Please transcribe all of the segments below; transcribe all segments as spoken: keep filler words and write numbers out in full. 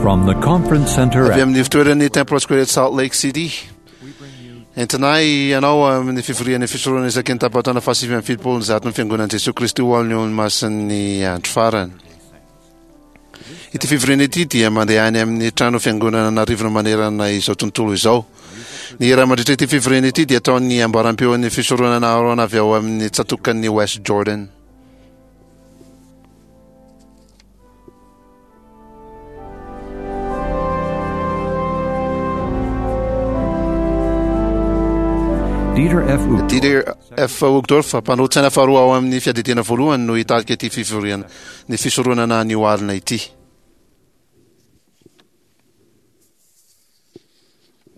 From the Conference Center Avy at amin'ny fitoeran'ny Temple Square at Salt Lake City. Entinay ianao amin'ny fivorian'ny fisoronana isaky ny tapataona fahasivy amby fitopolo ny zaton'ny fiangonan'i Jesoa Kristy ho an'ny olomasin'ny andro farany. Ity fivoriana ity dia mandeha any amin'ny trano fiangonana an'arivony manerana izao tontolo izao. Ny hira mandritra ity fivoriana ity dia ataon'ny ambaram-peon'ny fisoronana Aaron avy ao amin'ny tsatokan'ny West Jordan. Dieter F. Uchtdorf, Dieter F. Uchtdorf, mpanolotsaina faharoa ao amin'ny fiadidiana voalohany no hitarika ity fivoriana ny fisoronana anio alina ity.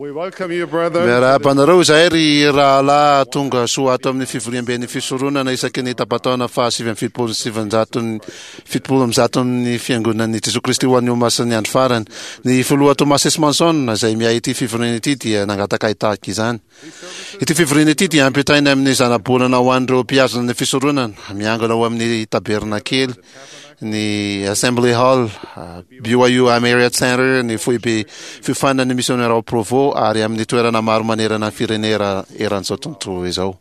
We welcome you, brethren. Miarahaba anareo izahay ry rahalahy tonga soa ato amin'ny fivoriamben'ny fisoronana isaky ny tapataona fahasivy amby fitopolo sy sivinjaton'ny fitopolo amby zaton'ny fiangonan'i Jesoa Kristy ho an'ny olomasin'ny andro farany. Ny filoha Thomas S. Monson izay miahy ity fivoriana ity dia nangataka hitarika izany. Ity fivoriana ity dia ampitaina amin'ny zanabolana ho an'ireo mpihazona ny fisoronana miangona ao amin'ny tabernakely ny Assembly Hall, B Y U Marriott Center, ny foibe fiofanan'ny misionera ao Provo ary amin'ny toerana maro manerana ny firenena eran'izao tontolo izao.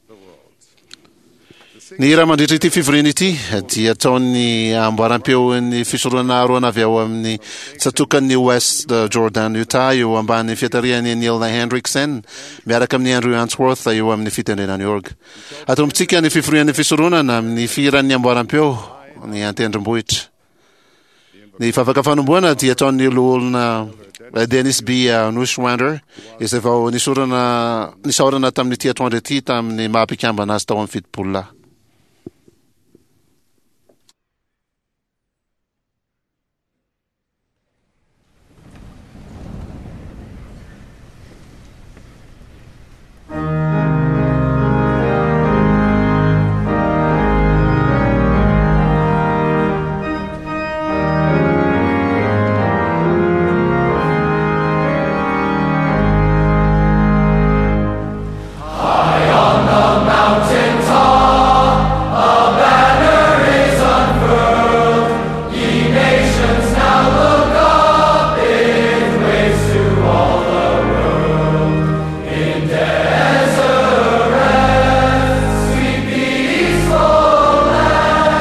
Ny hira mandritra ity fivoriana ity dia ataon'ny amboaram-peon'ny fisoronana Aaron avy ao amin'ny tsatokan'ny West Jordan, Utah, eo ambany fiatarihan'i Neil Hendrickson miaraka amin'ny Andrew Answorth eo amin'ny fitendrena New York. Atombontsika ny fivorian'ny fisoronana amin'ny fihiran'ny amboaram-peo ny antendrombohitra. Ny vavaka fanombohana dia ataon'ny loholona Dennis B. Neuschwander izay vao nisorana, nisaorana tamin'ity atoandro ity tamin'ny maha mpikambana azy tao amin'ny fitopolo lahy. High on the mountain top, a banner is unfurled. Ye nations now look up, it waves to all the world. In Deseret, sweet peaceful land,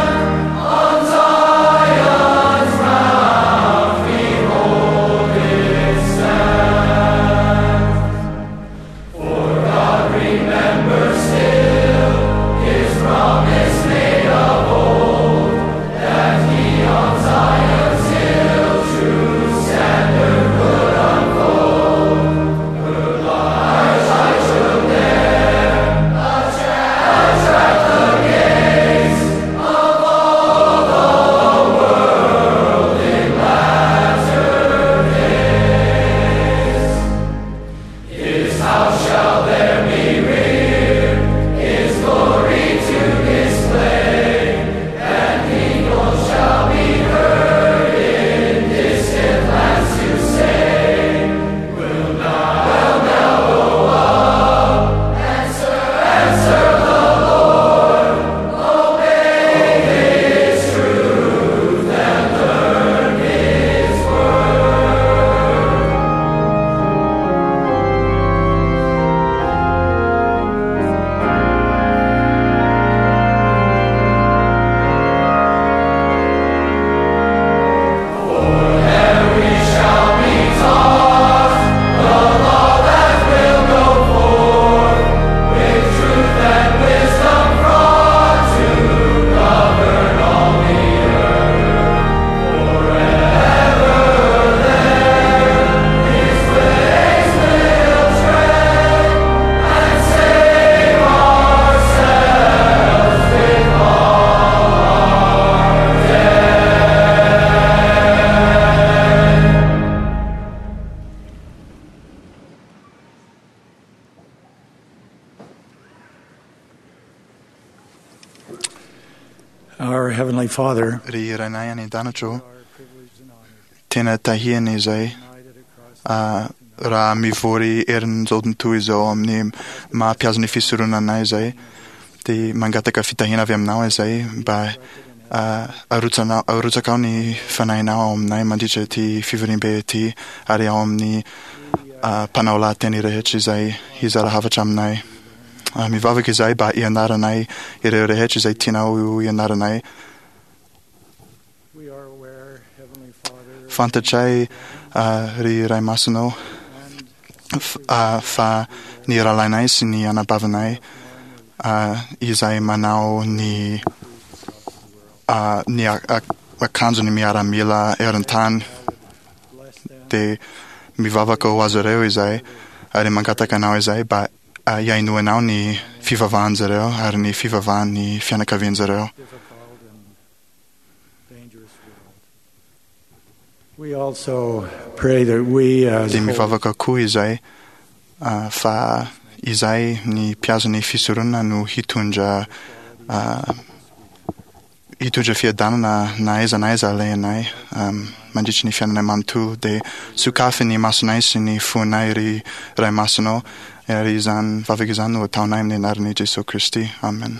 on Zion's mount behold it stand. For God remembers still His promise made of old, that He on Zion's hill true standard would unfold. Her large light should there attract the gaze of all the world in latter days. His house shall there be reared, His glory to display, and people shall be heard in distant lands to say, We'll now, we'll now go up and serve, and serve the Lord, obey His truth and learn His word. For there we shall be taught the law that will go forth with truth and wisdom brought to govern all the earth. Forever there His ways will tread and save ourselves with all our dead. Our Heavenly Father, Ry Rainay any an-danitra ô, tena tahiana izay ah, raha mivory herin'izao tontolo izao amin'ny maha-mpihazo ny fisoronana izay, dia mangataka fitahiana avy aminao izay mba Arotsanao, arotsakao ny fanahinao ao aminay mandritra ity fivoriambe ity ary ao amin'ny mpanao lahateny rehetra izay hizara hafatra aminay. Mivavaka izahay mba hianaranay ireo rehetra izay tianao hianaranay. Fantatray, ry Ray Masinao, fa ny rahalahinay sy ny anabavinay izay manao ny ny akanjon'ny miaramila eran-tany dia mivavaka ho azy ireo izahay ary mangataka anao izahay mba hihainoanao ny fivavahan'izy ireo ary ny fivavahan'ny fianakavian'izy ireo. Dia mivavaka koa izahay fa izahay ny mpiazon'ny fisoronana no hitondra hitondra fiadanana na aiza na aiza alehanay mandritry ny fiainanay manontolo. Dia sokafy ny masonay sy ny fonay, ry Ray Masinao, ary izany vavaka izany no ataonay amin'ny anaran'i Jesoa Kristy. Amen.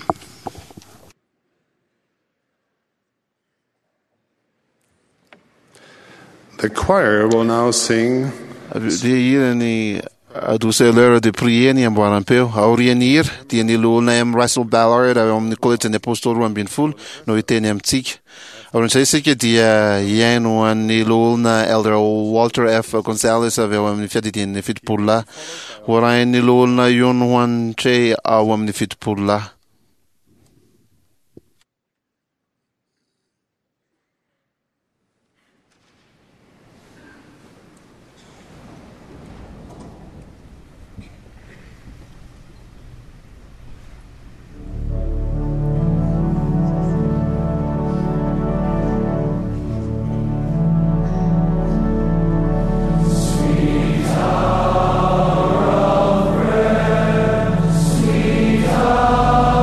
The choir will now sing. Dia hira ny A douce l'heure de prier ny amboaram-peo. Aorian'ny hira dia ny loholona M. Russell Ballard avy ao amin'ny Kolejin'ny Apôstôly roa ambin'ny folo no hiteny amintsika. Aorian'izay isika dia hihaino an'ny loholona Elder Walter F. Gonzalez avy ao amin'ny fiadidian'ny fitopolo lahy. Ho arahin'ny loholona Yun Hwan Che ao amin'ny fitopolo lahy. Sweet hour of prayer, sweet hour.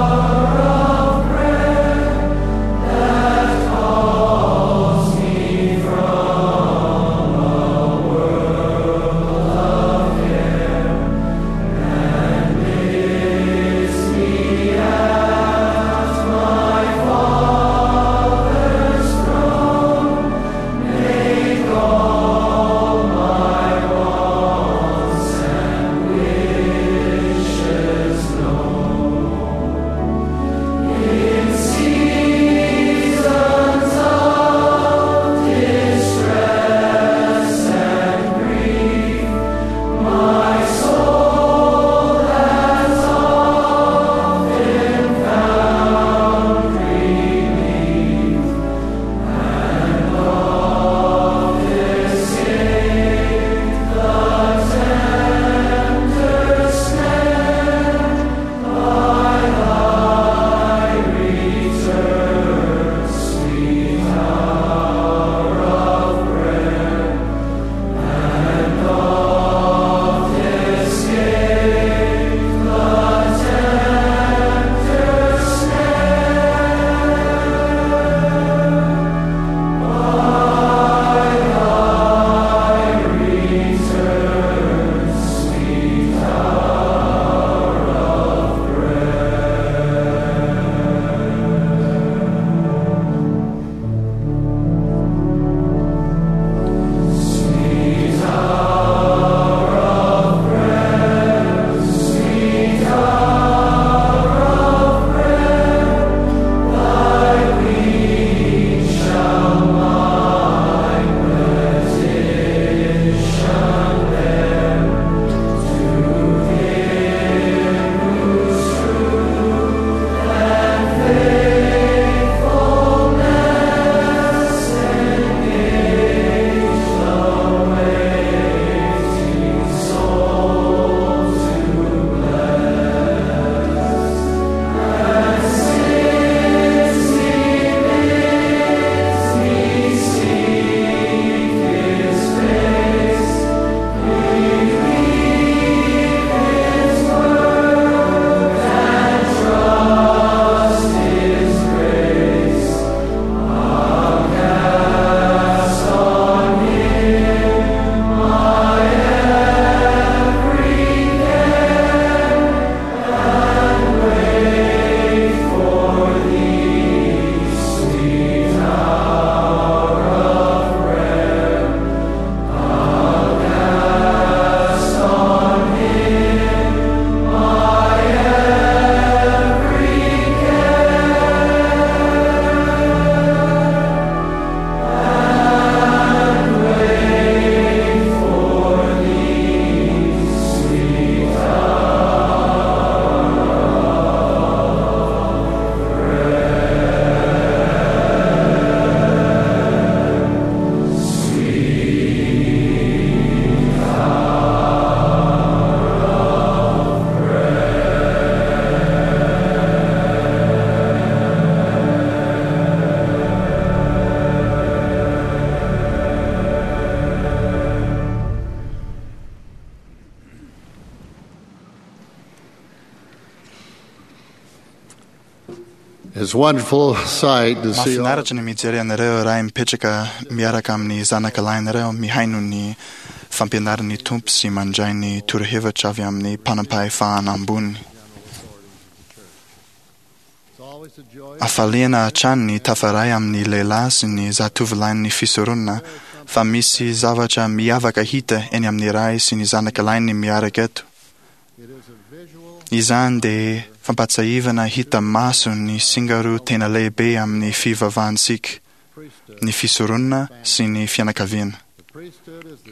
It's a wonderful sight to see all Mahafinaritra ny mijery anareo ray mipetraka miaraka amin'ny zanaka lahinareo mihaino ny fampianaran'ny Tompo sy mandray ny torohevitra avy amin'ny mpanam-pahefana ambony. Hafaliana hatrany ny tafaray amin'ny lehilahy sy ny zatovolahin'ny fisoronana fa misy zavatra miavaka hita eny amin'ny ray sy ny zanaka lahiny miaraka eto. Izany dia fampahatsiahivana hita maso ny singa roa tena lehibe amin'ny fivavahantsika, ny fisoronana sy ny fianakaviana.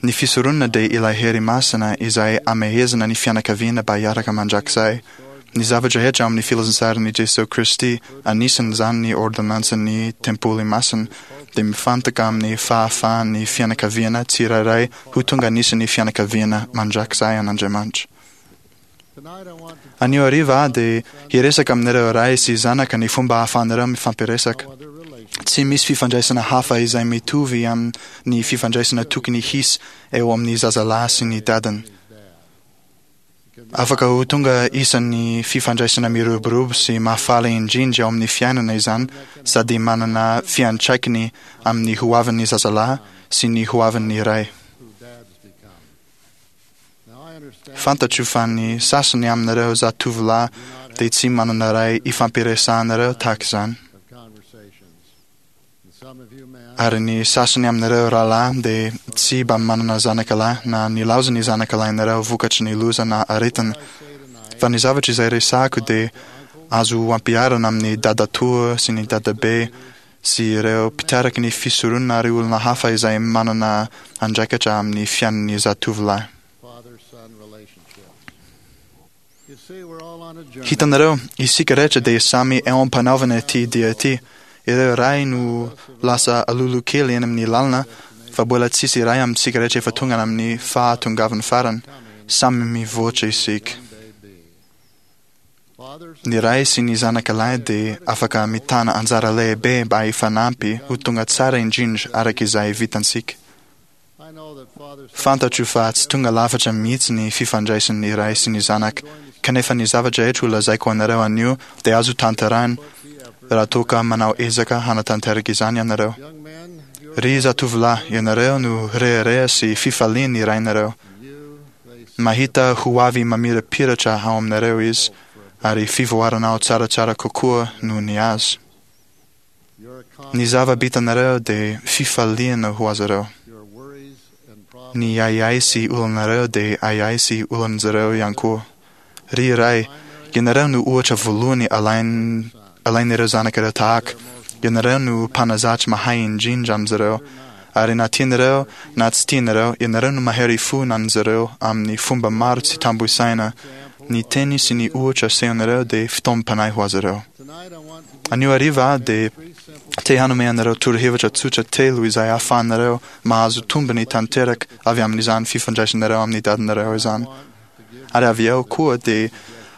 Ny fisoronana dia ilay hery masina izay amehezana ny fianakaviana mba hiaraka mandrakizay. Ny zavatra rehetra amin'ny filazantsaran'i Jesoa Kristy, anisan'izany ny ordonnansin'ny tempoly masina, dia mifantoka amin'ny fahafahan'ny fianakaviana tsirairay ho tonga anisan'ny fianakaviana mandrakizay an'Andriamanitra. Anio hariva aho dia hiresaka aminareo ray sy zanaka ny fomba ahafahanareo mifampiresaka. Tsy misy fifandraisana hafa izay mitovy amin'ny fifandraisana tokony hisy eo amin'ny zazalahy sy ny dadany. Afaka ho tonga isan'ny fifandraisana miroborobo sy mahafaly indrindra ao amin'ny fiainana izany sady manana fiantraikany amin'ny hoavin'ny zazalahy sy ny hoavin'ny ray. Fantatro fa ny sasany aminareo zatovolahy dia tsy manana ray ifampiresahanareo tahaka izany. Ary ny sasany aminareo rahalahy dia tsy mba manana zanakalahy na nilaozan'ny zanakalahinareo vokatry ny loza na aretina. Fa ny zavatra izay resahako dia azo ampiharina amin'ny dadatoa sy ny dadabe sy ireo mpitariky ny fisoronana ary olona hafa izay manana andraikitra amin'ny fiainan'ny zatovolahy. father-son relationship. You see, we're all on a journey. Hitanareo, isika rehetra dia samy eo am-panaovana ity dia ity. Ireo ray no lasa alolo kely eny amin'ny lalana fa mbola tsisy iray amintsika rehetra efa tonga amin'ny fahatongavan'ny farany. Samy mivoatra isika. Fathers Ny ray sy ny zanaka lahy dia afaka mitana anjara lehibe mba hifanampy ho tonga tsara indrindra araka izay vitantsika. I know that father Fantatro fa tsy tonga lafatra mihitsy ny fifandraisan'ny ray sy ny zanaka, kanefa ny zavatra rehetra ho lazaiko anareo anio dia azo tanterahina raha toa ka manao ezaka hanatanteraka izany ianareo. young men, you're Ry zatovolahy, ianareo no rehareha sy fifalian'ny rainareo. you, they see Mahita ho avy mamirapiratra ao aminareo izy, ary fivoaranao tsaratsara kokoa noho ny azy. your Ny zava-bitanareo dia fifaliana ho azy ireo. your worries and problems. Ny ahiahy sy olanareo dia ahiahy sy olan'izareo ihany koa. Ry ray, ianareo no ohatra voalohany alain- alain'ireo zanakareo tahaka. Ianareo no mpanazatra mahay indrindra amin'izareo. Ary na tianareo na tsy tianareo, ianareo no mahery fo an'izareo amin'ny fomba maro tsy tambo isaina. Ny teny sy ny ohatra asehonareo dia fitaomam-panahy ho azy ireo. Tonight I want to give Anio hariva aho dia three simple te hanome anareo torohevitra tsotra telo izay ahafahanareo mahazo tombony tanteraka avy amin'izany fifandraisanareo amin'ny dadanareo izany. want to give Ary avy eo koa dia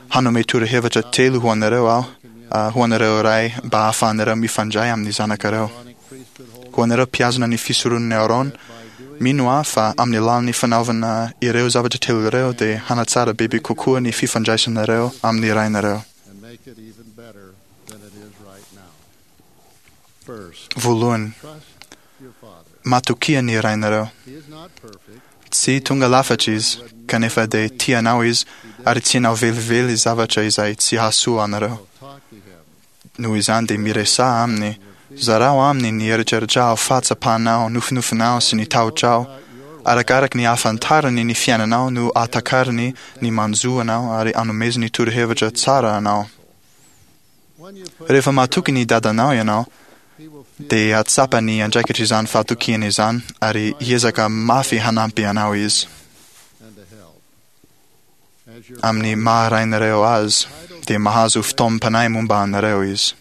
hanome torohevitra telo ho anareo aho, ah, ho anareo ray mba ahafahanareo mifandray amin'ny zanakareo. Aaronic priesthood holders Ho anareo mpihazona ny fisoronan'i Aaron, by doing mino aho fa amin'ny alalan'ny fanaovana ireo zavatra telo ireo dia hanatsara bebe kokoa ny fifandraisanareo amin'ny rainareo. and make it even better than it is right now. First, Voalohany, trust your father. matokia ny rainareo. He is not perfect. Tsy tonga lafatra izy, kanefa dia tia anao izy ary tsy hanao velively zavatra izay tsy hahasoa anareo. So talk to him. Noho izany dia miresaha aminy, zarao aminy ny eritreritrao, fahatsapanao, nofinofinao sy ny tahotrao. Arakaraka ny ahafantarany ny fiainanao no ahatakarany ny manjo anao ary anomezany torohevitra tsara anao. When you put Rehefa matoky ny dadanao ianao, he will feel dia hahatsapa ny andraikitra izany fahatokiana izany ary hiezaka mafy hanampy anao izy. and to help. As your Amin'ny maha rainareo azy, dia mahazo fitaomam-panahy momba anareo izy.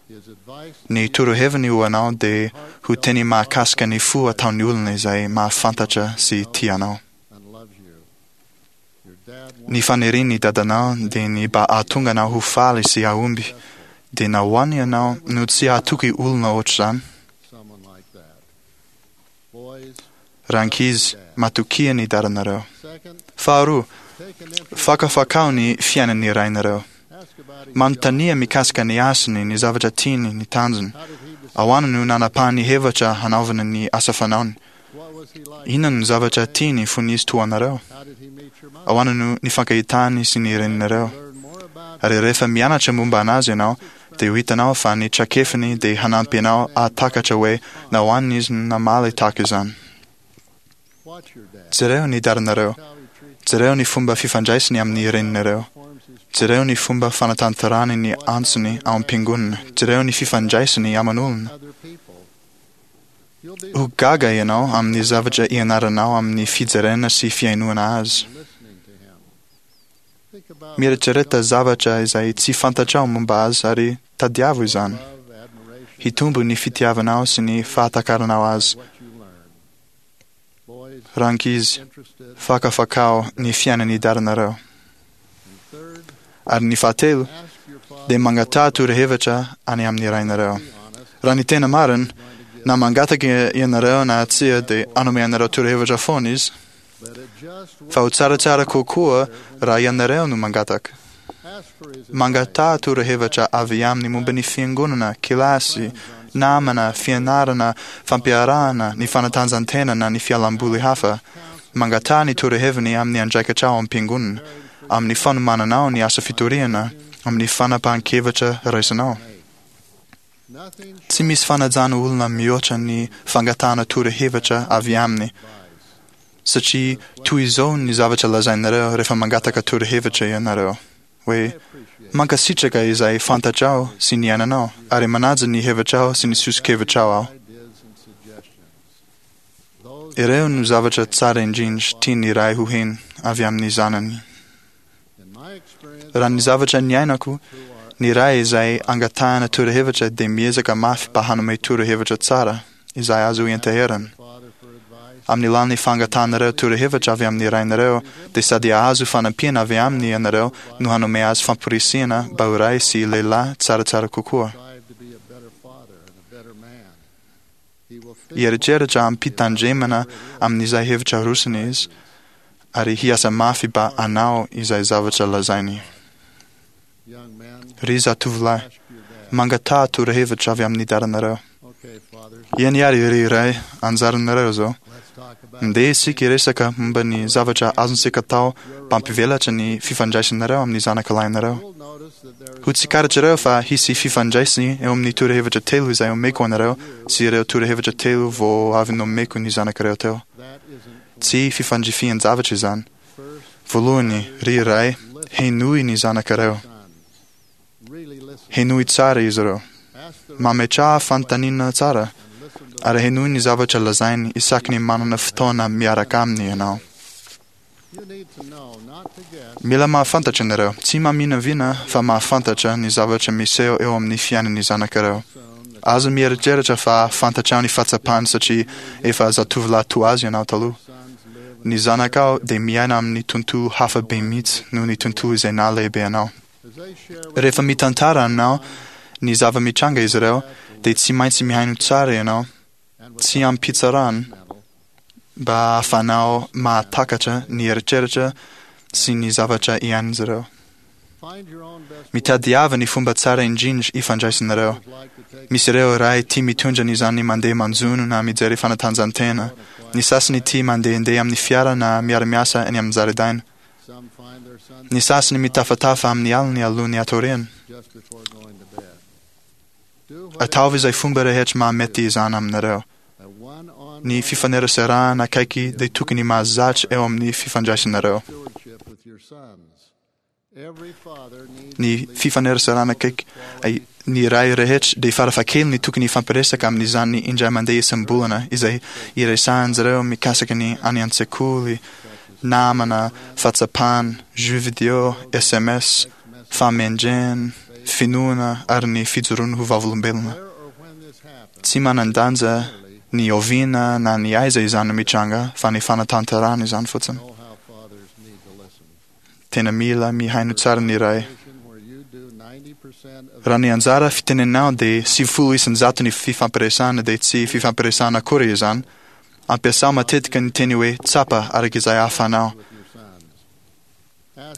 his advice Ny toroheviny ho anao dia ho teny mahakasika ny fo ataon'ny olona izay mahafantatra sy tia anao. and loves you. Your dad Ny wants fanirian'ny dadanao dia ny mba hahatonga anao ho faly sy hahomby. Dia nahoana ianao no tsy hahatoky olona ohatr'izany? someone like that. Boys, Rankizy, matokia ny dadanareo. second, Faharoa, take an interest. fakafakao ny fiainan'ny rainareo. Ask Manontania mikasika ny asany, ny zavatra tiany, ny tanjony. Ahoana no nanapahany hevitra hanaovana ny asa fanaony? Inona no zavatra tiany fony izy toa anareo? Ahoana no nifankahitany sy ny reninareo? Ary rehefa mianatra momba anazy ianao, dia ho hitanao fa ny traikefany dia hanampy anao hahatakatra hoe nahoana izy no namaly tahaka izany. Jereo ny dadanareo. Jereo ny fomba fifandraisany amin'ny reninareo. Jereo ny fomba fanatanterahany ny antsony ao am-piangonana. Jereo ny fifandraisany aman'olona. Ho gaga ianao amin'ny zavatra ianaranao amin'ny fijerena sy fihainoana azy. Mieritrereta zavatra izay tsy fantatrao momba azy ary tadiavo izany. Hitombo ny fitiavanao sy ny fahatakaranao azy. Rankizy, fakafakao ny fiainan'ny dadanareo. Ary ny fahatelo, dia mangataha torohevitra any amin'ny rainareo. Raha ny tena marina, na mangataka ianareo na tsia dia hanome anareo torohevitra foana izy. Fa ho tsaratsara kokoa raha ianareo no mangataka. Mangataha torohevitra avy aminy momba ny fiangonana, kilasy, namana, fianarana, fampiarahana, ny fanatanjahantena na ny fialamboly hafa. Mangataha ny toroheviny amin'ny andraikitra ao am-piangonana, amin'ny fanomananao ny asa fitoriana, amin'ny fanapahan-kevitra raisinao. Tsy misy fanajana olona mihoatra ny fangatahana torohevitra avy aminy, satria toy izao ny zavatra lazainareo rehefa mangataka torohevitra ianareo, hoe, Mankasitraka izay fantatrao sy niainanao, ary manaja ny hevitrao sy ny soso-kevitrao aho. Ireo no zavatra tsara indrindra tian'ny ray ho heno avy amin'ny zanany. Raha ny zavatra niainako, ny ray izay angatahana torohevitra dia miezaka mafy mba hanome torohevitra tsara, izay azo ianteherana. Amin'ny alalan'ny fangatahanareo torohevitra avy amin'ny rainareo, dia sady hahazo fanampiana avy aminy ianareo no hanome azy famporisihana mba ho ray sy lehilahy tsaratsara kokoa. Hieritreritra amim-pitandremana amin'izay hevitra arosony izy, ary hiasa mafy mba hanao izay zavatra lazainy. Ry zatovolahy, mangataha torohevitra avy amin'ny dadanareo. Eny àry, ry ray, anjaranareo izao. Ndeha isika hiresaka momba ny zavatra azontsika atao mba hampivelatra ny fifandraisanareo amin'ny zanakalahinareo. Ho tsikaritrareo fa hisy fifandraisany eo amin'ny torohevitra telo izay omeko anareo sy ireo torohevitra telo vao avy nomeko ny zanakareo teo. Tsy fifandrifian-javatra izany. Voalohany, ry ray, henoy ny zanakareo. Henoy tsara izy ireo. Mametraha fanontaniana tsara, ary henoy ny zavatra lazainy isaky ny manana fotoana miaraka aminy ianao. Mila mahafantatra ianareo, tsy maminavina fa mahafantatra ny zavatra miseho eo amin'ny fiainan'ny zanakareo. Aza mieritreritra fa fantatrao ny fahatsapany satria efa zatovolahy toa azy ianao taloha. Ny zanakao dia miaina amin'ny tontolo hafa be mihitsy noho ny tontolo izay nahalehibe anao. Rehefa mitantara aminao ny zava-mitranga izy ireo, dia tsy maintsy mihaino tsara ianao, tsy amim-pitsarana, mba hahafahanao mahatakatra ny eritreritra sy ny zavatra iainan'izy ireo. Mitadiava ny fomba tsara indrindra ifandraisanareo. Misy ireo ray tia mitondra ny zanany mandeha manjono na mijery fanatanjahantena. Ny sasany tia mandehandeha amin'ny fiara na miara-miasa any amin'ny zaridaina. Ny sasany mitafatafa amin'ny aliny alohan'ny hatoriana. Ataovy izay fomba rehetra mahamety izany aminareo. Ny fifaneraserana akaiky dia tokony mahazatra eo amin'ny fifandraisanareo. Ny fifaneraserana akaiky, ny ray rehetra dia farafahakeliny tokony hifampiresaka amin'izany indray mandeha isam-bolana izay iresahan-dry zareo mikasika ny any an-tsekoly, namana, fahatsapana, jeux vidéo, sms, fahamendrehana, finoana ary ny fijoroana ho vavolombelona. Tsy manan-danja ny oviana na ny aiza izany no mitranga fa ny fanatanterahana izany fotsiny. Tena mila mihaino tsara ny ray. Raha ny anjara fitenenao dia sivifolo isan-jato ny fifampiresahana dia tsy fifampiresahana akory izany. Ampiasao matetika ny teny hoe tsapa araka izay ahafahanao.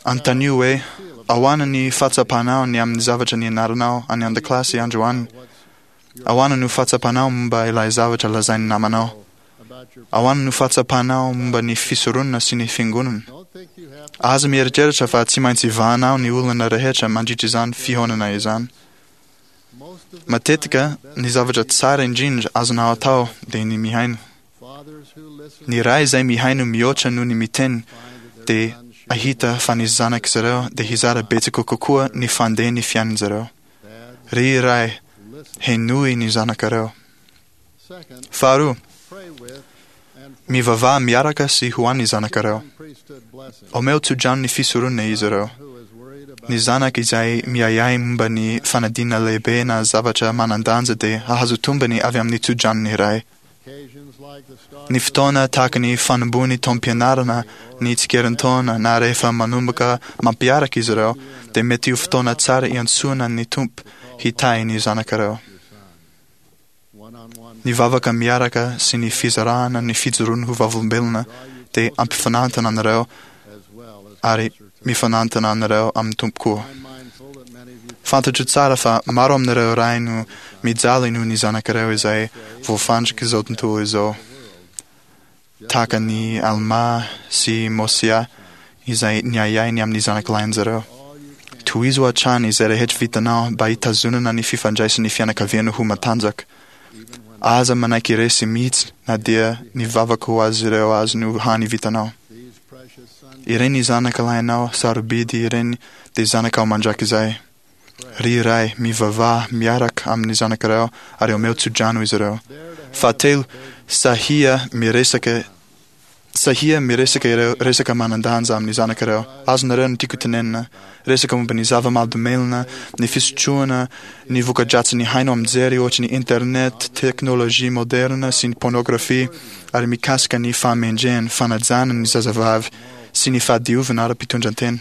Anontanio hoe, Ahoana ny fahatsapanao ny amin'ny zavatra nianaranao any an-dakilasy androany? Ahoana no fahatsapanao momba ilay zavatra lazain'ny namanao? Ahoana no fahatsapanao momba ny fisoronana sy ny fiangonana? Aza mieritreritra fa tsy maintsy vahanao ny olana rehetra mandritra izany fihaonana izany. Matetika, ny zavatra tsara indrindra azonao atao dia ny mihaino. Ny ray izay mihaino mihoatra noho ny miteny dia hahita fa ny zanak'izy ireo dia hizara betsaka kokoa ny fandehan'ny fiainan'izy ireo. Ry ray, henoy ny zanakareo. Faharoa, mivavaha miaraka sy ho an'ny zanakareo. Omeo tsodrano ny fisoronana izy ireo. Ny zanaka izay miahiahy momba ny fanadinana lehibe na zavatra manan-danja dia hahazo tombony avy amin'ny tsodranon'ny ray. Ny fotoana tahaka ny fanombohan'ny taom-pianarana, ny tsikerin-taona, na rehefa manomboka mampiaraka izy ireo, dia mety ho fotoana tsara iantsoana ny Tompo hitahy ny zanakareo. Ny vavaka miaraka sy ny fizarana ny fijoroana ho vavolombelona dia ampifanantona anareo ary mifanantona anareo amin'ny Tompo koa. Fantatro tsara fa maro aminareo ray no mijaly noho ny zanakareo izay voafandrika izao tontolo izao, tahaka ny Almà sy Môsià izay niahiahy ny amin'ny zanakalahin'izy ireo. Tohizo hatrany izay rehetra vitanao mba hitazonana ny fifandraisan'ny fianakaviana ho matanjaka. Aza manaiky resy mihitsy na dia ny vavaka ho azy ireo aza no hany vitanao. Ireny zanakalahinao sarobidy ireny dia zanakao mandrakizay. Ry ray, mivavaha miaraka amin'ny zanakareo ary omeo tsodrano izy ireo. Fahatelo, sahia miresaka sahia miresaka ireo resaka manan-danja amin'ny zanakareo. Azonareo ny tiako tenenina. Resaka momba ny zava-mahadomelina, ny fisotroana, ny voka-dratsin'ny haino aman-jery ohatry ny internet, teknôlôjia moderna sy ny pornografia, ary mikasika ny fahamendrehana, fanajana ny zazavavy, sy ny fahadiovana ara-pitondran-tena.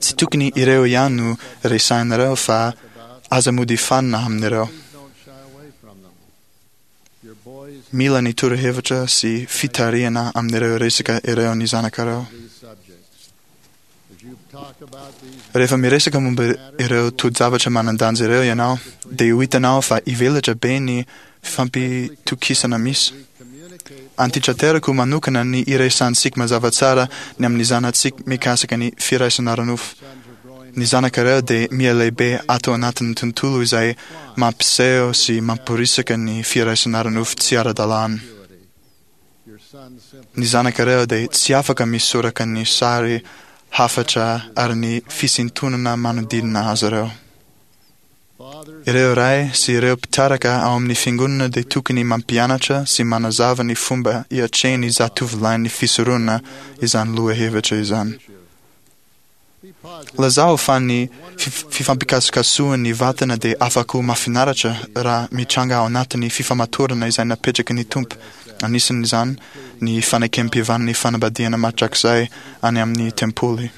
Tsy tokony ireo ihany no resahinareo fa aza mody fanina amin'ireo. Mila ny torohevitra sy fitarihana amin'ireo resaka ireo ny zanakareo. Rehefa miresaka momba ireo toe-javatra manan-danja ireo ianao, dia ho hitanao fa hivelatra be ny fifampitokisana misy. Antitraterako manokana ny iresahantsika mazava tsara ny amin'ny zanatsika mikasika ny firaisana ara-nofo. Ny zanakareo dia mihalehibe ato anatin'ny tontolo izay mampiseho sy mamporisika ny firaisana ara-nofo tsy ara-dalàna. Ny zanakareo dia tsy afaka misoraka ny sary hafatra ary ny fisintonana manodidina azy ireo. Ireo ray sy ireo mpitarika ao amin'ny fiangonana dia tokony mampianatra sy manazava ny fomba hiatrehan'ny zatovolahin'ny fisoronana izany lohahevitra izany. Lazao fa ny fifampikasokasohan'ny vatana dia afaka ho mahafinaritra raha mitranga ao anatin'ny fifamatorana izay napetraky ny Tompo, anisan'izany ny fanekem-pihavanan'ny fanambadiana mandrakizay any amin'ny tempoly.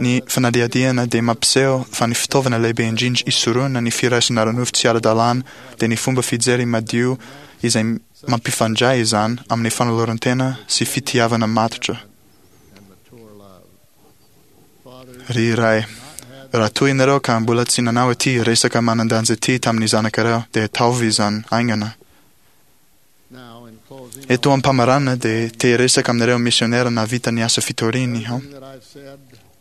Ny fanadihadiana dia mampiseho fa ny fitaovana lehibe indrindra isorohana ny firaisana ara-nofo tsy ara-dalàna dia ny fomba fijery madio izay mampifandray izany amin'ny fanoloran-tena sy fitiavana matotra. Ry ray, raha toa ianareo ka mbola tsy nanao ity resaka manan-danja ity tamin'ny zanakareo, dia ataovy izany haingana. Eto am-pamaranana dia te hiresaka aminareo misionera nahavita ny asa fitoriany aho.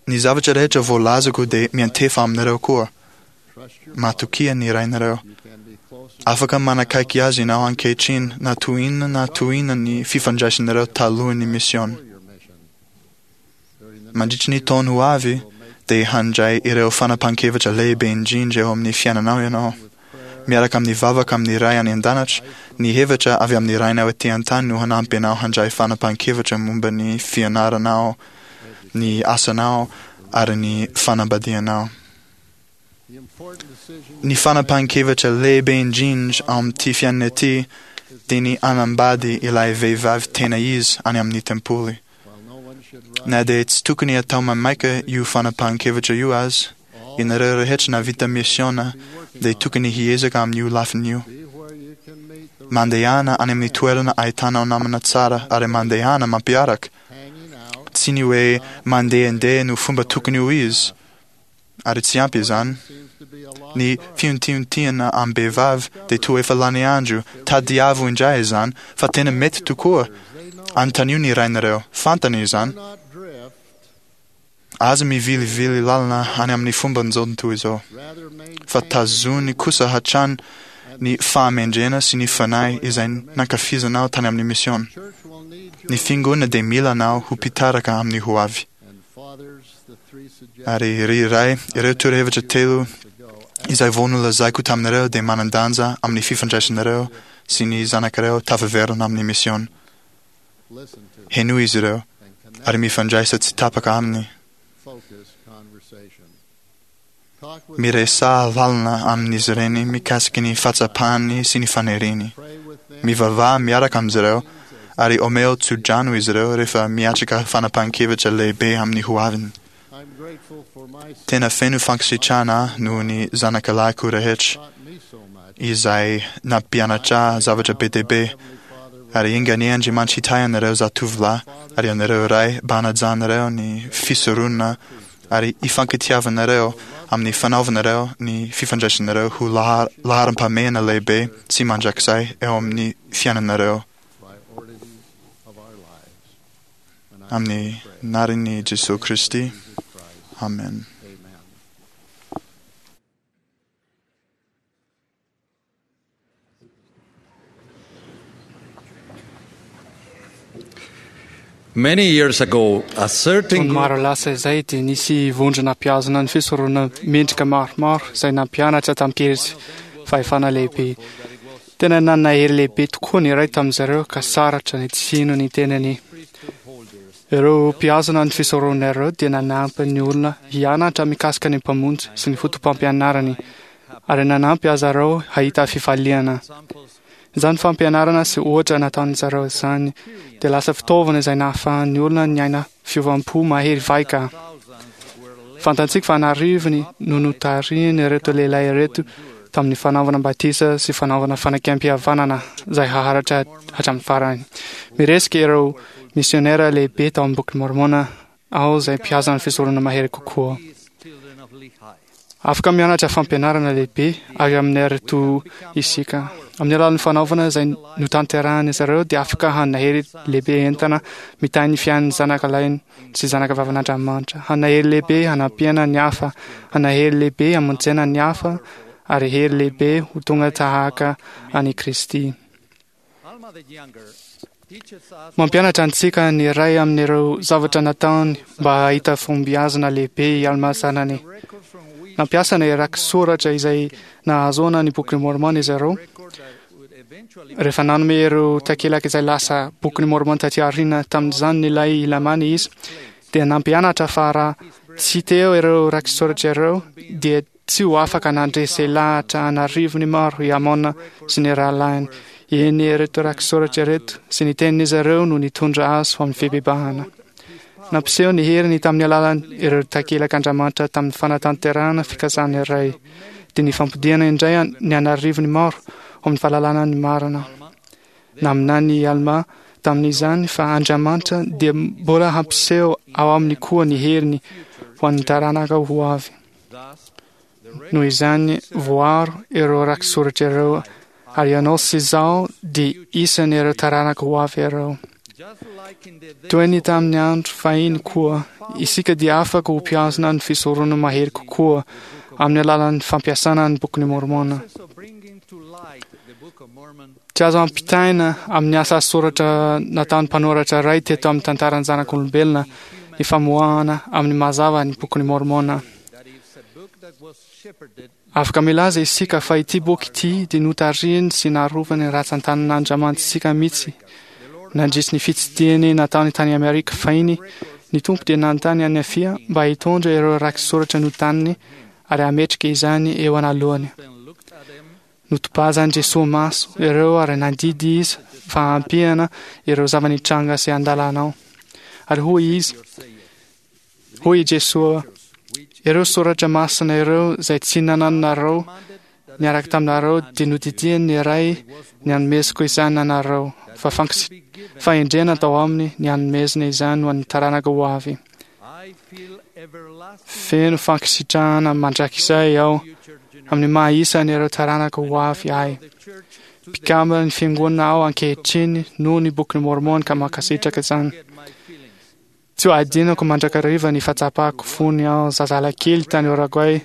Ny zavatra rehetra voalazako dia miantefa aminareo koa. Matokia ny rainareo. Afaka manakaiky azy ianao ankehitriny na toy inona na toy inona ny fifandraisanareo talohan'ny misiona. Mandritry ny taona ho avy, dia handray ireo fanapahan-kevitra lehibe indrindra eo amin'ny fiainanao ianao. Miaraka amin'ny vavaka amin'ny Ray any An-danitra, ny hevitra avy amin'ny Rainao ety an-tany no hanampy anao handray fanapahan-kevitra momba ny fianaranao, ny asanao, ary ny fanambadianao. Ny fanapahan-kevitra lehibe indrindra ao amin'ity fiainana ity dia ny hanambady ilay vehivavy tena izy any amin'ny tempoly. Na dia tsy tokony hatao maimaika io fanapahan-kevitra io aza, ianareo rehetra nahavita misiona dia tokony hiezaka amin'io lafiny io. Mandehana any amin'ny toerana ahitanao namana tsara ary mandehana mampiaraka. Tsy ny hoe mandehandeha no fomba tokony ho izy, ary tsy ampy izany. Ny fiontiontiana am-behivavy dia toa efa lany andro, tadiavo indray izany, fa tena mety tokoa. Anontanio ny rainareo, fantany izany. Aza mivilivily lalana any amin'ny fomban'izao tontolo izao, fa tazony kosa hatrany ny fahamendrena sy ny fanahy izay nankafizanao tany amin'ny misiona. Ny fiangonana dia mila anao ho mpitarika amin'ny ho avy. Ary ry ray, ireo torohevitra telo izay vao nolazaiko taminareo dia manan-danja amin'ny fifandraisanareo sy ny zanakareo tafaverina amin'ny misiona. Henoy izy ireo ary mifandraisa tsy tapaka aminy. Miresaha lalina amin'izy ireny mikasika ny fahatsapany sy ny faniriany. Mivavaha miaraka amin'izy ireo ary omeo tsodrano izy ireo rehefa miatrika fanapahan-kevitra lehibe amin'ny ho aviny. Tena feno fankasitrahana aho noho ny zanakalahiko rehetra izay nampianatra ahy zavatra be dia be, ary enga anie Andriamanitra hitahy anareo zatovolahy ary anareo ray mba hanajanareo ny fisoronana ary hifankatiavanareo amin'ny fanaovanareo ny fifandraisanareo ho laharam-pahamehana lehibe sy mandrakizay eo amin'ny fiainanareo. Amin'ny anaran'i Jesoa Kristy. Amen. Many years ago, a certain Taona maro lasa izay dia nisy vondrona mpihazona ny fisoronana mendrika maromaro izay nampianatra tamin-kery sy fahefana lehibe. Tena nanana hery lehibe tokoa ny iray tamin'izy ireo ka sarotra ny tsy hino ny tenany. Ireo mpihazona ny fisoronana ireo dia nanampy ny olona hianatra mikasika ny Mpamonjy sy ny fotopampianarany ary nanampy azy ireo hahita fifaliana. Izany fampianarana sy ohatra nataon'izy ireo izany dia lasa fitaovana izay nahafahan'ny olona niaina fiovam-po mahery vaika. Fantatsika fa an'arivony no notarihin'ireto lehilahy ireto tamin'ny fanaovana batisa sy fanaovana fanekempihavanana izay haharitra hatramin'ny farany. Miresaka ireo misionera lehibe tao amin'ny Boky Môrmôna aho izay mpihaza ny fisoronana mahery kokoa. Afaka mianatra fampianarana lehibe avy amin'ireto isika. Amin'ny alalan'ny fanaovana izay notanterahan'izy ireo dia afaka hanana hery lehibe entana mitahy ny fiainan'ny zanaka lahiny sy zanaka vavin'Andriamanitra. Hanana hery lehibe hanampiana ny hafa, hanana hery lehibe hamonjena ny hafa, ary hery lehibe ho tonga tahaka an'i Kristy. Mampianatra antsika ny iray amin'ireo zavatra nataony mba hahita fahombiazana lehibe i Alma zanany. Nampiasa ny raki-soratra izay nahazoana ny Bokin'i Môrmôna izy ireo. Rehefa nanome ireo takelaka izay lasa Bokin'i Môrmôna taty aoriana tamin'izany ilay Lamana izy, dia nampianatra fa raha tsy teo ireo raki-soratra ireo, dia tsy ho afaka nandresy lahatra an'arivony maro i Amôna sy ny rahalahiny. Eny, ireto raki-soratra ireto sy ny tenin'izy ireo no nitondra azy ho amin'ny fibebahana. Nampiseho ny heriny tamin'ny alalan' ireo takelak'Andriamanitra tamin'ny fanatanterahana fikasana iray, dia ny fampodiana indray ny an'arivony maro ho amin'ny fahalalana ny marina. Naminany i Almà tamin'izany fa Andriamanitra dia mbola hampiseho ao aminy koa ny heriny ho an'ny taranaka ho avy. Noho izany, voaro ireo raki-soratra ireo, ary ianao sy izaho dia isan'ireo taranaka ho avy ireo. Toy ny tamin'ny andro fahiny koa, isika dia afaka ho mpihazona ny fisoronana mahery kokoa amin'ny alalan'ny fampiasana ny Bokin'i Môrmôna. Tsy azo ampitaina amin'ny asa soratra nataon'ny mpanoratra iray teto amin'ny tantaran'ny zanak'olombelona ny famoahana amin'ny mazava ny Bokin'i Môrmôna. Afaka milaza isika fa ity boky ity dia notarihiny sy narovany ratsan-tanan'Andriamanitsika mihitsy. Nandritry ny fitsidihany nataony tany Amerika fahiny, ny Tompo dia nanontany an'i Nefia mba hitondra ireo raki-soratra notaniny ary hametraka izany eo analohany. Notobazan'i Jesoa maso ireo ary nandidy Izy fa hampiana ireo zava-nitranga sy andalanao. Ary hoy Izy, Hoy i Jesoa, Ireo soratra masina ireo izay tsy nanananareo niaraka taminareo dia nodidian'ny Ray ny hanomezako izany anareo fa fahendrena tao aminy ny hanomezana izany ho an'ny taranaka ho avy. Feno fankasitrahana mandrakizay aho amin'ny maha isan'ireo taranaka ho avy ahy. Mpikambana ny fiangonana aho ankehitriny noho ny Bokin'i Môrmôna ka mankasitraka izany. Tsy ho adinako mandrakariva ny fahatsapako fony aho zazalakely tany Orogoay,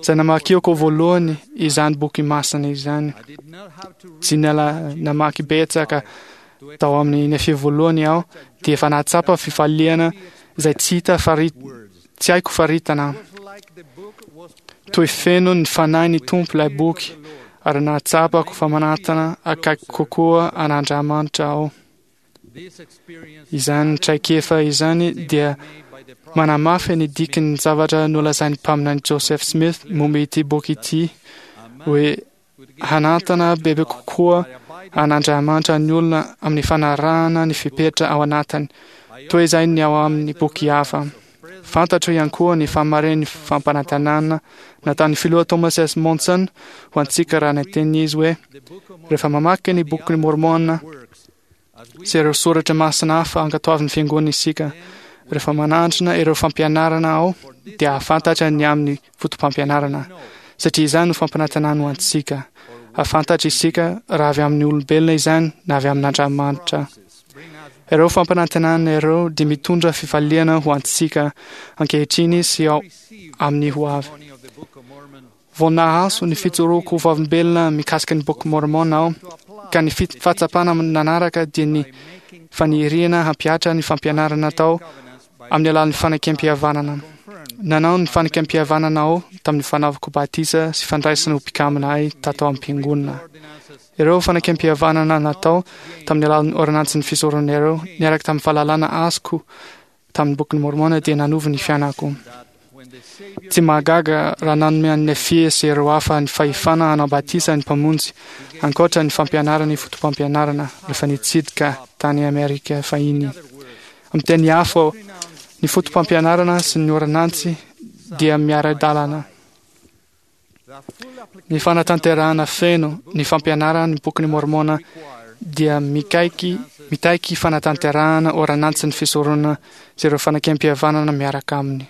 izay namakiako voalohany izany boky masina izany. Tsy niala namaky betsaka tao amin'ny Nefia voalohany aho dia efa nahatsapa fifaliana izay tsy hita fari- tsy haiko faritana. Toy feno ny fanahy ny Tompo ilay boky ary nahatsapako fa manatona akaiky kokoa an'Andriamanitra aho. Izany traikefa izany dia manamafy ny dikan'ny zavatra nolazain'ny mpaminany Joseph Smith momba ity boky ity hoe hanantana bebe kokoa an'Andriamanitra ny olona amin'ny fanarahana ny fepetra ao anatiny, toy izay ny ao amin'ny boky hafa. Fantatro ihany koa ny fahamarinan'ny fampanantenana nataon'ny filoha Thomas S. Monson ho antsika raha niteny izy hoe rehefa mamaky ny Bokin'i Môrmôna sy ireo soratra masina hafa ankatoavin'ny fiangonana isika, rehefa manandrana ireo fampianarana ao dia hahafantatra ny amin'ny foto-pampianarana, satria izany no fampanantenana ho antsika. Hahafantatra isika raha avy amin'ny olombelona izany na avy amin'Andriamanitra. Ireo fampanantenana ireo dia mitondra fifaliana ho antsika ankehitriny sy ao amin'ny ho avy. Vao nahazo ny fijoroako ho vavolombelona mikasika ny Boky Môrmôna aho, ka ny fahatsapana nanaraka dia ny faniriana hampihatra ny fampianarana tao amin'ny alalan'ny fanekempihavanana. Nanao ny fanekempihavanana aho tamin'ny fanaovako batisa sy fandraisana ho mpikambana ahy tato am-piangonana. Ireo fanekempihavanana natao tamin'ny alalan'ny ôrdônansin'ny fisoronana ireo niaraka tamin'ny fahalalana azoko tamin'ny Bokin'i Môrmôna dia nanova ny fiainako. Tsy mahagaga raha nanome an'i Nefia sy ireo hafa ny fahefana hanao batisa ny Mpamonjy, ankoatra ny fampianarany fotopampianarana rehefa nitsidika tany Amerika fahiny. Amin'ny teny hafa, ny fotopampianarana sy ny ôrdônansy dia miara-dalana. Ny fanatanterahana feno ny fampianarana ny Bokin'i Môrmôna dia mikaiky mitaiky fanatanterahana ôrdônansin'ny fisoronana sy ireo fanekempihavanana miaraka aminy.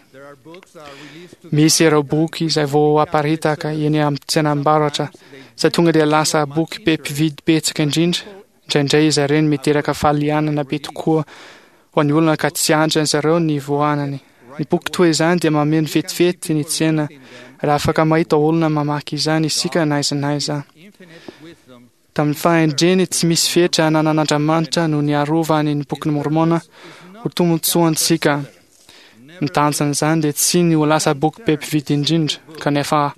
Misy ireo boky izay vao aparitaka eny amin'ny tsenam-barotra izay tonga dia lasa boky be mpividy betsaka indrindra. Indraindray izy ireny miteraka fahalianana be tokoa ho an'ny olona ka tsy andry zareo ny voanany. Ny boky toy izany dia mameno vetivety ny tsena raha afaka mahita olona mamaky izany isika na aiza na aiza. Tamin'ny fahendreny tsy misy fetra ananan'Andriamanitra no niarovany ny Bokin'i Môrmôna ho tombontsoantsika. Ny tanjon'izany dia tsy ny ho lasa boky be mpividy indrindra, kanefa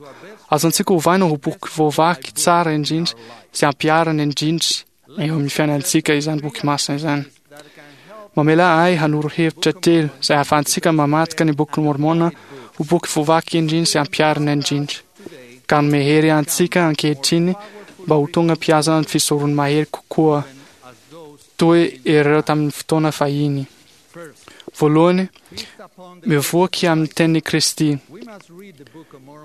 azontsika ovaina ho boky voavaky tsara indrindra sy ampiharina indrindra eo amin'ny fiainantsika izany boky masina izany. Mamela ahy hanoro hevitra telo izay ahafahantsika mamadika ny Bokin'i Môrmôna ho boky voavaky indrindra sy ampiharina indrindra, ka hanome hery antsika ankehitriny mba ho tonga mpihazona ny fisoron'ny mahery kokoa toy ireo tamin'ny fotoana fahiny. Voalohany, mivoaky amin'ny tenin'i Kristy.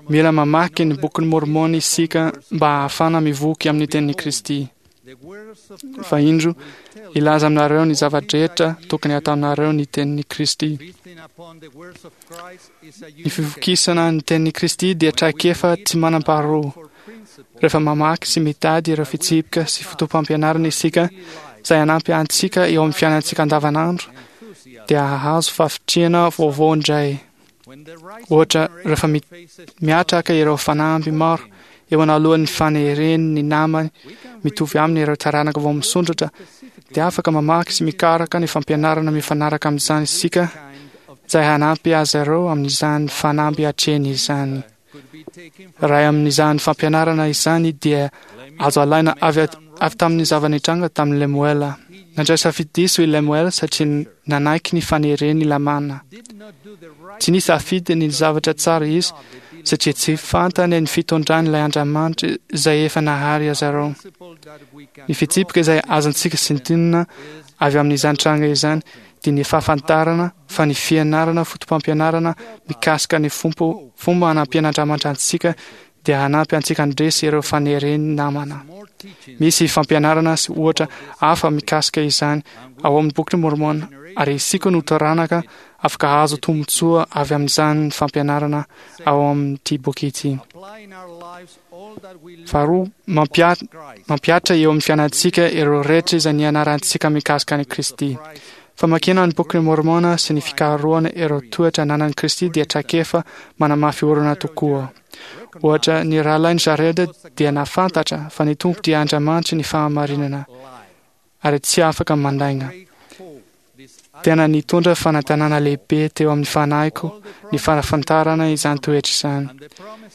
Mila mamaky ny Bokin'i Môrmôna isika mba hahafahana mivoky amin'ny tenin'i Kristy. Fa indro, hilaza aminareo ny zava-drehetra tokony hataonareo ny tenin'i Kristy. Ny fivokisana ny tenin'i Kristy dia traikefa tsy manam-paharoa. Rehefa mamaky sy mitady ireo fitsipika sy fotoam-pampianarana isika izay hanampy antsika eo amin'ny fiainantsika andavanandro, dia hahazo fahavitrihana vaovao indray. Ohatra, rehefa miatraka ireo fanamby maro eo analohan'ny fanereny ny namany mitovy aminy ireo taranaka vao misondrotra, dia afaka mamaky sy mikaraka ny fampianarana mifanaraka amin'izany isika izay hanampy azy ireo amin'izany fanamby atrehiny izany. Iray amin'izany fampianarana izany dia azo alaina avy avy tamin'ny zava-nitranga tamin'i Lemoela. Nandray safidy diso i Lemoela satria nanaiky ny faneren'i Lamana. Tsy nisafidy ny zavatra tsara izy satria tsy fantany ny fitondran'ilay Andriamanitra izay efa nahary azy ireo. Ny fitsipika izay azontsika sintonina avy amin'izany tranga izany dia ny fahafantarana fa ny fianarana fotopampianarana mikasika ny fompo fomba hanampian'Andriamanitra antsika dia hanampy antsika handresy ireo faneren'ny namana. Misy fampianarana sy ohatra hafa mikasika izany ao amin'ny Bokin'i Môrmôna, ary isika no taranaka afaka hahazo tombontsoa avy amin'izany fampianarana ao amin'ity boky ity. Faharoa, mampihatra eo amin'ny fiainantsika ireo rehetra izay nianarantsika mikasika an'i Kristy. Famakiana ny Bokin'i Môrmôna sy ny fikarohana ireo toetra ananan'i Kristy dia traikefa manamafy orina tokoa. Ohatra, ny rahalahin'i Jared dia nahafantatra fa ny Tompo dia Andriamanitry ny fahamarinana ary tsy afaka mandainga. Tena nitondra fanantenana lehibe teo amin'ny fanahiko ny fahafantarana izany toetra izany.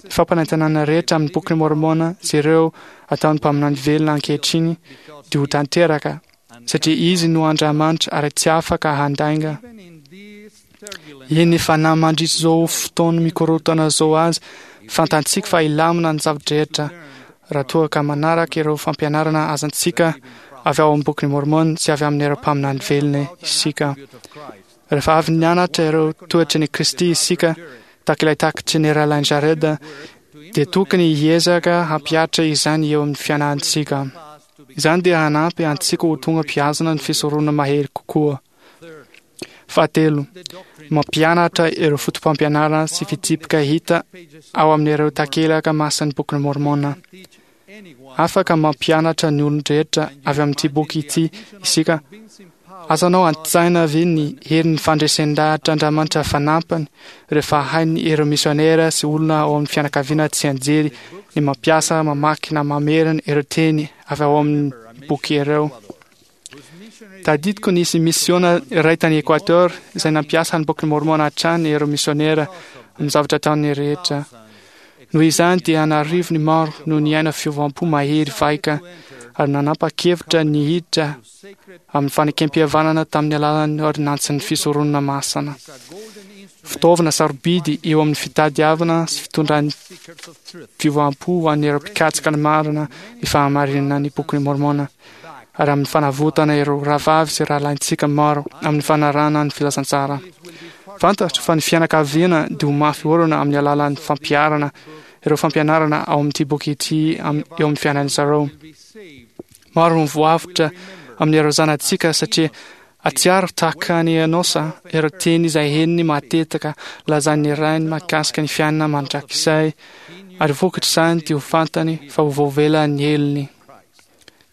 Ny fampanantenana rehetra amin'ny Bokin'i Môrmôna sy ireo ataon'ny mpaminany velona ankehitriny dia ho tanteraka satria Izy no Andriamanitra ary tsy afaka handainga. Eny fa na mandritra izao fotoana mikorontana izao aza, fantatsika fa hilamina ny zava-drehetra raha toa ka manaraka ireo fampianarana azontsika avy ao amin'ny Bokin'i Môrmôna sy avy amin'ireo mpaminany velona isika. Rehefa avy nianatra ireo toetry ny Kristy isika, tahaka ilay takatry ny rahalahin'i Jared, dia tokony hiezaka hampihatra izany eo amin'ny fiainantsika. Izany dia hanampy antsika ho tonga mpihazona ny fisoronana mahery kokoa. Fahatelo, mampianatra ireo fotopampianarana sy fitsipika hita ao amin'ireo takelaka masin'ny Bokin'i Môrmôna. Afaka mampianatra ny olon-drehetra avy amin'ity boky ity isika. Azonao an-tsaina ve ny herin'ny fandresen-dahatr'Andriamanitra fanampiny rehefa hainy ireo misionera sy olona ao amin'ny fianakaviana tsy anjery ny mampiasa, mamaky na mamerina ireo teny avy ao amin'ny boky ireo? Tadidiko nisy misiona iray tany Equateur izay nampiasa ny Bokin'i Môrmôna hatrany ireo misionera amin'ny zavatra ataony rehetra. Noho izany dia an'arivony maro no niaina fiovam-po mahery vaika ary nanapa-kevitra ny hiditra amin'ny fanekem-pihavanana tamin'ny alalan'ny ôrdinansin'ny fisoronana masina. Fitaovana sarobidy eo amin'ny fitadiavana sy fitondran'ny fiovam-po ho an'ireo mpikatsaka ny marina ny fahamarinana ny Bokin'i Môrmôna ary amin'ny fanavotana ireo rahavavy sy rahalahintsika maro amin'ny fanarahana ny filazantsara. Fantatro fa ny fianakaviana dia ho mafy orina amin'ny alalan'ny fampiharana ireo fampianarana ao amin'ity boky ity eo amin'ny fiainan'ny zareo. Maro no voavotra amin'ireo zanatsika satria atsiaro tahaka ny Enosa ireo teny izay henony matetika lazain'ny rainy mahakasika ny fiainana mandrakizay, ary vokatr'izany dia ho fantany fa ho voavela ny helony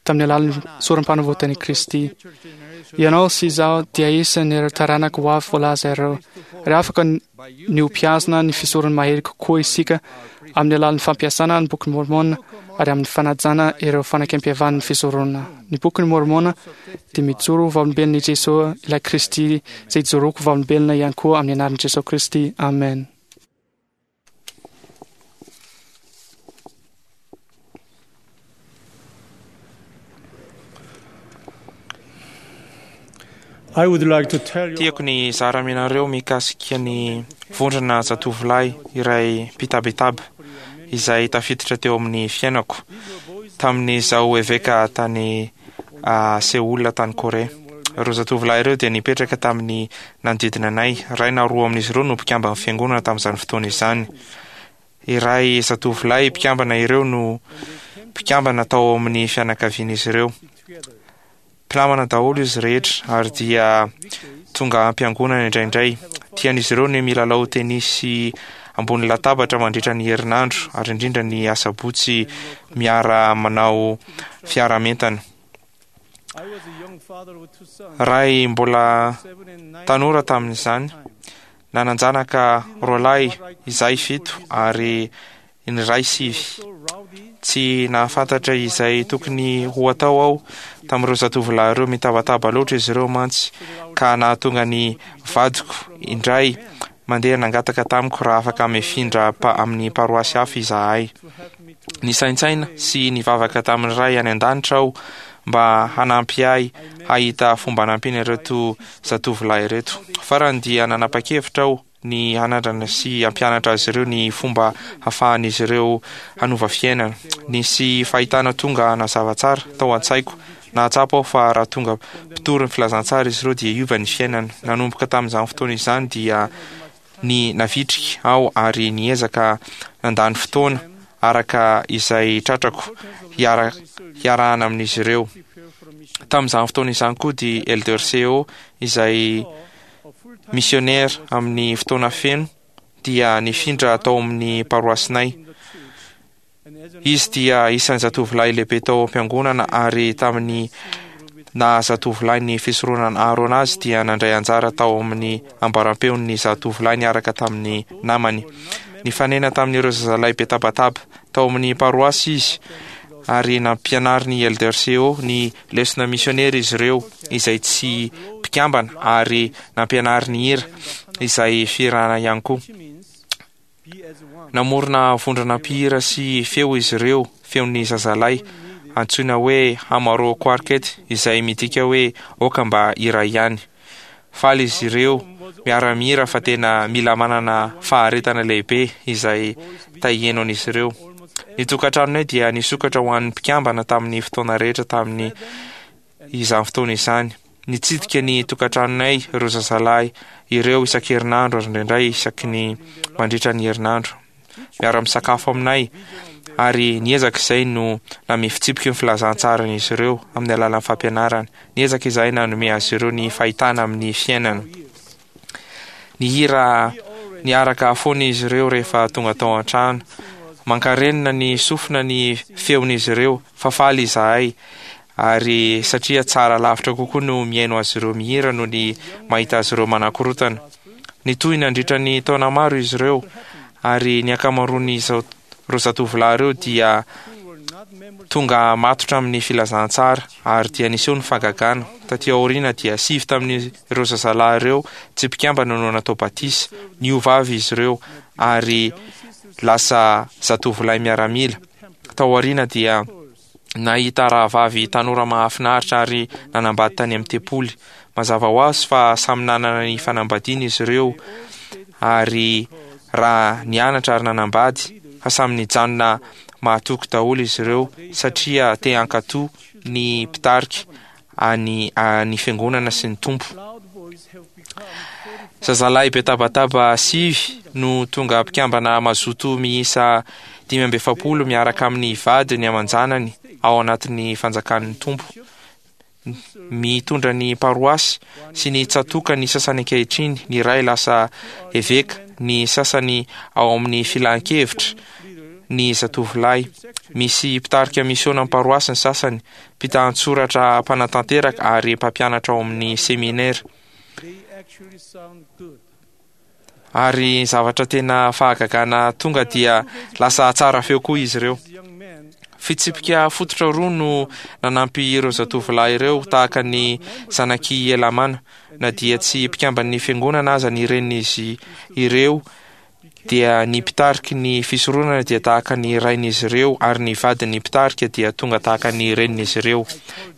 tamin'ny alalan'ny sorom-panavotan'i Kristy. Ianao sy izaho dia isan'ireo taranaka ho avy voalaza ireo, ary afaka ny ho mpihazona ny fisoron'ny mahery kokoa isika amin'ny alalan'ny fampiasana ny Bokin'i Môrmôna ary amin'ny fanajana ireo fanekempihavan'ny fisoronana. Ny Bokin'i Môrmôna dia mijoro ho vavolombelon'i Jesoa, ilay Kristy, izay ijoroako ho vavolombelona ihany koa amin'ny anaran'i Jesoa Kristy. Amen. Tiako ny hizara aminareo mikasika ny vondrona zatovolahy iray mpitabitaba izay tafiditra teo amin'ny fiainako tamin'izaho eveka tany Seoul tany Korea. Ireo zatovolahy ireo dia nipetraka tamin'ny nanodidina anay. Iray na roa amin'izy ireo no mpikamban'ny fiangonana tamin'izany fotoana izany. Iray zatovolahy mpikambana ireo no mpikambana tao amin'ny fianakavian'izy ireo. Mpinamana daholo izy rehetra ary dia tonga am-piangonana indraindray. Tian'izy ireo ny milalao tenisy ambony latabatra mandritra ny herinandro ary indrindra ny asabotsy miara-manao fiaraha-mientana. Ray mbola tanora tamin'izany, nanan-janaka roalahy izahay fito ary ny iray sivy. Tsy nahafantatra izay tokony ho atao aho tamin'ireo zatovolahy ireo. Mitabataba loatra izy ireo mantsy ka nahatonga ny vadiko indray mandeha nangataka tamiko raha afaka mifindra amin'ny paroasy hafa izahay. Nisaintsaina sy nivavaka tamin'ny Ray any an-danitra aho mba hanampy ahy hahita fomba hanampiana ireto zatovolahy ireto. Farany dia nanapa-kevitra aho ny hanandrana sy hampianatra azy ireo ny fomba hafahan'izy ireo hanova fiainana. Nisy fahitana tonga nazava tsara tao an-tsaiko. Nahatsapa aho fa raha tonga mpitory ny filazantsara izy ireo dia hiova ny fiainany. Nanomboka tamin'izany fotoana izany dia ny navitrika aho ary niezaka nandany fotoana araka izay tratrako hiara hiarahana amin'izy ireo. Tamin'izany fotoana izany koa dia Elder Seo, izay missionnaire amin'ny fotoana feno, dia nifindra tao amin'ny paroasinay. Izy dia isan'ny zatovolahy lehibe tao am-piangonana, ary tamin'ny naha zatovolahy ny fisoronana Aharôna azy dia nandray anjara tao amin'ny ambaram-peon'ny zatovolahy niaraka tamin'ny namany. Nifanena tamin'ireo zazalahy be tabataba tao amin'ny paroasy izy, ary nampianarin'ny Elder Seo ny lesona misionera izy ireo izay tsy mpikambana, ary nampianariny hira izay fihirana ihany koa. Namorona vondrona mpihira sy feo izy ireo, feon'ny zazalahy, antsoina hoe Hamaro Quartet, izay midika hoe aoka mba iray ihany. Faly izy ireo miara-mihira fa tena mila manana faharetana lehibe izay tahienon'izy ireo. Ny tokantranonay dia nisokatra ho an'ny mpikambana tamin'ny fotoana rehetra tamin'ny izany fotoana izany. Nitsidika ny tokantranonay ireo zazalahy ireo isan-kerinandro ary indraindray isaky ny mandritra ny herinandro. Miara-misakafo aminay, ary niezaka izay no nanome fitsipiky ny filazantsaran'izy ireo amin'ny alalan'ny fampianarana. Niezaka izahay nanome azy ireo ny fahitana amin'ny fiainana. Nihira niaraka foana izy ireo rehefa tonga tao an-trano. Mankarenina ny sofina ny feon'izy ireo, fa faly izahay, ary satria tsara lavitra kokoa no mihaino azy ireo mihira noho ny mahita azy ireo manakorotana. Nitohy nandritra ny taona maro izy ireo, ary ny ankamaroan'izao ireo zatovolahy ireo dia tonga matotra amin'ny filazantsara, ary dia niseho ny fahagagana. Taty aoriana dia sivy tamin'ireo zazalahy ireo tsy mpikambana no natao batisa. Niova avy izy ireo ary lasa zatovolahy miaramila. Tao aoriana dia nahita rahavavy tanora mahafinaritra ary nanambady tany amin'ny tempoly. Mazava ho azy fa samy nanana ny fanambadiana izy ireo, ary raha nianatra ary nanambady, fa samy nijanona mahatoky daholo izy ireo satria te hankatò ny mpitarika any ny fiangonana sy ny Tompo. Zazalahy be tabataba sivy no tonga mpikambana mazoto miisa dimy amby efapolo miaraka amin'ny vadiny aman-janany ao anatin'ny fanjakan'ny Tompo. Mitondra ny paroasy sy ny tsatoka ny sasany ankehitriny, ny iray lasa eveka, ny sasany ao amin'ny filan-kevitra ny zatovolahy. Misy mpitarika misiona amin'ny paroasy ny sasany, mpitan-tsoratra mpanatanteraka ary mpampianatra ao amin'ny seminera. Ary zavatra tena fahagagana, tonga dia lasa tsara feo koa izy ireo. Fitsipika fototra roa no nanampy ireo zatovolahy ireo tahaka ny zanak'i Helamàna. Na dia tsy mpikamban'ny fiangonana aza ny renin'izy ireo, dia ny mpitariky ny fisoronana dia tahaka ny rain'izy ireo, ary ny vadin'ny mpitarika dia tonga tahaka ny renin'izy ireo.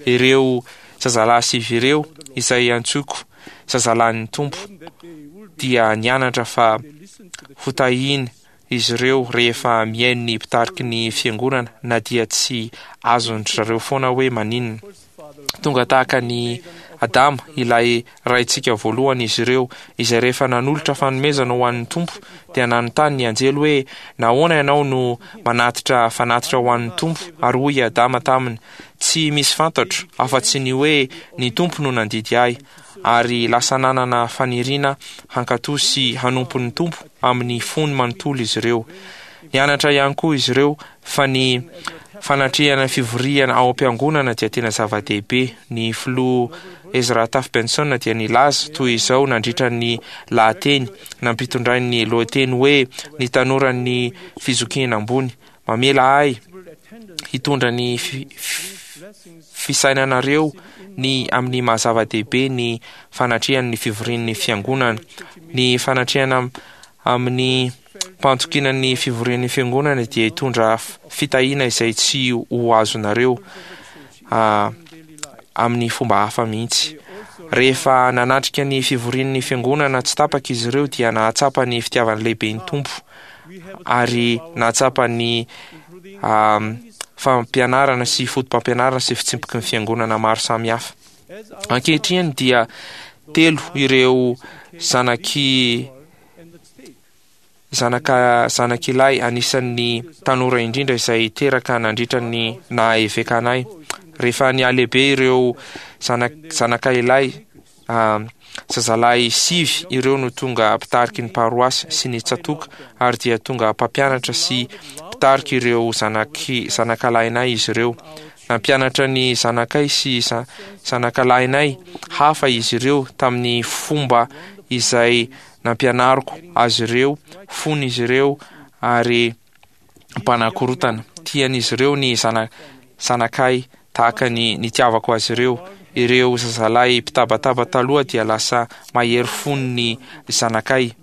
Ireo zazalahy sivy ireo, izay antsoiko zazalahin'ny Tompo, dia nianatra fa hotahiny izy ireo rehefa mihaino ny mpitariky ny fiangonana, na dia tsy azon-dry zareo foana hoe maninona. Tonga tahaka ny Adama, ilay raintsika voalohany, izy ireo, izay rehefa nanolotra fanomezana ho an'ny Tompo, dia nanontany ny anjely hoe, Nahoana ianao no manatitra fanatitra ho an'ny Tompo? Ary hoy i Adama taminy, Tsy misy fantatro, afa-tsy ny hoe ny Tompo no nandidy ahy. Ary lasa nanana faniriana hankatò sy hanompo ny Tompo amin'ny fony manontolo izy ireo. Nianatra ihany koa izy ireo fa ny fanatrehana fivoriana ao am-piangonana dia tena zava-dehibe. Ny filoha Ezra Taft Benson dia nilaza toy izao nandritra ny lahateny nampitondrainy ny lohateny hoe Ny Tanoran'ny Fizokiana Ambony, Mamela ahy hitondra ny fisainanareo ny amin'ny maha-zava-dehibe ny fanatrehan'ny fivorian'ny fiangonana. Ny fanatrehana amin'ny Mpahatokiana ny fivorian'ny fiangonana dia hitondra fitahiana izay tsy ho azonareo amin'ny fomba hafa mihitsy. Rehefa nanatrika ny fivorian'ny fiangonana tsy tapaka izy ireo dia nahatsapa ny fitiavany lehibe ny Tompo ary nahatsapa ny fampianarana sy fotopampianarana sy fitsipiky ny fiangonana maro samihafa. Ankehitriny dia telo ireo zanaky Zanaka zanak'ilay anisan'ny tanora indrindra izay teraka nandritra ny naha-eveka anay. Rehefa nihalehibe ireo zanak- zanaka ilay zazalahy sivy ireo no tonga mpitariky ny paroasy sy ny tsatoka, ary dia tonga mpampianatra sy mpitariky ireo zanaky zanakalahinay izy ireo. Nampianatra ny zanakay sy za- zanakalahinay hafa izy ireo tamin'ny fomba izay nampianariko azy ireo fony izy ireo ary mpanakorotana. Tian'izy ireo ny zana- zanakay tahaka ny nitiavako azy ireo. Ireo zazalahy mpitabataba taloha dia lasa mahery fony ny zanakay.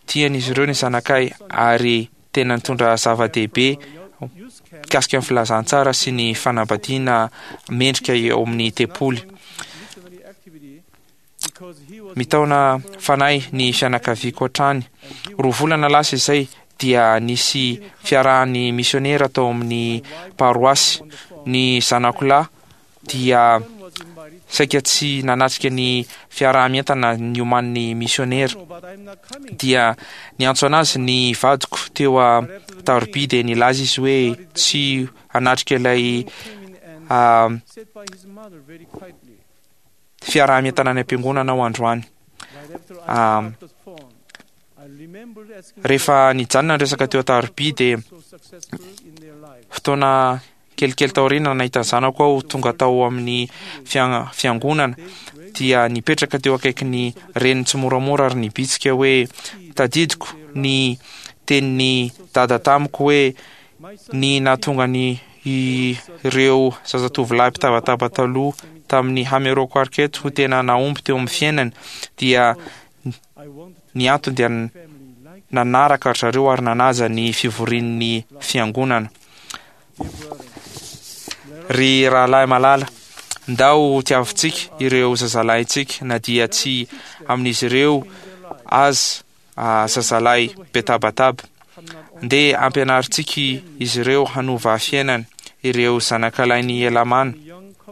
Tian'izy ireo ny zanakay ary tena nitondra zava-dehibe mikasika ny filazantsara sy ny fanambadiana mendrika eo amin'ny tempoly. Mitaona fanahy ny fianakaviako hatrany. Roa volana lasa izay dia nisy fiarahan'ny misionera tao amin'ny paroasy. Ny zanako lahy dia saika tsy nanatrika ny fiaraha-mientana nioman'ny misionera. Dia niantso anazy ny vadiko teo a-taroby, dia nilaza izy hoe tsy hanatrika ilay fiaraha-mientana any am-piangonana aho androany. Rehefa nijanona ny resaka teo an-taroby, dia fotoana kelikely taoriana nahita ny zanako aho tonga tao amin'ny fiangonana, dia nipetraka teo akaikin'ny reniny tsy moramora ary nibitsika hoe tadidiko ny tenin'ny dada tamiko hoe ny nahatonga ny ireo zazatovolahy mpitabataba taloha tamin'ny Hamero Quartet ho tena nahomby teo amin'ny fiainany, dia ny antony dia nanaraka ry zareo ary nanaja ny fivorian'ny fiangonana. Ry rahalahy malala, ndao tiavintsika ireo zazalahintsika na dia tsy amin'izy ireo aza zazalahy be tabataba. Ndeha ampianarintsika izy ireo hanova fiainana. Ireo zanakalahin'i Helamàna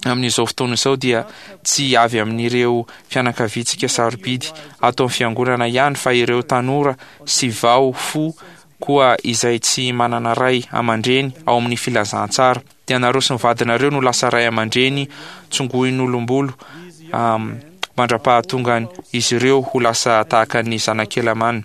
amin'izao fotoana izao dia tsy avy amin'ireo fianakaviantsika sarobidy ato amin'ny fiangonana ihany, fa ireo tanora sy vao fo koa izay tsy manana ray aman-dreny ao amin'ny filazantsara. Dia nareo sy ny vadinareo no lasa ray aman-dreny tsongoin'olombolo mandra-pahatongany izy ireo ho lasa tahaka ny zanak'i Helamàna.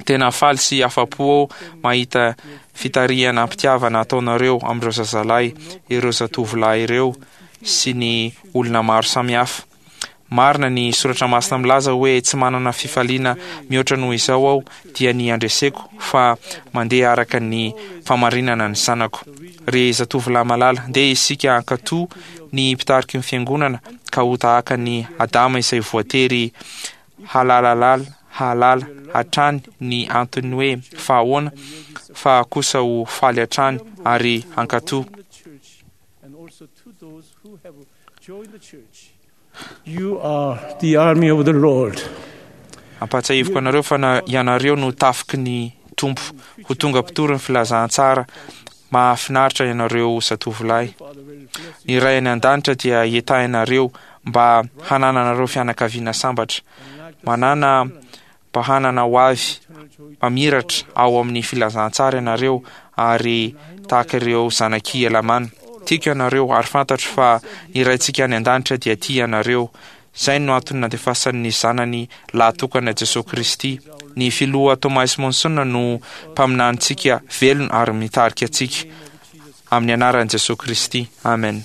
Tena faly sy afa-po aho mahita fitarihana am-pitiavana ataonareo amin'ireo zazalahy, ireo zatovolahy ireo sy ny olona maro samihafa. Marina ny soratra masina milaza hoe tsy manana fifaliana mihoatra noho izao aho, dia ny andreseko fa mandeha araka ny famarinana ny zanako. Ry zatovolahy malala, ndeha isika hankatò ny mpitariky ny fiangonana ka ho tahaka ny Adama izay voatery halalalala hahalala hatrany ny antony hoe fa ahoana, fa kosa ho faly hatrany ary hankatò. You are the army of the Lord. Ampahatsiahiviko anareo fa na ianareo no tafiky ny Tompo, ho tonga mpitory ny filazantsara mahafinaritra ianareo zatovolahy. Ny Ray any an-danitra dia hetahinareo mba hanananareo fianakaviana sambatra, manana mba hanana ho avy mamiratra ao amin'ny filazantsara ianareo, ary tahaka ireo zanak'i Helamàna. Tiako ianareo ary fantatro fa ny Raintsika any an-danitra dia tia anareo. Izay no antony nandefasany ny Zanany lahatokana Jesoa Kristy. Ny Filoha Thomas Monson no mpaminanintsika velona ary mitarika antsika. Amin'ny anaran'i Jesoa Kristy. Amen.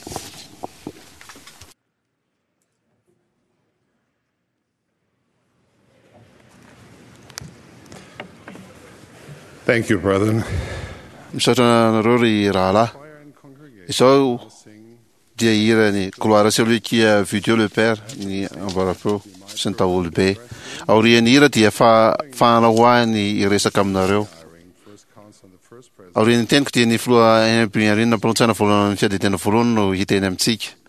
Thank you, brethren. Misaotra anareo ry rahalahy. Izao dia hirany Gloire à celui qui a vu Dieu le Père ny ambarapeo sy ny daholobe. Aorian'ny hira dia fa fahana ho ahy ny hiresaka aminareo. Aorian'ny teniko dia ny filoha Henry B. Eyring mpanolotsaina voalohany amin'ny fiadidiana voalohany no hiteny amintsika.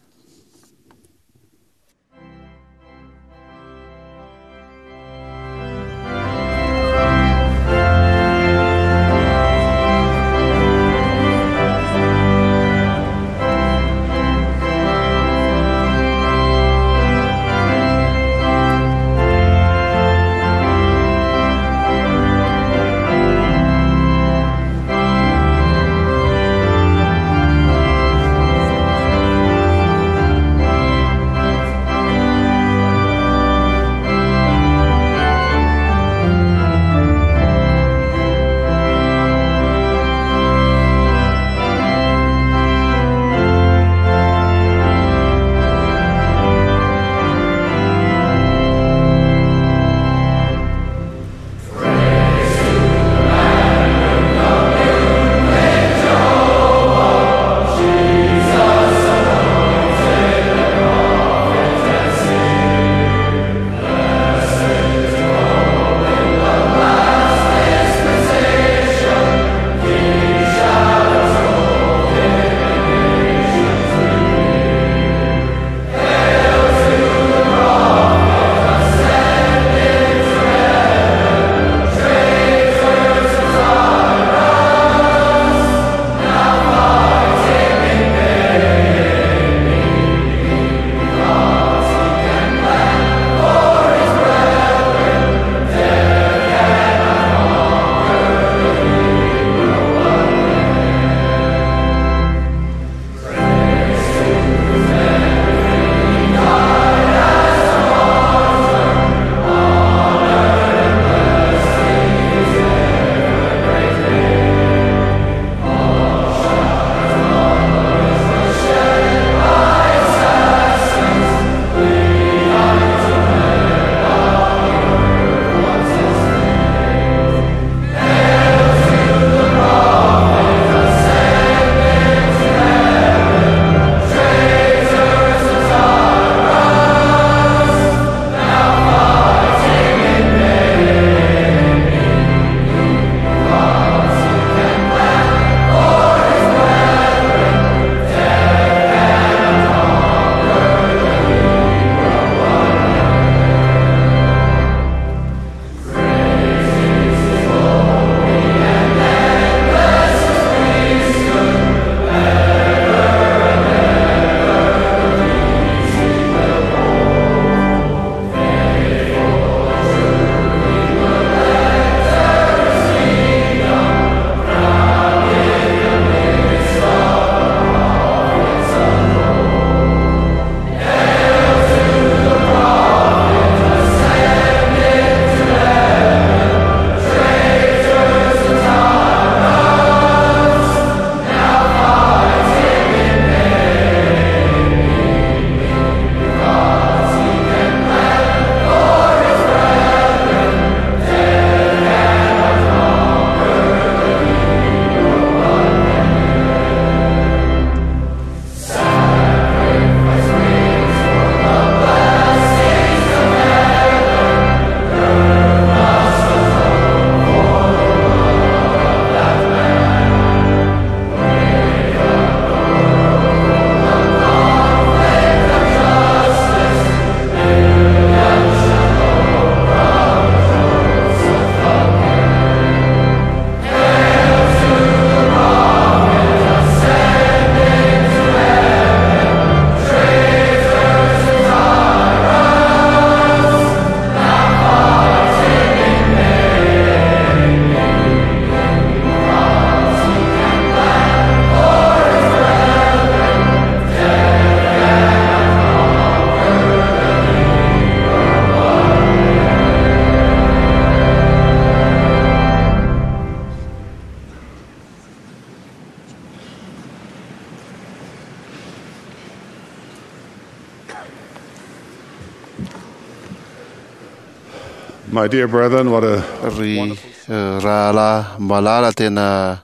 My dear brethren, what a Ry rahalahy malala, tena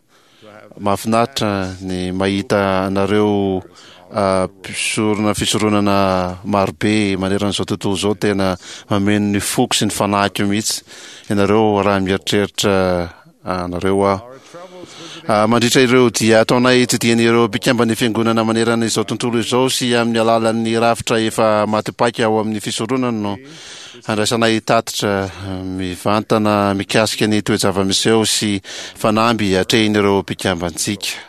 mahafinaritra ny mahita anareo mpisorona fisoronana marobe maneran'izao tontolo izao. Tena mameno ny foko sy ny fanahiko mihitsy ianareo raha mieritreritra anareo aho. Mandritra ireo dia ataonay tsidihan'ireo mpikamban'ny fiangonana manerana izao tontolo izao sy amin'ny alalan'ny rafitra efa matipaika ao amin'ny fisoronana no andraisanay tatitra mivantana mikasika ny toe-java-miseho sy fanamby atrehin'ireo mpikambantsika.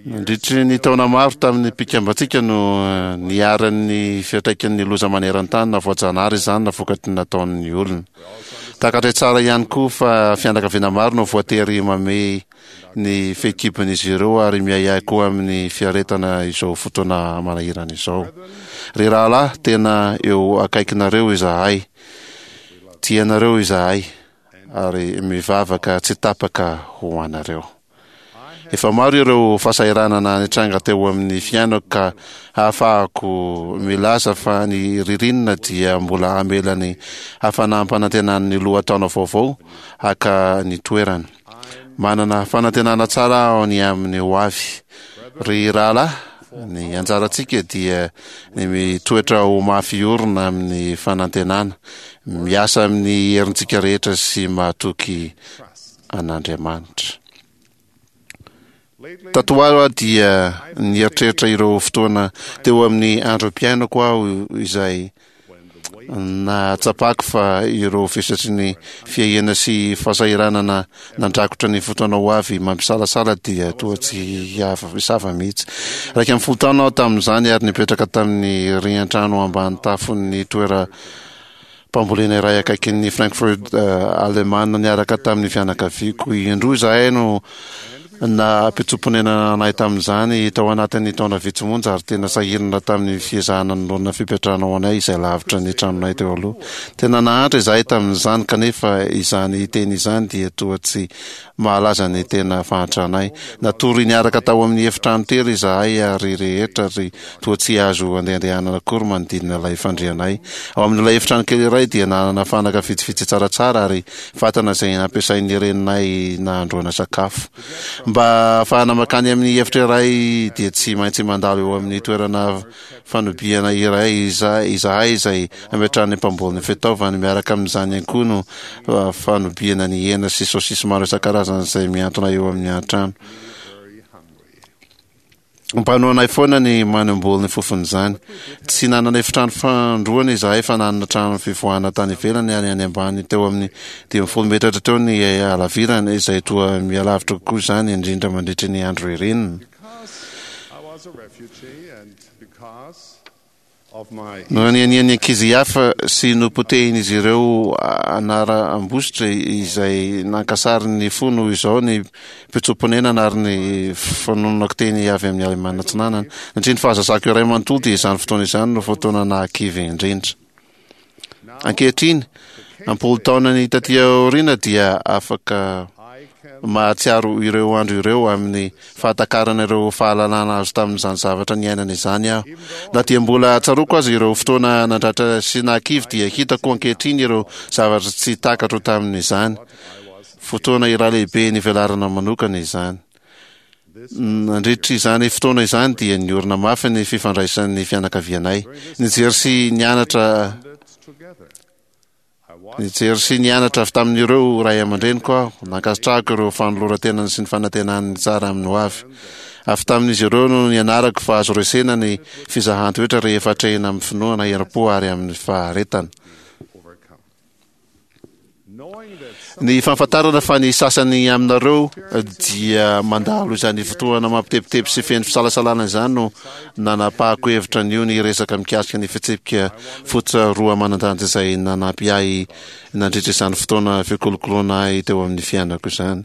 Nandritry ny taona maro tamin'ny mpikambantsika no niharan'ny fiantraikan'ny loza maneran-tany, na voajanahary izany na vokatry ny nataon'ny olona. Takatray tsara ihany koa fa fianakaviana maro no voatery mamehy ny fehikibon'izy ireo ary miahiahy koa amin'ny fiaretana izao fotoana manahirana izao. Ry rahalahy, tena eo akaikinareo izahay, tianareo izahay ary mivavaka tsy tapaka ho anareo. Efa maro ireo fahasahiranana nitranga teo amin'ny fiainako ka ahafahako milaza fa ny ririnina dia mbola hamela ny hafanam-panantenan'ny lohataona vaovao haka ny toerana. Manana fanantenana tsara aho ny amin'ny ho avy. Ry rahalahy, ny anjarantsika dia ny mitoetra ho mafy orina amin'ny fanantenana, miasa amin'ny herintsika rehetra sy mahatoky an'Andriamanitra. Tato ho aho dia nieritreritra ireo fotoana teo amin'ny androm-piainako aho izay nahatsapako fa ireo vesatry ny fiahiana sy fahasahiranana nandrakotra ny fotoana ho avy mampisalasala dia toa tsy hisava mihitsy. Iraika ambin'ny folo taona aho tamin'izany ary nipetraka tamin'ny rian-trano ambany tafon'ny toeram-pambolena iray akaikin'ny Frankfurt Alemana niaraka tamin'ny fianakaviako. Indroa izahay no nampitsoa-ponenana anay tamin'izany tao anatin'ny taona vitsy monja ary tena sahirana tamin'ny fiezahana nanorina fipetrahana ho anay izay lavitra ny tranonay teo aloha. Tena nahantra izahay tamin'izany, kanefa izany teny izany dia toa tsy mahalaza ny tena fahantranay. Natory niaraka tao amin'ny efitrano tery izahay ary rehetra ary toa tsy azo andehandehanana akory manodidina ilay fandrianay. Ao amin'ilay efitrano kely iray dia nanana fanaka vitsivitsy tsaratsara ary fatana izay nampiasain'ny reninay nahandroana sakafo. Mba ahafahana mankany amin'ny efitra iray dia tsy maintsy mandalo eo amin'ny toerana fanobiana iray izahay izay ametrahan'ny mpamboly ny fitaovany. Miaraka amin'izany ihany koa no fanobiana ny hena sy saosisy maro isan-karazany izay mihantona eo amin'ny an-trano. Mpanohanay foana ny manimboly ny fofon'izany. Tsy nanana efitrano fandroana izahay fa nanana trano fivoahana tany ivelany ary any ambany teo amin'ny dimy ambin'ny folo metatra teo ny halavirany, izay toa mihalavitra kokoa izany indrindra mandritry ny andro ririnina. Nohanianian'ny ankizy hafa sy nopotehin'izy ireo anaram-bositra izay nankasary ny fo noho izao ny mpitsoa-ponenana ary ny fanononako teny avy amin'ny Alemana Atsinanana. Nandritry ny fahazazako iray manontolo dia izany fotoana izany no fotoana nahakivy indrindra. Ankehitriny, am-polo taonany taty aoriana dia afaka mahatsiaro ireo andro ireo amin'ny fahatakarana ireo fahalalana azo tamin'izany zavatra niainana izany aho. Na dia mbola tsaroako aza ireo fotoana nandratra sy nahakivy dia hitako ankehitriny ireo zavatra tsy takatro tamin'izany. Fotoana iray lehibe nivelarana manokana izany. Nandritra izany fotoana izany dia niorina mafy ny fifandraisan'ny fianakavianay. Nijery sy nianatra Nijery sy nianatra avy tamin'ireo ray aman-dreniko aho. Nankasitrahako ireo fanoloran-tenany sy ny fanantenany ny tsara amin'ny hoavy. Avy tamin'izy ireo no nianarako fa azo resena ny fizahan-toetra rehefa atrehina amin'ny finoana, herim-po ary amin'ny faharetana. Ny fahafantarana fa ny sasany aminareo dia mandalo izany fotoana mampitebiteby sy feno fisalasalana izany no nanapahako hevitra anio ny hiresaka mikasika ny fitsipika fototra roa manan-danja izay nanampy ahy nandritra izany fotoana fikolokoloana ahy teo amin'ny fiainako izany.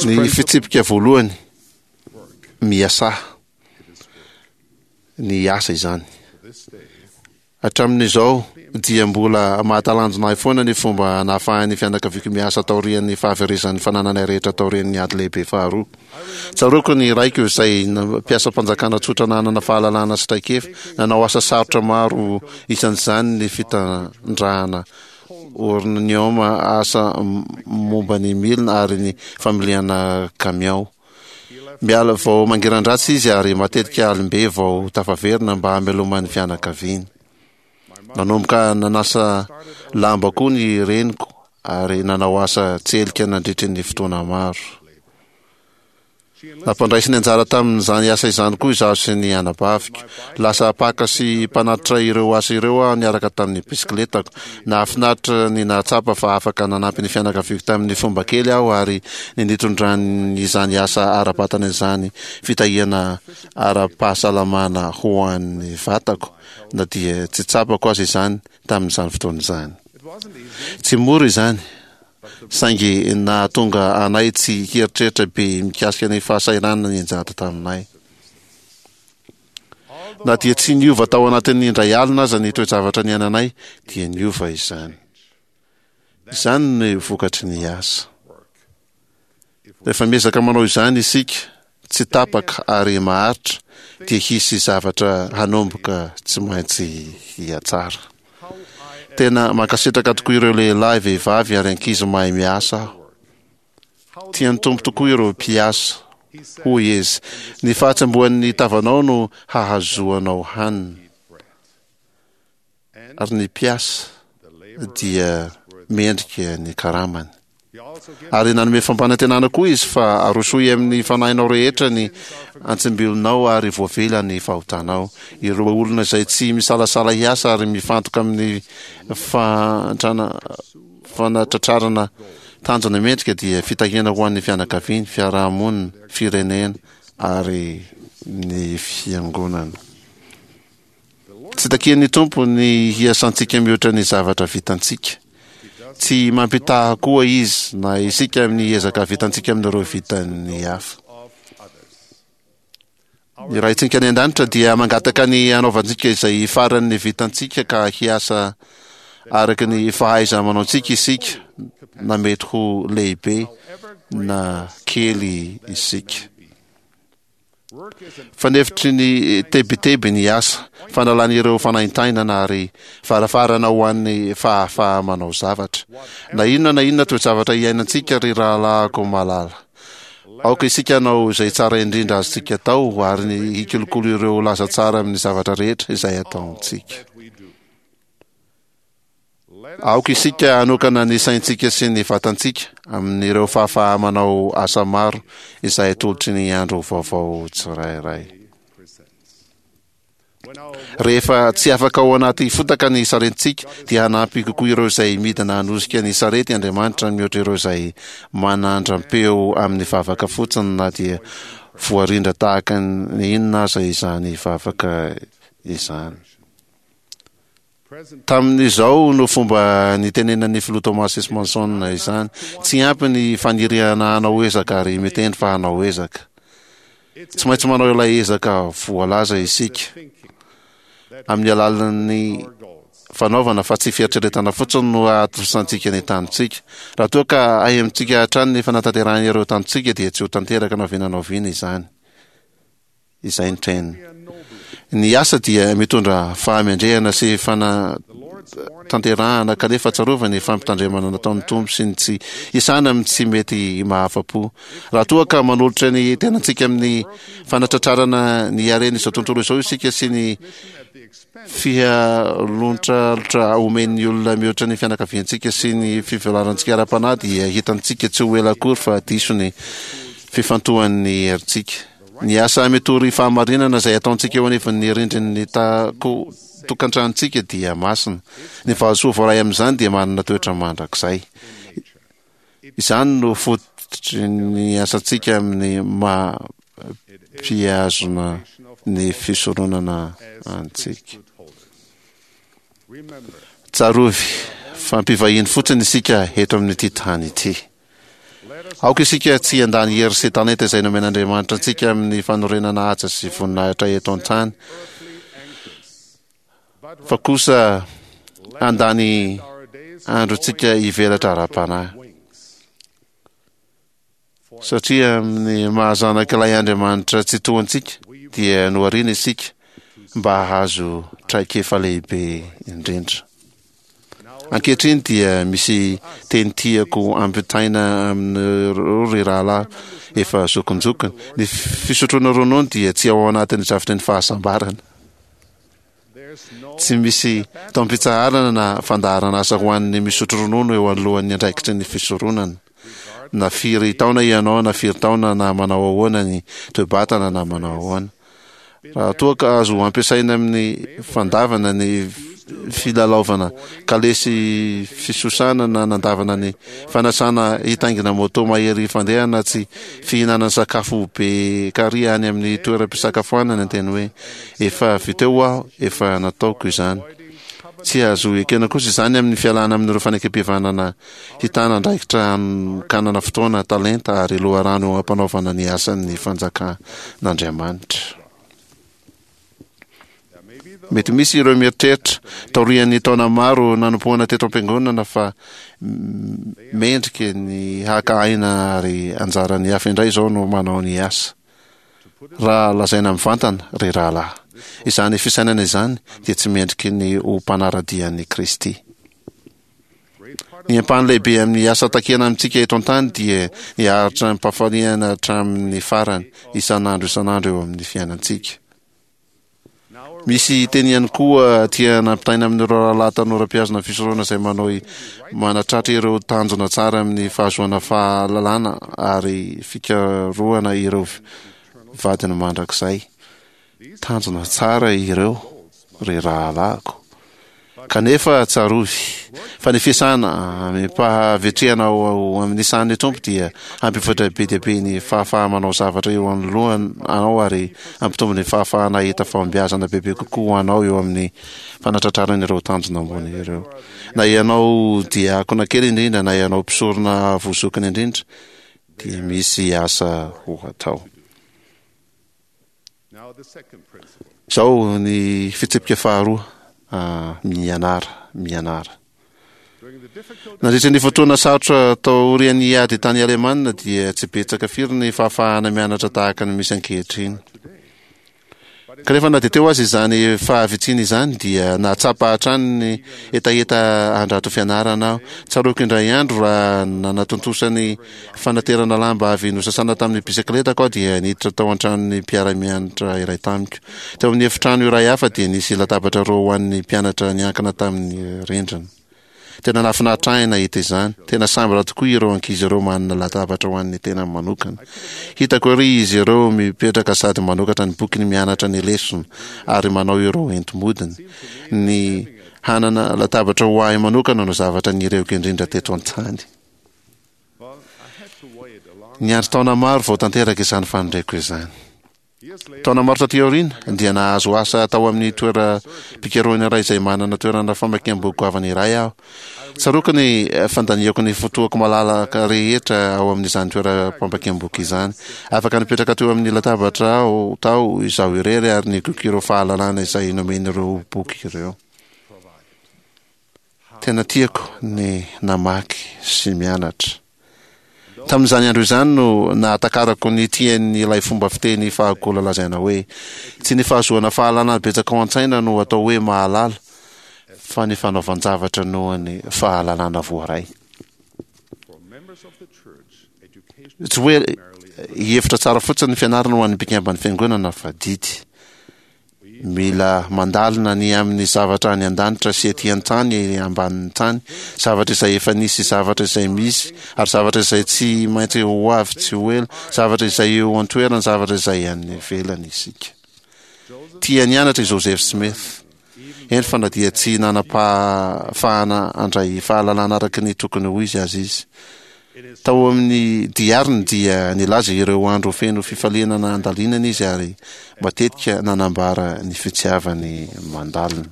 Ny fitsipika voalohany, miasà. Ny asa izany. Hatramin'izao dia mbola mahatalanjona ahy foana ny fomba nahafahan'ny fianakaviako miasa taorian'ny fahaverezan'ny fanananay rehetra taorian'ny Ady Lehibe Faharoa. Tsaroako ny raiko izay mpiasam-panjakana tsotra nanana fahalalana sy traikefa, nanao asa sarotra maro isan'izany ny fitrandrahana ornioma, asa momba ny milina ary ny familiana kamiao. Miala vao mangiran-dratsy izy ary matetika alim-be vao tafaverina mba hamelomany fianakaviany. Nanomboka nanasa lamba koa ny reniko ary nanao asa tselika nandritry ny fotoana maro. Nampandraisiny anjara tamin'izany asa izany koa izaho sy ny anabaviko. Lasa mpaka sy mpanatitra ireo asa ireo aho niaraka tamin'ny bisikiletako. Nahafinaritra ny nahatsapa fa afaka nanampy ny fianakaviako tamin'ny fomba kely aho ary ny nitondran'izany asa ara-batana izany fitahiana ara-pahasalamana ho an'ny vatako, na dia tsy tsapako aza izany tamin'izany fotoana izany. Tsy mora izany, saingy nahatonga anay tsy hieritreritra be mikasika ny fahasahiranana nianjady taminay. Na dia tsy niova tao anatin'ny indray alina aza ny toe-javatra niainanay, dia niova izany. Izany no vokatry ny asa. Rehefa miezaka manao izany isika, tsy tapaka ary maharitra, dia hisy zavatra hanomboka tsy maintsy hihatsara. Tena mankasitraka tokoa ireo lehilahy, vehivavy ary ankizy mahay miasa aho. Tian'ny Tompo tokoa ireo mpiasa. Hoy Izy, ny fahatsembohan'ny tavanao no hahazoanao hanina. Ary ny mpiasa dia mendrika ny karamany. Ary nanome fampanantenana koa Izy fa arosoy amin'ny fanahinao rehetra ny antsimbilonao ary voavela ny fahotanao. Ireo olona izay tsy misalasala hiasa ary mifantoka amin'ny fantrana fanatratrarana tanjona mendrika dia fitahiana ho an'ny fianakaviany, fiarahamonina, firenena ary ny fiangonana. Tsy takian'ny Tompo ny hiasantsika mihoatra ny zavatra vitantsika. Tsy mampitaha koa Izy na isika amin'ny ezaka vitantsika amin'ireo vitan'ny hafa. Ny Raintsika any an-danitra dia mangataka ny hanaovantsika izay faran'ny vitantsika ka hiasa araka ny fahaiza-manaontsika isika, na mety ho lehibe na kely isika. Fanefitry ny tebiteby ny asa, fanalana ireo fanaintainana ary varavarana ho an'ny fahafaha-manao zavatra. Na inona na inona toe-javatra iainantsika, ry rahalahiko malala, aoka isika hanao izay tsara indrindra azontsika atao ary ny hikolokolo ireo laza tsara amin'ny zavatra rehetra izay ataontsika. Aoka isika hanokana ny saintsika sy ny vatantsika amin'ireo fahafaha-manao asa maro izay atolotry ny andro vaovao tsirairay. Rehefa tsy afaka ao anaty fotaka ny saretintsika, dia hanampy kokoa ireo izay midina hanosika ny sarety Andriamanitra mihoatra ireo izay manandram-peo amin'ny vavaka fotsiny na dia voarindra tahaka ny inona aza izany vavaka izany. Tamin'izao no fomba nitenenan'ny filoha Thomas S. Monson izany, Tsy ampy ny faniriana hanao ezaka ary miteny fa hanao ezaka. Tsy maintsy manao ilay ezaka voalaza isika amin'ny alalan'ny fanaovana fa tsy fieritreretana fotsiny no hahatontosantsika ny tanjontsika. Raha toa ka ahemotsika hatrany ny fanatanterahana ireo tanjontsika dia tsy ho tanteraka na oviana na oviana izany. Izay ny train. Ny asa dia mitondra fahamendrehana sy fanatanterahana kanefa tsarovy ny fampitandremana nataon'ny Tompo sy ny tsy hisana amin'ny tsy mety mahafa-po. Raha toa ka manolotra ny tenantsika amin'ny fanatratrarana ny haren'izao tontolo izao isika sy ny fihalontralotra omen'ny olona mihoatra ny fianakaviantsika sy ny fivelarantsika ara-panahy dia hitantsika tsy ho ela akory fa diso ny fifantohan'ny herintsika. Ny asa mitory fahamarinana izay ataontsika eo anivon'ny rindrin'ny tako tokantranontsika dia masina. Ny valisoa voaray amin'izany dia manana toetra mandrakizay. Izany no fototry ny asantsika amin'ny maha mpihazona ny fisoronana antsika. Tsarovy fa mpivahiny fotsiny isika eto amin'ity tany ity. Aoka isika tsy handany hery sy talenta izay nomen'Andriamanitra antsika amin'ny fanorenana haja sy voninahitra eto an-tany, Fa kosa handany androntsika hivelatra ara-panahy. Satria amin'ny maha-zanak'ilay Andriamanitra Tsitoha antsika, dia nohariana isika mba hahazo traikefa lehibe indrindra. Ankehitriny dia misy teny tiako ampitaina aminareo ry rahalahy efa zokinjokiny. Ny fisotroana ronono dia tsy ao anatin'ny drafitry ny fahasambarana. Tsy misy taom-pitsaharana na fandaharan'asa ho an'ny misotro ronono eo anoloan'ny andraikitry ny fisoronana. Na firy taona ianao na firy taona na manao ahoana ny toe-batana na manao ahoana. Raha toa ka azo ampiasaina amin'ny fandavana ny filalaovana kalesy fisosana na nandavana ny fanasana hitaingina moto mahery fandeha na tsy fihinanana sakafo be kary any amin'ny toeram-pisakafoanana ny teny hoe efa vita eo aho, efa nataoko izany. Tsy azo ekena kosa izany amin'ny fialana amin'ireo fanekem-pihavanana hitana andraikitra hanokanana fotoana, talenta ary loharano eo am-panaovana ny asan'ny fanjakan'Andriamanitra. Mety misy ireo mieritreritra, taorian'ny taona maro nanompoana teto am-piangonana fa mendrika ny haka aina ary anjaran'ny hafa indray izao no manao ny asa. Raha lazaina mivantana, ry rahalahy, izany fisainana izany dia tsy mendriky ny ho mpanara-dia an'i Kristy. Ny ampahany lehibe amin'ny asa takiana amintsika eto an-tany dia ny haharitra amim-pahafaliana hatramin'ny farany, isan'andro isan'andro eo amin'ny fiainantsika. Misy teny ihany koa tiana ampitaina amin'ireo rahalahy tanora mpihazona fisoronana izay manao manatratra ireo tanjona tsara amin'ny fahazoana fahalalana ary fikarohana ireo vadiny mandrakizay. Tanjona tsara ireo, ry rahalahiko. Kanefa tsarovy fa ny fiasana amim-pahavitrihana ao amin'ny sahan'ny Tompo dia hampivoatra be dia be ny fahafaha-manao zavatra eo anoloanao ary hampitombo ny fahafahana hahita fahombiazana bebe kokoa ho anao eo amin'ny fanatratrarana ireo tanjona ambony ireo. Na ianao diakona kely indrindra na ianao mpisorona avo zokiny indrindra dia misy asa ho atao. Izao ny fitsipika faharoa, mianara, mianara. Nandritra ny fotoana sarotra taorian'ny ady tany Alemana dia tsy betsaka firy ny fahafahana mianatra tahaka ny misy ankehitriny. Kanefa na dia teo aza izany fahavitsiana izany dia nahatsapa hatrany ny hetaheta handrato fianarana aho. Tsaroako indray andro raha nanatontosa ny fanaterana lamba avy nosasana tamin'ny bisikletako aho dia niditra tao an-tranon'ny mpiara-mianatra iray tamiko. Teo amin'ny efitrano iray hafa dia nisy latabatra roa ho an'ny mpianatra niankina tamin'ny rindrina. Tena nahafinaritra ahy nahita izany. Tena sambatra tokoa ireo ankizy ireo manana latabatra ho an'ny tenany manokana. Hitako ery izy ireo mipetraka sady manokatra ny bokiny mianatra ny lesona ary manao ireo enti-modiny. Ny hanana latabatra ho ahy manokana no zavatra nirehoko indrindra teto an-tany. Niandry taona maro vao tanteraka izany faniriako izany. Taona maro taty aoriana, dia nahazo asa tao amin'ny toeram-pikarohana iray izay manana toerana famakiam-boky goavana iray aho. Tsaroako ny fandaniako ny fotoako malalaka rehetra ao amin'izany toeram-pamakiam-boky izany. Afaka nipetraka teo amin'ny latabatra aho tao izaho irery ary nigoka ireo fahalalana izay nomen'ireo boky ireo. Tena tiako ny namaky sy mianatra. Tamin'izany andro izany no nahatakarako ny tian'ilay fomba fiteny fahagola lazaina hoe, Tsy ny fahazoana fahalalana betsaka ao an-tsaina no atao hoe mahalala, fa ny fanaovan-javatra noho ny fahalalana voaray. Tsy hoe hevitra tsara fotsiny ny fianarana ho an'ny mpikamban'ny fiangonana fa didy. Mila mandalina ny amin'ny zavatra any an-danitra sy ety an-tany ambanin'ny tany, zavatra izay efa nisy, zavatra izay misy, ary zavatra izay tsy maintsy ho avy tsy ho ela, zavatra izay eo an-toerana, zavatra izay any ivelany isika. Tia nianatra i Joseph Smith. Eny fa na dia tsy nanam-pahafahana handray fahalalana araka ny tokony ho izy aza izy. Tao amin'ny diariny dia nilaza ireo andro feno fifaliana nandalinana izy ary matetika nanambara ny fitiavany mandalina.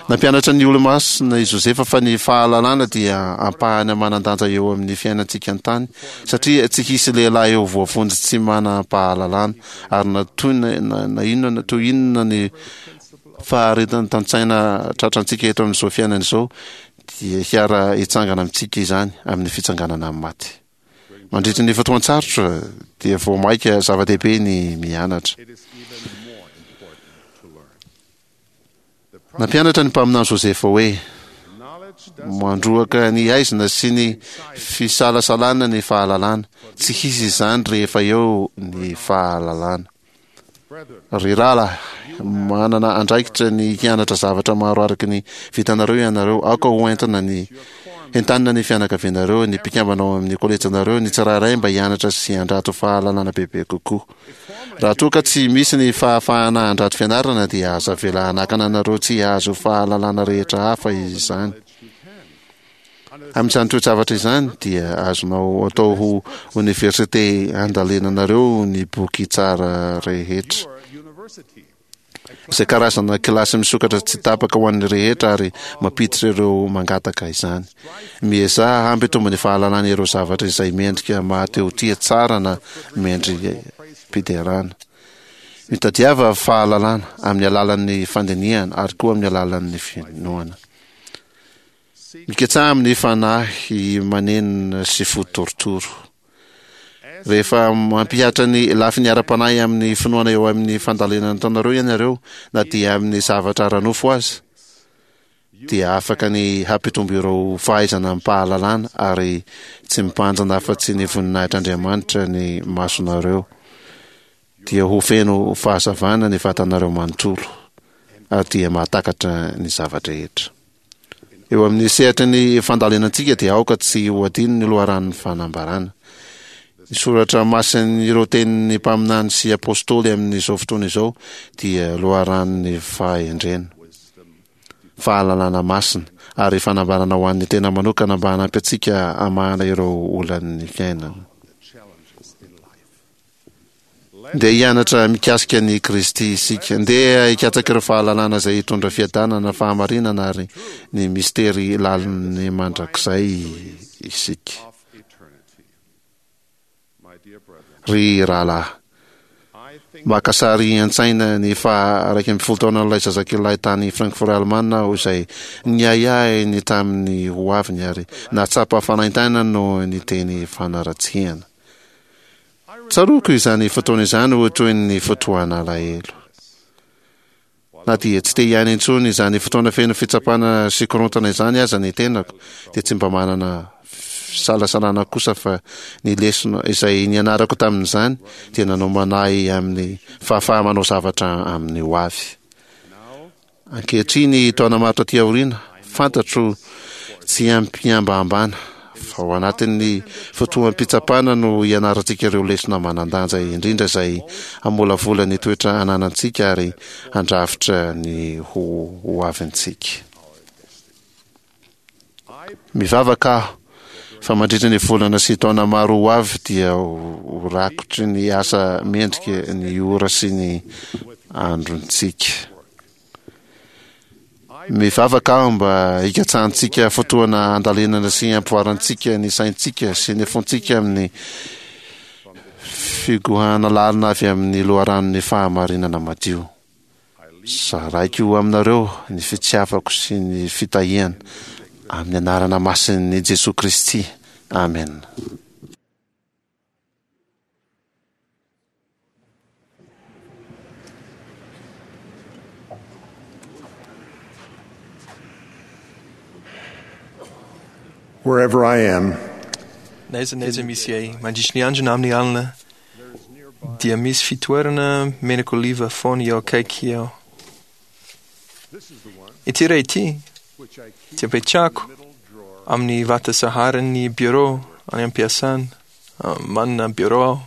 Nampianatra ny Olomasina i Josefa fa ny fahalalana dia ampahany manan-danja eo amin'ny fiainantsika an-tany, satria tsy hisy lehilahy eo voavonjy tsy manam-pahalalana, ary na toy na inona na toy inona ny Faharetan-tsaina tratrantsika eto amin'izao fiainana izao dia hiara hitsangana amintsika izany amin'ny fitsanganana amin'ny maty. Mandritra ny fotoan-tsarotra dia vao maika zava-dehibe ny mianatra. Nampianatra ny mpaminany Josefa hoe mandroaka ny haizina sy ny fisalasalana ny fahalalana. Tsy hisy izany rehefa eo ny fahalalana. Ry rahalahy, manana andraikitra ny hianatra zavatra maro araka ny vitanareo ianareo. Aoka ho entina ny entanina ny fianakavianareo, ny mpikambana ao amin'ny kolejinareo, ny tsirairay mba hianatra sy handrato fahalalana bebe kokoa. Raha toa ka tsy misy ny fahafahana handrato fianarana dia aza avela hanakana anareo tsy hahazo fahalalana rehetra hafa izany. Amin'izany toe-javatra izany dia azonao atao ho oniversite handalinanareo ny boky tsara rehetra, izay karazana kilasy misokatra tsy tapaka ho an'ny rehetra ary mampiditra ireo mangataka izany. Miezaha hampitombo ny fahalalana ireo zavatra izay mendrika mahatehotia tsara na mendri-piderana. Mitadiava fahalalana amin'ny alalan'ny fandinihana ary koa amin'ny alalan'ny finoana. Miketsaha amin'ny fanahy manenina sy fo torotoro. Rehefa mampihatra ny lafiny ara-panahy amin'ny finoana eo amin'ny fandalinana ataonareo ianareo, na dia amin'ny zavatra ara-nofo aza, dia afaka ny hampitombo ireo fahaizana amim-pahalalana ary tsy mibanjina afa-tsy ny voninahitr'Andriamanitra ny masonareo. Dia ho feno fahazavana ny vatanareo manontolo ary dia mahatakatra ny zava-drehetra. Eo amin'ny sehatry ny fandalinantsika dia aoka tsy ho adino ny loharanon'ny fanambarana. Ny soratra masin'ireo tenin'ny mpaminany sy apostoly amin'izao fotoana izao dia loharanon'ny fahendrena, fahalalana masina ary fanambarana ho an'ny tena manokana mba hanampy antsika hamahana ireo olan'ny fiainana. Ndeha hianatra mikasika an'i Kristy isika. Ndeha hikatsaka ireo fahalalana izay hitondra fiadanana, fahamarinana ary ny mistery lalin'ny mandrakizay isika. Ry rahalahy, maka sary an-tsaina ny faha iraika ambin'ny folo taonan'ilay zazakelilahy tany Frankfurt Alemana aho izay niahiahy ny tamin'ny hoaviny ary nahatsapa fanaintainana noho ny teny fanaratsiana. Tsaroako izany fotoana izany ho toy ny fotoan'alahelo. Na dia tsy te hiaina intsony izany fotoana feno fitsapana sy korontana izany aza ny tenako, dia tsy mba manana fisalasalana kosa fa ny lesona izay nianarako tamin'izany dia nanomana ahy amin'ny fahafaha-manao zavatra amin'ny hoavy. Ankehitriny, taona maro taty aoriana, fantatro tsy amim-pihambahambana fa ao anatin'ny fotoam-pitsapana no ianarantsika ireo lesona manan-danja indrindra izay hamolavola ny toetra ananantsika ary handrafitra ny ho hoavintsika. Mivavaka aho fa mandritra ny volana sy taona maro ho avy dia ho rakotry ny asa mendrika ny ora sy ny androntsika. Mivavaka aho mba hikatsahantsika fotoana handalinana sy hampivoarantsika ny saintsika sy ny fontsika amin'ny figohana lalina avy amin'ny loharanon'ny fahamarinana madio. Zaraiko aminareo ny fitiavako sy ny fitahiana amin'ny anarana masin'i Jesoa Kristy. Amena. Wherever I am, Na aiza na aiza misy ahy, mandritry ny andro na amin'ny alina, dia misy fitoerana menaka oliva foana eo akaiky eo. Ity iray ity dia apetrako amin'ny vata saharan'ny bureau any am-piasana. Manana bureau aho.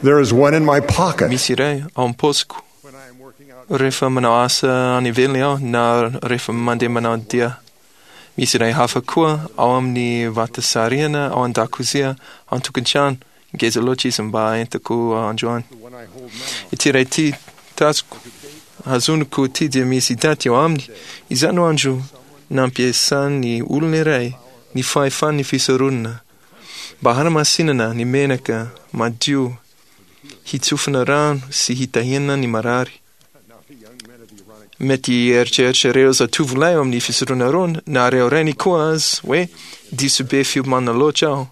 There is one in my pocket. Misy iray ao am-paosiko. Rehefa manao asa any ivelany aho na rehefa mandeha manao dia. Misy iray hafa koa ao amin'ny vata sarihana ao an-dakozia ao an-tokantrano. Ngeza loatra izy mba entiko androany. Ity iray ity tazoko hazoniko ity dia misy daty eo aminy. Izany no andro nampiasan'ny olona iray ny fahefan'ny fisoronana Mba hanamasinana ny menaka madio hitsofana rano sy hitahiana ny marary. Mety hieritreritra ireo zatovolahy ao amin'ny fisoronana Arona na ireo rainy koa aza hoe diso be fiomanana loatra aho.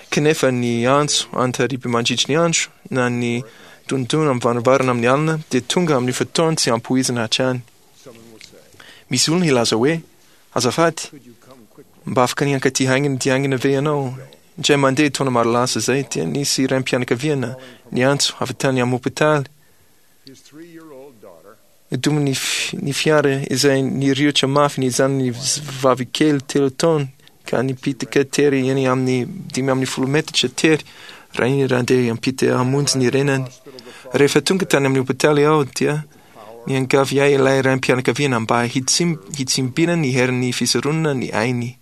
Kanefa ny antso an-tariby mandritry ny andro na ny dondona amin'ny varavarana amin'ny alina dia tonga amin'ny fotoana tsy ampoizina hatrany. Misy olona hilaza hoe, Azafady, mba afaka ny hankaty haingana dia haingana ve ianao? Indray mandeha taona maro lasa izay dia nisy raim-pianakaviana niantso avy tany amin'ny hopitaly. Nodomin'ny ny fiara izay niriotra mafy ny zanany vavikely telo taona ka nipitika tery eny amin'ny dimy ambin'ny folo metatra tery raha iny randeha hiampita hamonjy ny renany. Rehefa tonga tany amin'ny hopitaly aho dia niangavy ahy ilay raim-pianakaviana mba hitsim hitsimbina ny herin'ny fisoronana ny ainy.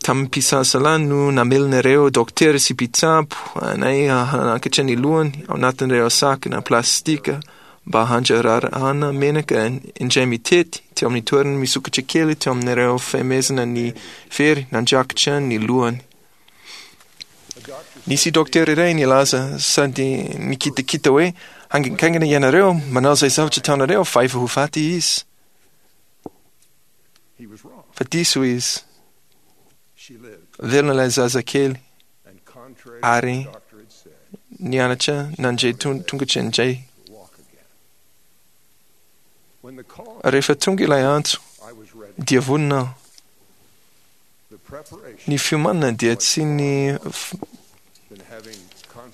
Tamim-pisalasala no namelona ireo dokotera sy mpitsabo anay hanakatra ny lohany ao anatin'ireo sakana plastika mba handrarahana menaka indray mitety teo amin'ny toerana misokatra kely teo amin'ireo fehezana ny fery nandrakotra ny lohany. Nisy dokotera iray nilaza sady nikitakita hoe haingankaingana ianareo manao izay zavatra ataonareo fa efa ho faty izy. Fa diso izy. Velona ilay zazakely ary nianatra nandre tongotra indray. Rehefa tonga ilay antso dia vonona aho. Ny fiomanana dia tsy ny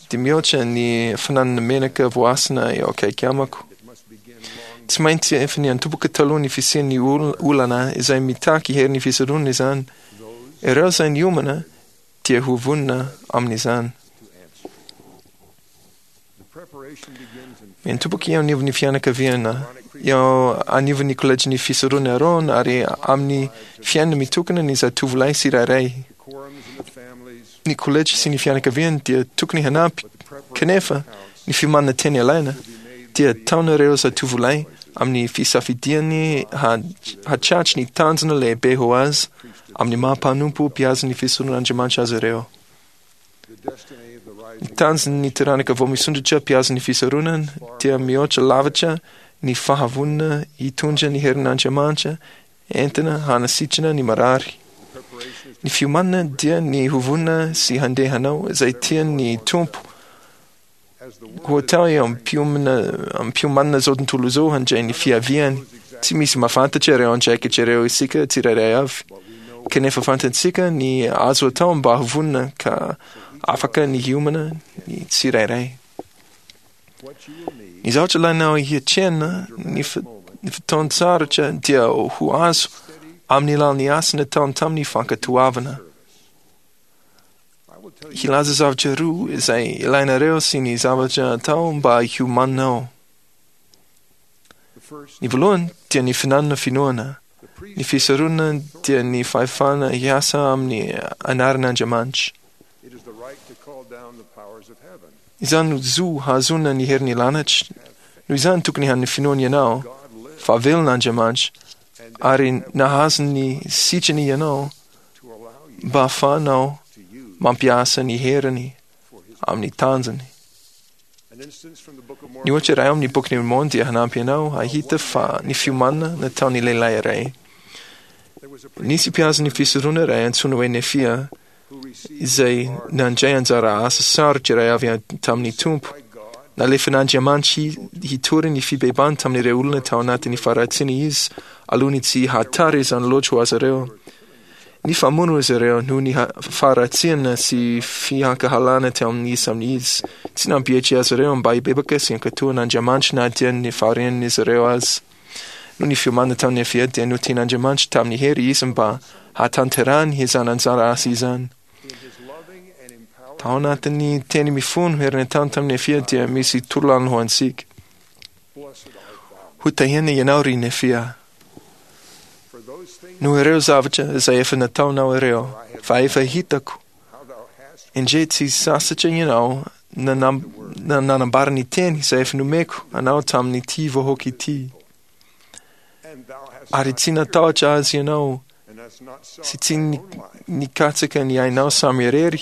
dia mihoatra ny fananana menaka voasina eo akaiky amako. Tsy maintsy efa niantomboka taloha ny fisian'ny olana izay mitaky herin'ny fisoronana izany. Ireo izay niomana dia ho vonona amin'izany. Miantomboka eo anivon'ny fianakaviana, eo anivon'ny kolejin'ny fisoronana Arona ary amin'ny fiainana mitokana ny zatovolahy tsirairay. Ny kolejy sy ny fianakaviana dia tokony hanampy, kanefa ny fiomanana tena ilaina dia ataon'ireo zatovolahy amin'ny fisafidiany hahatratry ny tanjona lehibe ho azy amin'ny maha mpanompo mpihaza ny fisoronan'Andriamanitra azy ireo. Ny tanjon'ny taranaka vao misondrotra mpihaza ny fisoronana dia mihoatra lavitra ny fahavonona hitondra ny herin'Andriamanitra entina hanasitrana ny marary. Ny fiomanana dia ny ho vonona sy handeha hanao izay tian'ny Tompo ho atao eo am-piomanana izao tontolo izao handray ny fiaviany. Tsy misy mahafantatra ireo andraikitra ireo isika tsirairay avy, kanefa fantatsika ny azo atao mba ho vonona ka afaka ny hiomana ny tsirairay. Ny zavatra ilainao hiatrehana ny fotoan-tsarotra dia ho azo amin'ny alalan'ny asa nataony tamin'ny fankatoavana. Hilaza zavatra roa izay ilainareo sy ny zavatra atao mba hiomananao. Ny voalohany dia ny finanana finoana. Ny fisoronana dia ny fahefana hiasa amin'ny anaran'Andriamanitra. Izany no zo hahazoana ny herin'ny lanitra. Noho izany tokony hanana finoana ianao fa velona Andriamanitra ary nahazo ny sitrany ianao mba hahafahanao mampiasa ny heriny amin'ny tanjony. Ny ohatra iray ao amin'ny Bokin'i Môrmôna dia hanampy anao hahita fa ny fiomanana nataon'ny lehilahy iray. Nisy mpihaza ny fisoronana iray antsoina hoe Nefia izay nandray anjara asa sarotra iray avy tamin'ny Tompo. Nalefan'Andriamanitra hitory ny fibebahany tamin'ireo olona tao anatin'ny faharatsiana izy alohan'ny tsy hahatara izany loatra ho azy ireo. Nifamono izy ireo noho ny faharatsiana sy fihankahalana teo amin'ny samy izy. Tsy nampietry azy ireo mba hibebaka sy hankatò an'Andriamanitra na dia ny fahorian'izy ireo aza. Noho ny fiomanana tamin'ny Nefia dia notian'Andriamanitra tamin'ny hery izy mba hahatanterahany izany anjara asa izany. Tao anatin'ny teny mifono hery nataony tamin'i Nefia dia misy torolalana ho antsika. Ho tahiana ianao ry Nefia noho ireo zavatra izay efa nataonao ireo, fa efa hitako indray tsy sasatra ianao nanambara ny teny izay efa nomeko anao tamin'ity vahoaka ity. Ary tsy natahotra azy ianao Sy tsy nikatsaka ny ainao samy irery,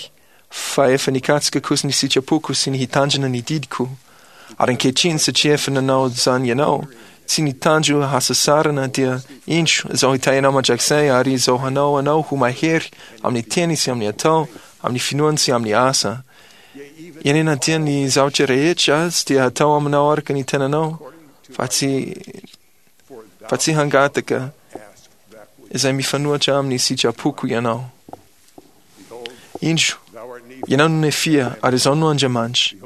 fa efa nikatsaka kosa ny sitrapoko sy ny hitandrina ny didiko. Ary ankehitriny, satria efa nanao izany ianao, tsy nitandro hasasarana, dia indro, izaho hitahy anao mandrakizay, ary izaho hanao anao ho mahery amin'ny teny sy amin'ny atao, amin'ny finoana sy amin'ny asa. Eny, na dia ny zavatra rehetra aza dia hatao aminao araka ny tenanao, fa tsy fa tsy hangataka izay mifanohitra amin'ny sitrapoko ianao. Indro, ianao no Nefia, ary izaho no Andriamanitra.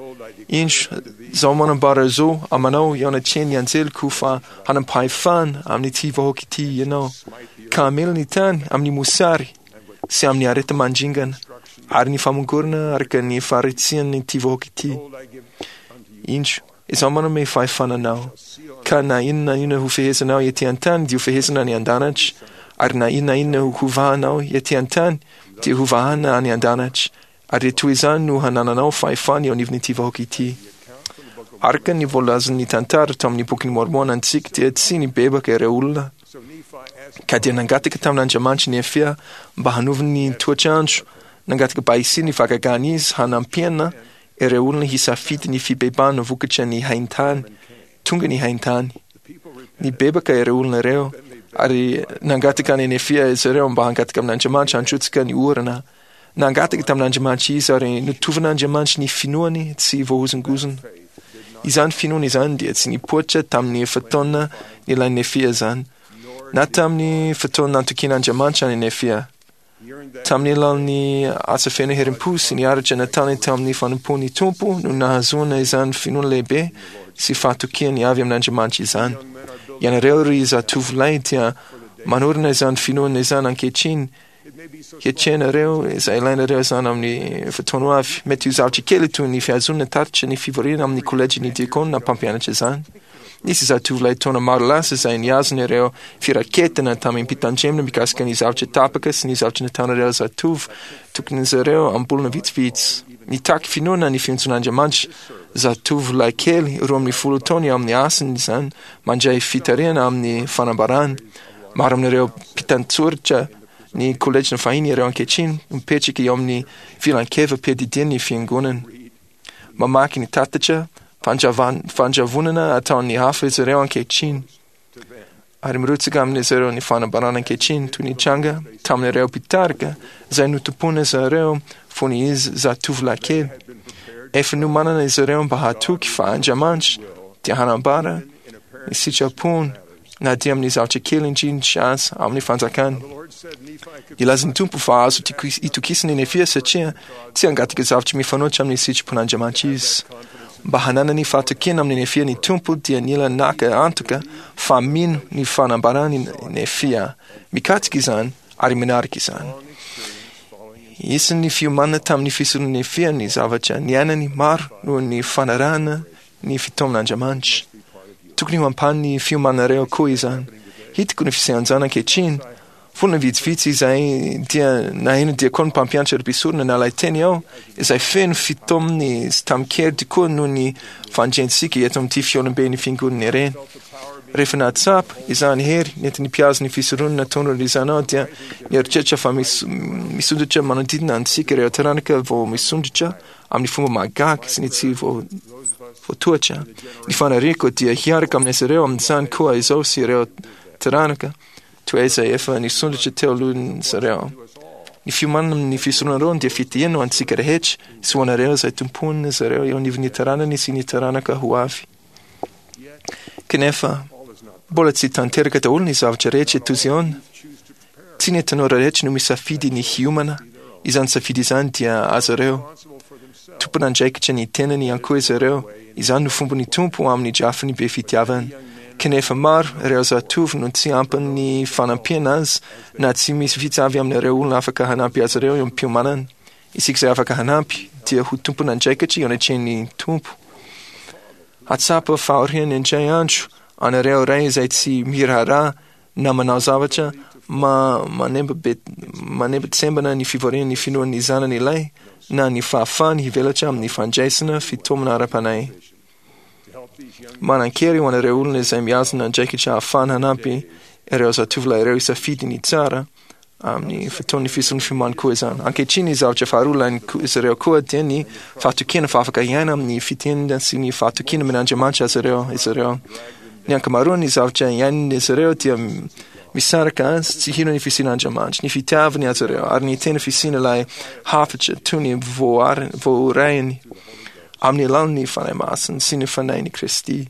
Indro, izaho manambara izao aminao eo anatrehan'ny anjeliko fa hanam-pahefana amin'ity vahoaka ity ianao, ka hamela ny tany amin'ny mosary sy amin'ny areti-mandringana ary ny famongorana araka ny faharatsian'ity vahoaka ity. Indro, izaho manome fahefana anao, ka na inona na inona hofehezinao ety an-tany dia hofehezina any an-danitra, ary na inona na inona hovahanao ety an-tany dia hovahana any an-danitra, ary dia toy izany no hanananao fahefana eo anivon'ity vahoaka ity. Araka ny voalazan'ny tantara tao amin'ny Bokin'i Môrmôna antsika dia tsy nibebaka ireo olona, ka dia nangataka tamin'Andriamanitra Nefia mba hanova ny toetr'andro, nangataka mba hisian'ny fahagagana izy hanampiana ireo olona hisafidy ny fibebahana vokatra ny haintany. Tonga ny haintany. Nibebaka ireo olona ireo, ary nangataka an'i Nefia izy ireo mba hangataka amin'Andriamanitra handrotsaka ny orana. Nangataka tamin'Andriamanitra izy, ary notovan'Andriamanitra ny finoany tsy voahozongozona. Izany finoana izany dia tsy nipoitra tamin'ny fotoana nilain'i Nefia izany, na tamin'ny fotoana nantokian'Andriamanitra an'i Nefia. Tamin'ny alalan'ny asa feno herim-po sy ny aratra nataony tamin'ny fanompoan'ny Tompo no nahazoana izany finoana lehibe sy fahatokiany avy amin'Andriamanitra izany. Ianareo ry zatovolahy dia manorina izany finoana izany ankehitriny, hiatrehanareo izay ilainareo izany amin'ny fotoana ho avy. Mety ho zavatra kely toy ny fihazonana tatitra ny fivoriana amin'ny kolejin'ny diakona mpampianatra izany. Nisy zatovolahy taona maro lasa izay nihazona ireo firaketana tamim-pitandremana mikasika ny zavatra tapaka sy ny zavatra nataon'ireo zatovo tokin'izy ireo am-bolana vitsivitsy. Nitaky finoana ny fiantsoan'Andriamanitra zatovolahy kely roa ambin'ny folo taona eo amin'ny asany izany, mandray fitarihana amin'ny fanambarana. Maro amin'ireo mpitan-tsoratra ny kolejin'ny fahiny ireo ankehitriny mipetraka eo amin'ny filankevi-piadidian'ny fiangonana. Mamaky ny tatitra fandravonana ataon'ny hafa izy ireo ankehitriny, ary mirotsaka amin'izy ireo ny fanambarana ankehitriny toy ny tranga tamin'ireo mpitarika izay notompoin'izy ireo fony izy zatovolahy kely. Efa nomanana izy ireo mba hatoky fa Andriamanitra dia hanambara ny sitrapony na dia amin'ny zavatra kely indrindra aza amin'ny fanjakany. Nilaza ny Tompo fa azo itokisana i Nefia satria tsy hangataka zavatra mifanohitra amin'ny sitrapon'Andriamanitra izy. Mba hananany fahatokiana amin'i Nefia ny Tompo dia nila naka antoka fa mino ny fanambarany Nefia, mikatsaka izany ary manaraka izany. Isan'ny fiomanana tamin'ny fisoron'i Nefia ny zavatra niainany maro noho ny fanarahana ny fitaoman'Andriamanitra. Tokony ho ampahan'ny fiomananareo koa izany. Hitako ny fisehan'izany ankehitriny. Volana vitsivitsy izay dia naheno diakona mpampianatra ry mpisorona nalay teny aho, izay feno fitaominy sy tamin-kery tokoa noho ny fandriantsika eto amin'ity fihaonamben'ny fiangonana ireny. Rehefa nahatsapa izany hery nentin'ny mpihazo ny fisoronana nataon'ireo izany aho dia nieritreritra fa misondrotra manodidina antsika ireo taranaka vao misondrotra amin'ny fomba mahagaga sy ny tsy voatohatra. Ny faniriako dia hiaraka amin'izy ireo amin'izany koa izao sy ireo taranaka toy izay efa nisondrotra teo alohan'izy ireo. Ny fiomanana amin'ny fisoronana dia fitahiana ho antsika rehetra sy ho anareo izay tompoin'izy ireo eo anivon'ny taranany sy ny taranaka ho avy. Kanefa, mbola tsy tanteraka daholo ny zavatra rehetra eto Ziona. Tsy ny tanora rehetra no misafidy ny hiomana. Izany safidy izany dia azy ireo. Tompon'andraikitra ny tenany ihany koa izy ireo. Izany no fomban'ny Tompo amin'ny drafiny be fitiavana. Kanefa maro ireo zatovo no tsy ampy ny fanampiana azy na tsy misy vitsy avy amin'ireo olona afaka hanampy azy ireo eo am-piomanana. Isika izay afaka hanampy dia ho tompon'andraikitra eo anatrehan'ny Tompo. Hahatsapa fahoriana indray andro anareo ray izay tsy miraharaha na manao zavatra ma manembatsembana ny fivorian'ny finoan'ny zanany ilay na ny fahafahany hivelatra amin'ny fandraisana fitaomana ara-panahy. Manan-kery ho an'ireo olona izay mihazona andraikitra hahafahana hanampy ireo zatovolahy ireo hisafidy ny tsara Amin'ny fotoan'ny fisoron'ny fiomany koa izany. Ankehitriny, ny zavatra faharoa ilain'izy ireo koa dia ny fahatokiana fa afaka hiaina amin'ny fitenina sy ny fahatokiana amin'Andriamanitra azy ireo izy ireo. Ny ankamaroan'ny zavatra iainan'izy ireo dia misaraka azy tsy hino ny fisian'Andriamanitra, ny fitiavany azy ireo, ary ny tena fisian'ilay hafatra toy ny voarainy amin'ny alalan'ny Fanahy Masina sy ny Fanahin'i Kristy.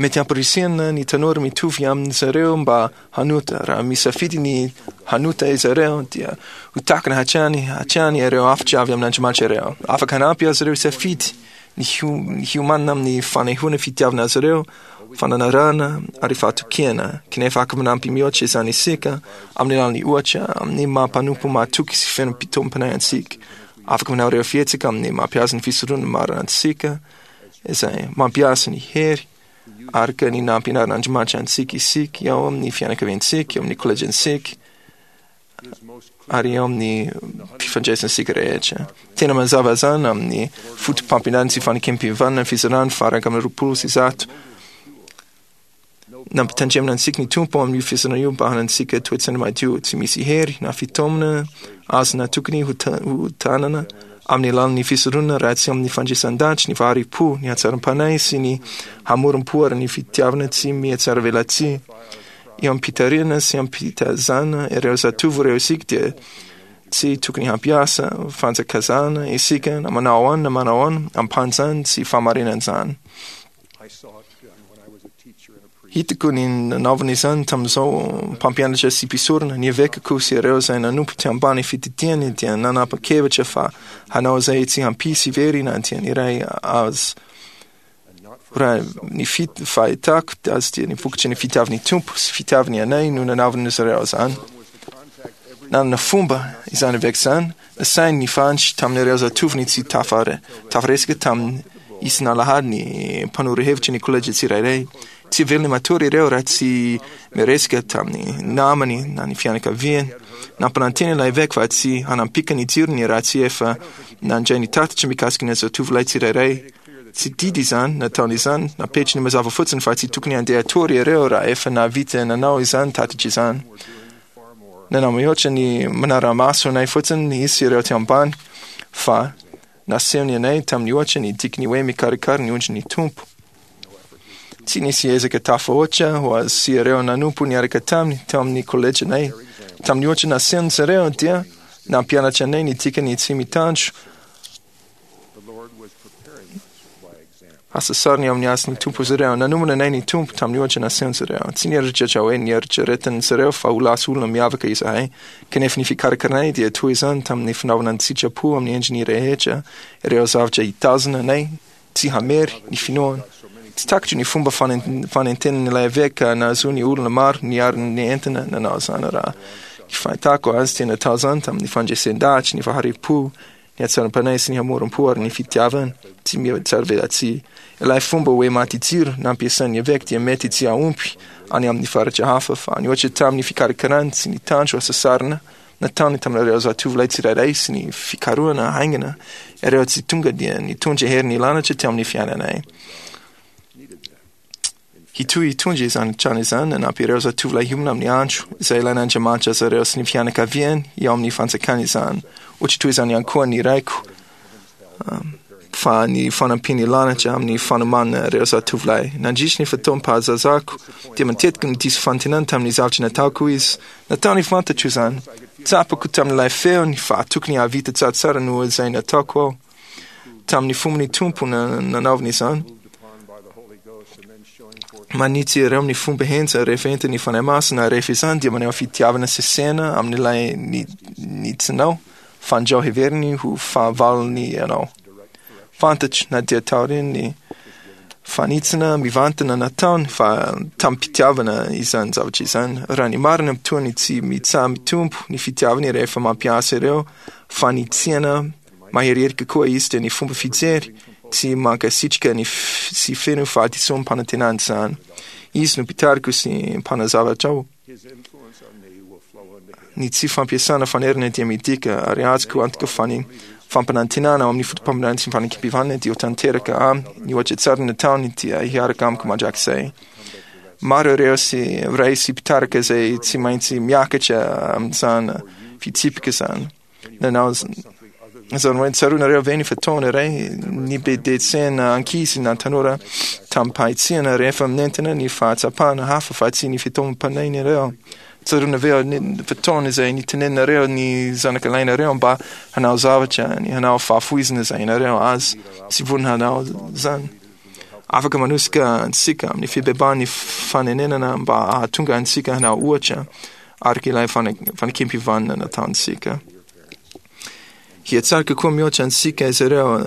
Mety hamporisihana ny tanora mitovy amin-dry zareo mba hanota. Raha misafidy ny hanota izy ireo, dia ho takina hatrany hatrany ireo hafatra avy amin'Andriamanitra ireo. Afaka hanampy azy ireo hisafidy ny hiomanana amin'ny fanehoana fitiavana azy ireo, fananarana ary fahatokiana. Kanefa afaka manampy mihoatra izany isika amin'ny alalan'ny ohatra, amin'ny maha mpanompo mahatoky sy feno fitaomam-panahy antsika. Afaka manao ireo fihetsika amin'ny mampiasa ny fisoronana marina antsika, izay mampiasa ny hery araka ny nampianarin'Andriamanitra antsika isika eo amin'ny fianakaviantsika, eo amin'ny kolejintsika, ary eo amin'ny fifandraisantsika rehetra. Tena mazava izany amin'ny fotopampianarana sy fanekem-pihavanana ny fizarana faha-iraika amby roapolo sy zato. Nampitandremana antsika ny Tompo amin'io fizarana io mba hanantsika toe-tsaina madio, tsy misy hery na fitaomana azo na tokony ho tanana amin'ny alalan'ny fisoronana raha tsy amin'ny fandresan-danitra, ny fahari-po, ny hatsaram-panahy sy ny hamorom-po ary ny fitiavana tsy mihatsaravelatsihy. Eo am-pitarihana sy am-pitazana ireo zatovo ireo isika dia tsy tokony hampiasa fanjakazana isika na manao ahoana na manao ahoana ampan'izany tsy fahamarinan'izany. Hitako ny nanaovana izany tamin'izao mpampianatra sy mpisorona, ny evekako sy ireo izay nanompo teo ambany fididiany dia nanapa-kevitra fa hanao izay tsy hampisy very na dia ny iray aza. Raha ny fahitako azy dia ny vokatry ny fitiavan'ny Tompo sy fitiavany anay no nanaovan'izy ireo izany. Nanana fomba izany eveka izany, nasainy nifandry tamin'ireo zatovony tsy tafaresaka taminy isan'alahady ny mpanoro hevitra ny kolejy tsirairay. Tsy velona matory ireo raha tsy miresaka tamin'ny namany na ny fianakaviany. Nampanantena ilay eveka fa tsy hanampika ny jirony raha tsy efa nandray ny tatitra mikasika ny zatovolahy tsirairay. Tsy didy izany nataony izany, napetrany mazava fotsiny fa tsy tokony handeha hatory ireo raha efa nahavita nanao izany tatitra izany. Nanao mihoatra ny manara-maso anay fotsiny izy sy ireo teo ambany fa nasehony anay tamin'ny ohatra ny dikany hoe mikarakara ny ondrin'ny Tompo. Tsy nisy ezaka tafahoatra ho azy sy ireo nanompo niaraka taminy tao amin'ny kolejinay. Tamin'ny ohatra nasehony zareo dia nampianatra anay ny dikany tsy mitandro Asa sariny amin'ny hasin'ny Tompo izy ireo. Nanomana anay ny Tompo tamin'ny ohatra nasehon'izy ireo. Tsy nieritreritra hoe nieritreretin'izy ireo fa ho lasa olona miavaka izahay. Kanefa ny fikarakaranay dia toy izany tamin'ny fanaovana ny sitrapo amin'ny endriny rehetra ireo zavatra hitazona anay tsy hamery ny finoana. Tsy takatro ny fomba fanentenan'ilay eveka nahazoany olona maro niaro ny entina nanao izany raha ny fahitako azy dia natao izany tamin'ny fandresen-dahatra ny fahari-po ny hatsaram-panahy sy ny hamoram-po ary ny fitiavana tsy mihatsaravelatsihy. Ilay fomba hoe maty jiro nampiasain'ny eveka dia mety tsy hahomby any amin'ny faritra hafa fa nihoatra tamin'ny fikarakarany sy ny tandro hasasarana nataony tamin'ireo zatovolahy tsirairay sy ny fikarohana haingana ireo tsy tonga dia nitondra hery nilanatra teo amin'ny fiainanay. Hitohy hitondra izany trano izany nanampy ireo zatovolahy hiomana amin'ny andro izay ilain'Andriamanitra azy ireo sy ny fianakaviany eo amin'ny fanjakany izany. Ohatra toy izany ihany koa ny raiko fa ny fanampiany lanitra amin'ny fanomanana ireo zatovolahy. Nandritry ny fotoam-pahazazako dia matetika no diso fanantenana tamin'ny zavatra nataoko izy. Nataony fantatro izany. Tsapako tamin'ilay feony fa tokony hahavita tsaratsara noho izay nataoko aho. Tamin'ny fomban'ny Tompo nanaovany izany. Manitsy ireo amin'ny fomba henjana rehefa entin'ny Fanahy Masina, rehefa izany dia maneho fitiavana sesehana amin'ilay nitsinao, fandrao heveriny ho fahavalony ianao. Fantatro na dia taorian'ny fanitsina mivantana nataony fa tamim-pitiavana izany zavatra izany. Raha ny marina, toa ny tsy mitsaha-mitombo ny fitiavany rehefa mampiasa ireo fanitsiana Maherihery kokoa izy dia ny fomba fijery tsy mankasitraka ny sy feno fahadisoam-panantenana izany. Izy no mpitariko sy mpanazavatra aho. Ny tsy fampiasana fanerana dia midika ary azoko antoka fa ny fampanantenana ao amin'ny foto-paminany sy ny fanekempihavanana dia ho tanteraka aminy. Ny ohatra tsara nataony dia hiaraka amiko mandrakizay. Maro ireo sy ray sy mpitarika izay tsy maintsy miakatra amin'izany fitsipika izany. Nanao izany hoe tsaroanareo ve ny fotoana iray nibedetsena ankizy na tanora tamim-pahitsiana rehefa nentina ny fahatsapana hafa fa tsy ny fitaomam-panahinareo? Tsaroana ve ny fotoana izay nitenenanareo ny zanakalahinareo mba hanao zavatra, ny hanao fahafoizana izay ianareo azy tsy vonona hanao izany? Afaka manosika antsika amin'ny fibebahan'ny fanenenana mba hahatonga antsika hanao ohatra araka ilay fanekem-pihavanana nataontsika. Hihatsara kokoa mihoatra antsika izy ireo,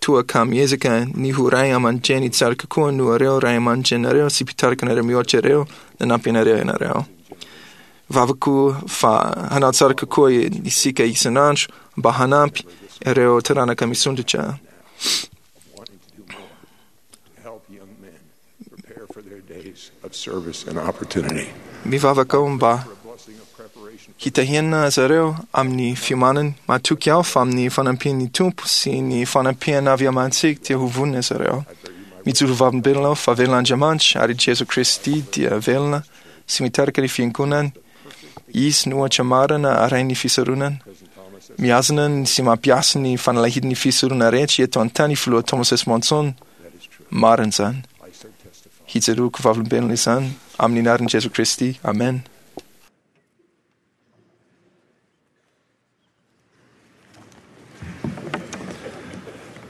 toa ka miezaka ny ho ray aman-dreny tsara kokoa noho ireo ray aman-dreninareo sy mpitarika anareo mihoatra ireo nanampy anareo ianareo. Vavako fa hanao tsara kokoa isika isan'andro mba hanampy ireo taranaka misondrotra. Mivavaka aho mba hitahiana zareo amin'ny fiomanany. Matoky aho fa amin'ny fanampian'ny Tompo sy ny fanampiana avy amintsika dia ho vonona zareo. Mijoro vavolombelona aho fa velona Andriamanitra ary Jesoa Kristy dia velona sy mitarika ny fiangonany. Izy no ohatra marina arahin'ny fisoronana. Mihazona sy mampiasa ny fanalahidin'ny fisorona rehetra eto an-tany Filoha Thomas S. Monson. Marina izany. Hijoroako vavolombelona izany amin'ny anaran'i Jesoa Kristy. Amen.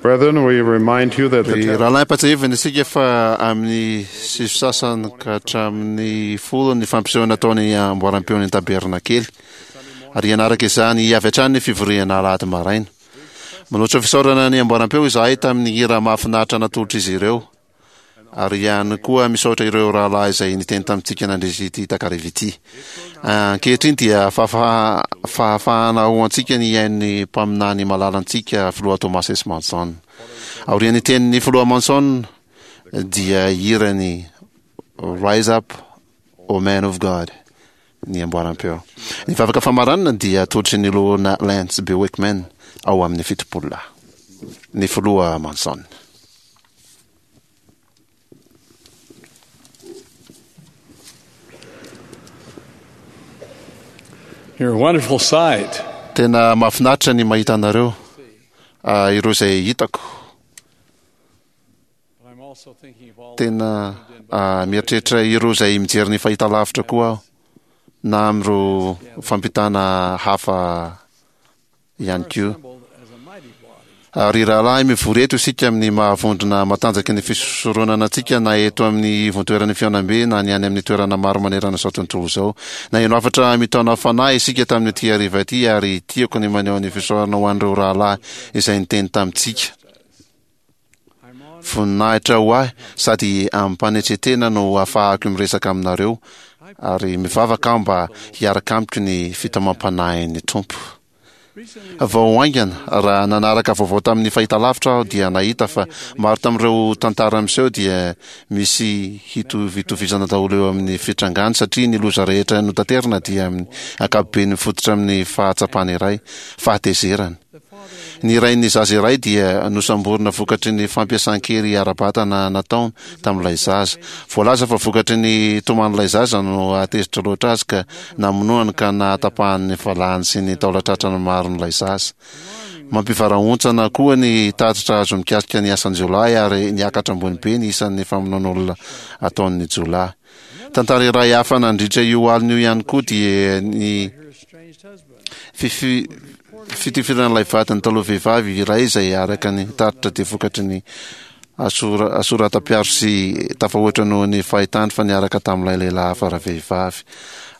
Brethren, we remind you that the Ry rahalahy ampatsiahivina isika fa amin'ny sivy sasany ka hatramin'ny folo ny fampisehoana ataony amboaram-peon'ny tabernakely. Ary hanaraka izany avy hatrany ny fivoriana alahady maraina. Manolotra fisaorana ny amboaram-peo izahay tamin'ny hira mahafinaritra natolotr'izy ireo. Ary ihany koa misaotra ireo rahalahy izay niteny tamintsika nandritra ity takariva ity. Ankehitriny dia fahafahana ho antsika ny hihaino ny mpaminany malalantsika Filoha Thomas S. Monson. Aorian'ny tenin'ny Filoha Monson dia hirany Rise Up, O Man of God ny amboaram-peo. Ny vavaka famaranana dia atolotry ny Loholona Lance B. Wickman ao amin'ny fitopolo lahy. Ny Filoha Monson. You're a wonderful sight. Tena mahafinaritra ny mahita anareo, ah, ireo izay hitako. Tena ah, mieritreritra ireo izay mijery ny fahitalavitra koa aho, na amin'ireo fampitana hafa ihany koa. Ry rahalahy, mivory eto isika amin'ny maha-vondrona matanjaky ny fisoronana antsika, na eto amin'ny ivontoeran'ny fihaonambe na ny any amin'ny toerana maro manerana izao tontolo izao. Naheno hafatra mitaona fanahy isika tamin'ity hariva ity, ary tiako ny maneho ny fisaorana ho an'ireo rahalahy izay niteny tamintsika. Voninahitra ho ahy sady amim-panetren-tena no ahafahako miresaka aminareo, ary mivavaka aho mba hiaraka amiko ny fitaomam-panahin'ny Tompo. Vao haingana, raha nanaraka vaovao tamin'ny fahitalavitra aho dia nahita fa maro tamin'ireo tantara miseho dia misy hitovitovizana daholo eo amin'ny fitrangany satria ny loza rehetra notaterina dia amin'ny ankapobeny mifototra amin'ny fahatsapana iray, fahatezerana. Ny rain'ny zaza iray dia nosamborina vokatry ny fampiasan-kery ara-batana nataony tamin'ilay zaza. Voalaza fa vokatry ny toman'ilay zaza no hahatezitra loatra azy ka namonoany ka nahatapahany ny valahany sy ny taolan-tratrany maron'ilay zaza. Mampivarahontsana koa ny tatitra azo mikasika ny asan-jiolahy ary niakatra ambony be ny isan'ny famonoan'olona ataon'ny jiolahy. Tantara iray hafa nandritra io alina io ihany koa dia ny fitifiran'ilay vadiny taloha vehivavy iray izay araka ny tatitra dia vokatry ny asoratam-piaro sy tafahoatra noho ny fahitany fa niaraka tamin'ilay lehilahy hafa ravehivavy.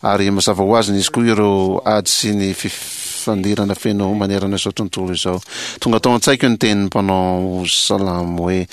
Ary mazava ho azy nisy koa ireo ady sy ny fifandirana feno manerana izao tontolo izao. Tonga tao an-tsaiko ny tenin'ny mpanao salamo hoe,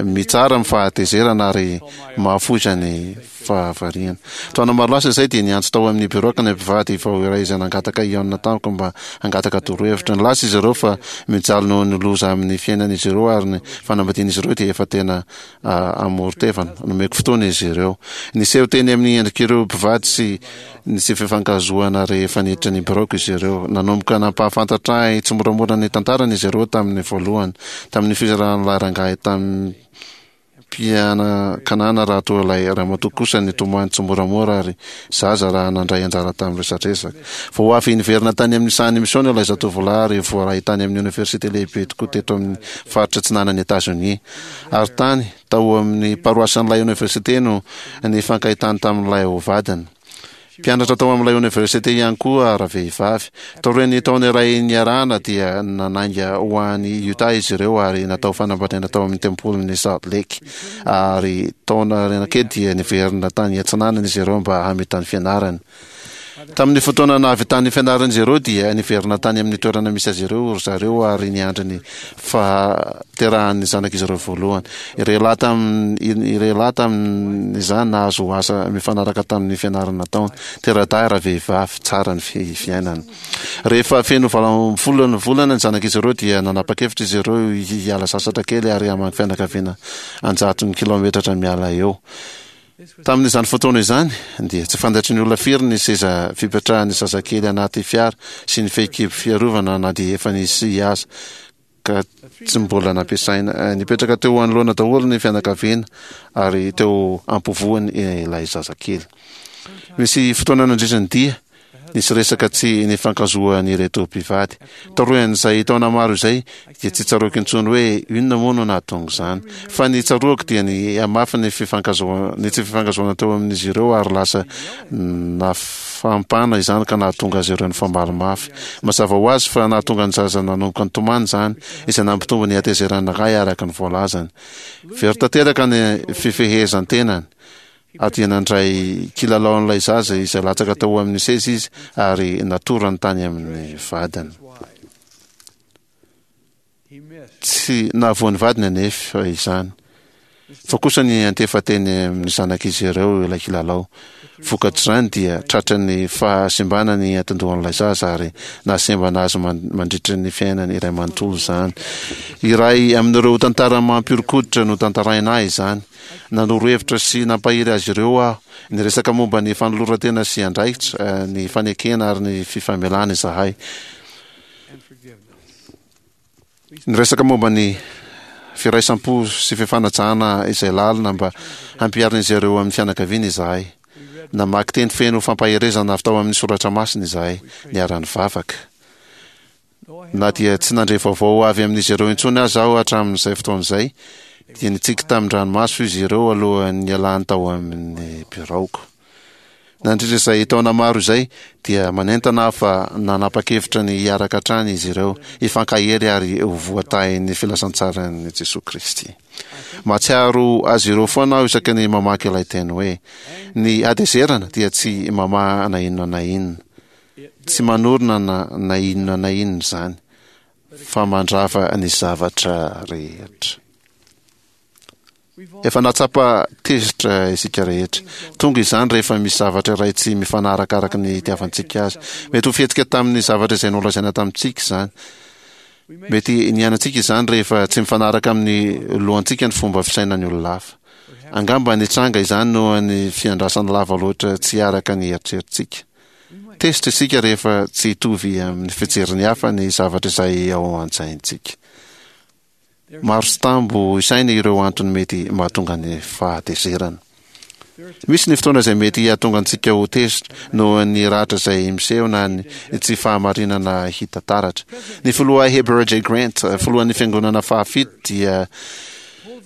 Mitsara amin'ny fahatezerana ary mahafoy ny fahavariana. Taona maro lasa izay dia niantso tao amin'ny biraoko ny mpivady vao iray izay nangataka hihaona tamiko mba hangataka torohevitra. Nilaza izy ireo fa mijaly noho ny loza amin'ny fiainan'izy ireo ary ny fanambadian'izy ireo dia efa tena amoron-tevana. Nomeko fotoana izy ireo. Niseho teny amin'ny endrik'ireo mpivady sy ny tsy fifankahazoana rehefa niditra ny biraoko izy ireo. Nanomboka nampahafantatra ahy tsimoramora ny tantarany izy ireo tamin'ny voalohany, tamin'ny fizaran'ilay rangahy tamin'ny Tamim-pianakanana raha toa ilay ramatoa kosa nitomany tsimoramora ary zaza raha nandray anjara tamin'ny resadresaka. Vao avy niverina tany amin'ny sahan'ny misiona ilay zatovolahy ary voaray tany amin'ny oniversite lehibe tokoa teto amin'ny faritra atsinanan'i Etazonia. Ary tany, tao amin'ny paroasin'ilay oniversite no nifankahitany tamin'ilay ho vadiny. Mpianatra tao amin'ilay oniversite ihany koa ravehivavy. Taorian'ny taona iray niarahana dia nanainga ho any Utah izy ireo ary natao fanambadiana tao amin'ny tempolin'i Salt Lake. Ary taona aoriana kely dia niverina tany atsinanana izy ireo mba hamita ny fianarany. Tamin'ny fotoana nahavitan'ny fianaran'izy ireo dia niverina tany amin'ny toerana misy azy ireo ry zareo ary niandry ny fahaterahan'ny zanak'izy ireo voalohany. Ireo lahy tamin- ireo lahy tamin'izany nahazo asa mifanaraka tamin'ny fianarana nataony. Tera-dahy ravehivavy, tsara ny fi- fiainana. Rehefa feno valo ambin'ny folo ny volana ny zanak'izy ireo dia nanapa-kevitra izy ireo hiala sasatra kely ary hamangy fianakaviana an-jatony kilaometatra miala eo. Tamin'izany fotoana izany, dia tsy fantatry ny olona firy ny seza fipetrahan'ny zazakely anaty fiara sy ny fehikibo fiarovana na dia efa nisy aza ka tsy mbola nampiasaina. Nipetraka teo anoloana daholo ny fianakaviana ary teo ampovoany ilay zazakely. Nisy fotoana nandritra ny dia, nisy resaka tsy nifankazoan'ireto mpivady. Taorian'izay taona maro izay, dia tsy tsaroako intsony hoe inona moa no nahatonga izany. Fa ny tsaroako dia ny hamafy ny fifankazoa- ny tsy fifankazoana teo amin'izy ireo ary lasa nafampana izany ka nahatonga azy ireo nifamaly mafy. Mazava ho azy fa nahatonga ny zaza nanomboka nitomany izany, izay nampitombo ny hatezeran'ny ray araka ny voalazany. Very tanteraka ny fifehezan-tenany. Ary dia nandray kilalao an'ilay zaza izay latsaka tao amin'ny seza izy ary natorany tany amin'ny vadiny. Tsy nahavoa ny vadiny anefa izany, fa kosa niantefa teny amin'ny zanak'izy ireo ilay kilalao. Vokatr'izany dia tratran'ny fahasimbana ny antin-dohan'ilay zaza ary nahasembana azy mandritra ny fiainany iray manontolo izany. Iray amin'ireo tantara mampihoron-koditra notantaraina ahy izany. Nanoro hevitra sy nampahery azy ireo aho. Niresaka momba ny fanoloran-tena sy andraikitra, ny fanekena ary ny fifamelana izahay. Niresaka momba ny firaisam-po sy fifanajana izay lalina mba hampiharin'izy ireo amin'ny fianakaviana izahay. Namaky teny feno fampaherezana avy tao amin'ny soratra masina izahay, niara-nivavaka. Na dia tsy nandre vaovao avy amin'izy ireo intsony aza aho hatramin'izay fotoana izay, dia nitsiky tamin-dranomaso izy ireo alohan'ny nialany tao amin'ny biraoko. Nandritra izay taona maro izay, dia manentana aho fa nanapa-kevitra ny hiaraka hatrany izy ireo, hifankahery ary ho voatahin'ny filazantsaran'i Jesoa Kristy. Mahatsiaro azy ireo foana aho isaky ny mamaky ilay teny hoe, Ny hatezerana dia tsy mamaha na inona na inona. Tsy manorina na na inona na inona izany, fa mandrava ny zavatra rehetra. Efa nahatsapa tezitra isika rehetra. Tonga izany rehefa misy zavatra iray tsy mifanaraka araka ny itiavantsika azy. Mety ho fihetsika tamin'ny zavatra izay nolazaina tamintsika izany. Mety niainantsika izany rehefa tsy mifanaraka amin'ny lohantsika ny fomba fisainan'ny olona hafa. Angamba nitranga izany noho ny fiandrasana lava loatra tsy araka ny eritreritsika. Tezitra isika rehefa tsy hitovy amin'ny fijerin'ny hafa ny zavatra izay ao an-tsaintsika. Maro tsy tambo isaina ireo antony mety mahatonga ny fahatezerana. Misy ny fotoana izay mety hahatonga antsika ho tezitra noho ny ratra izay miseho na ny tsy fahamarinana hita taratra. Ny filoha Heber J. Grant, filohan'ny Fiangonana fahafito, dia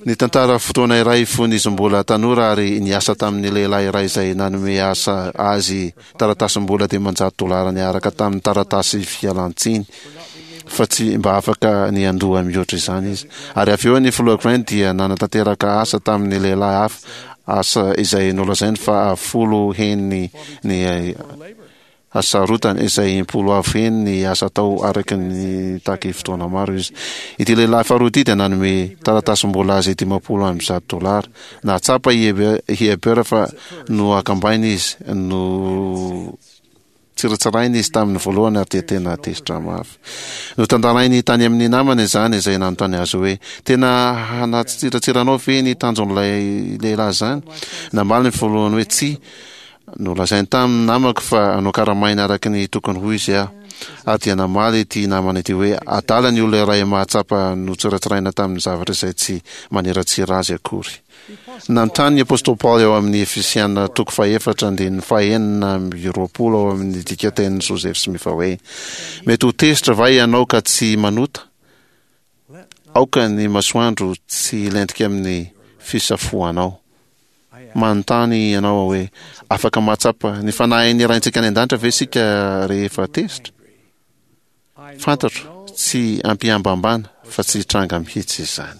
nitantara fotoana iray fony izy mbola tanora ary niasa tamin'ny lehilahy iray izay nanome asa azy taratasim-bola dimanjato dolara niaraka tamin'ny taratasy fialan-tsiny fa tsy mba afaka ny handoa mihoatra izany izy. Ary avy eo ny filoha Grant dia nanatanteraka asa tamin'ny lehilahy hafa, asa izay nolazainy fa folo heny ny hasarotany, izay impolo avo heny ny asa atao araka ny nitaky fotoana maro izy. Ity lehilahy faharoa ity dia nanome taratasim-bola azy dimampolo amby zato dolara. Nahatsapa i Heber fa nohakambaina izy, notsiratsiraina izy tamin'ny voalohany ary dia tena tezitra mafy. Notantarainy tany amin'ny namany izany izay nanontany azy hoe, Tena hanatsiratsiranao ve ny tanjon'ilay lehilahy izany? Namaly ny voalohany hoe, Tsia. Nolazainy tamin'ny namako fa nokaramaina araka ny tokony ho izy aho. Ary dia namaly ity namana ity hoe, Adala ny olona iray mahatsapa notsiratsiraina tamin'ny zavatra izay tsy maniratsira azy akory. Nanontany ny apostoly Paoly ao amin'ny Efesiana toko fahefatra andininy fahenina amby roapolo ao amin'ny dikantenin'i Joseph Smith hoe, Mety ho tezitra va ianao ka tsy manota? Aoka ny masoandro tsy hilentika amin'ny fisafoanao. Manontany ianao aho hoe, Afaka mahatsapa ny Fanahin'ny Raintsika any An-danitra ve isika rehefa tezitra? Fantatro, tsy am-pihambahambana, fa tsy hitranga mihitsy izany.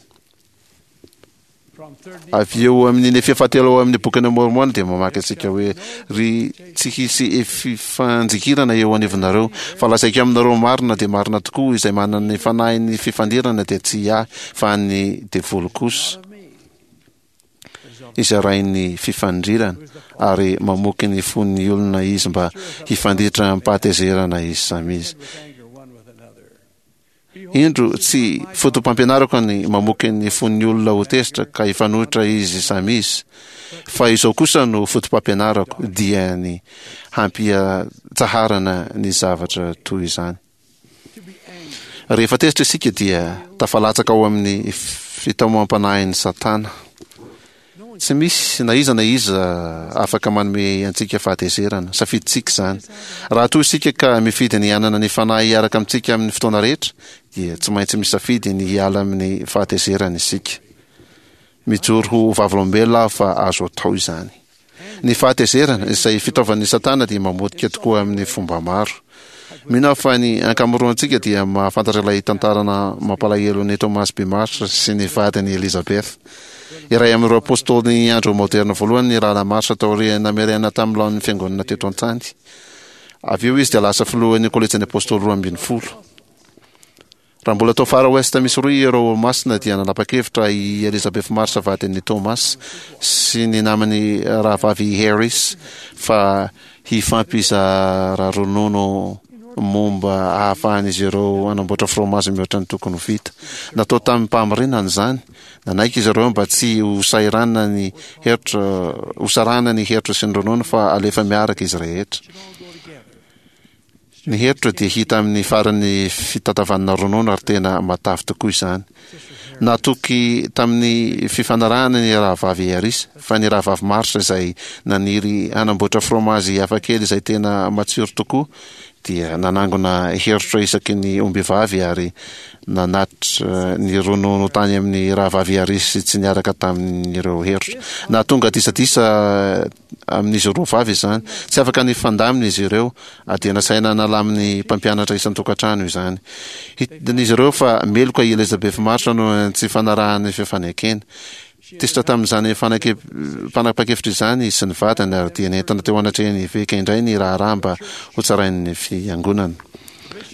Avy eo amin'ny Nefia fahatelo ao amin'ny Bokin'i Môrmôna dia mamaky antsika hoe, Ry tsy hisy fifanjikirana eo anivonareo, fa lazaiko aminareo marina dia marina tokoa, izay manana ny fanahin'ny fifandirana dia tsy ahy, fa an'ny devoly kosa. Izay rain'ny fifandrirana, ary mamoky ny fon'ny olona izy mba hifanditra amim-pahatezerana izy samy izy. Indro, tsy foto-pampianarako ny mamoky ny fon'ny olona ho tezitra ka hifanohitra izy samy izy, fa izao kosa no foto-pampianarako, dia ny hampiatsaharana ny zavatra toy izany. Rehefa tezitra isika dia tafalatsaka ao amin'ny fitaomam-panahin'i Satana. Tsy misy na iza na iza afaka manome antsika fahatezerana. Safidintsika izany. Raha toa isika ka mifidy ny hanana ny Fanahy hiaraka amintsika amin'ny fotoana rehetra, dia tsy maintsy misafidy ny hiala amin'ny fahatezerana isika. Mijoro ho vavolombelona aho fa azo atao izany. Ny fahatezerana, izay fitaovan'i Satana, dia mamotika tokoa amin'ny fomba maro. Mino aho fa ny ankamaroantsika dia mahafantatra ilay tantarana mampalahelon'i Thomas B. Marsh sy ny vadiny Elizabeth. Iray amin'ireo apostolin'ny andro maoderina voalohany ny Rahalahy Marsh taorian'ny namerenana tamin'ny laoniny ny fiangonana teto an-tany. Avy eo izy dia lasa filohan'ny Kolejin'ny Apostoly Roa Ambin'ny Folo. Raha mbola tao Far West Missouri ireo Olomasina dia nanapa-kevitra i Elizabeth Marsh vadin'i Thomas sy ny namany rahavavy Harris fa hifampizara ronono momba ahafahan'izy ireo hanamboatra fromazy mihoatra ny tokony ho vita. Natao tamim-pahamarinana izany. Nanaiky izy ireo mba tsy ho sahiranina ny herotra, ho sarahina ny herotra sy ny ronono fa alefa miaraka izy rehetra. Ny herotra dia hita amin'ny faran'ny fitantavanana ronono ary tena matavy tokoa izany. Natoky tamin'ny fifanarahana ny Rahavavy Harris fa ny Rahavavy Marsh izay naniry hanamboatra fromazy hafakely izay tena matsiro tokoa dia nanangona herotra isaky ny ombivavy ary nanatitra ny ronono tany amin'ny Rahavavy Harris tsy niaraka tamin'ireo herotra. Nahatonga disadisa amin'izy roa vavy izany. Tsy afaka nifandamina izy ireo, ary dia nasaina nalamin'ny mpampianatra isan-tokantrano izany. Hitan'izy ireo fa meloka i Elizabeth Marsh noho ny tsy fanarahany fifanekena. Tezitra tamin'izany fanapahan-kevitra izany izy sy ny vadiny, ary dia nentina teo anatrehan'ny eveka indray ny raharaha mba hotsarain'ny fiangonana.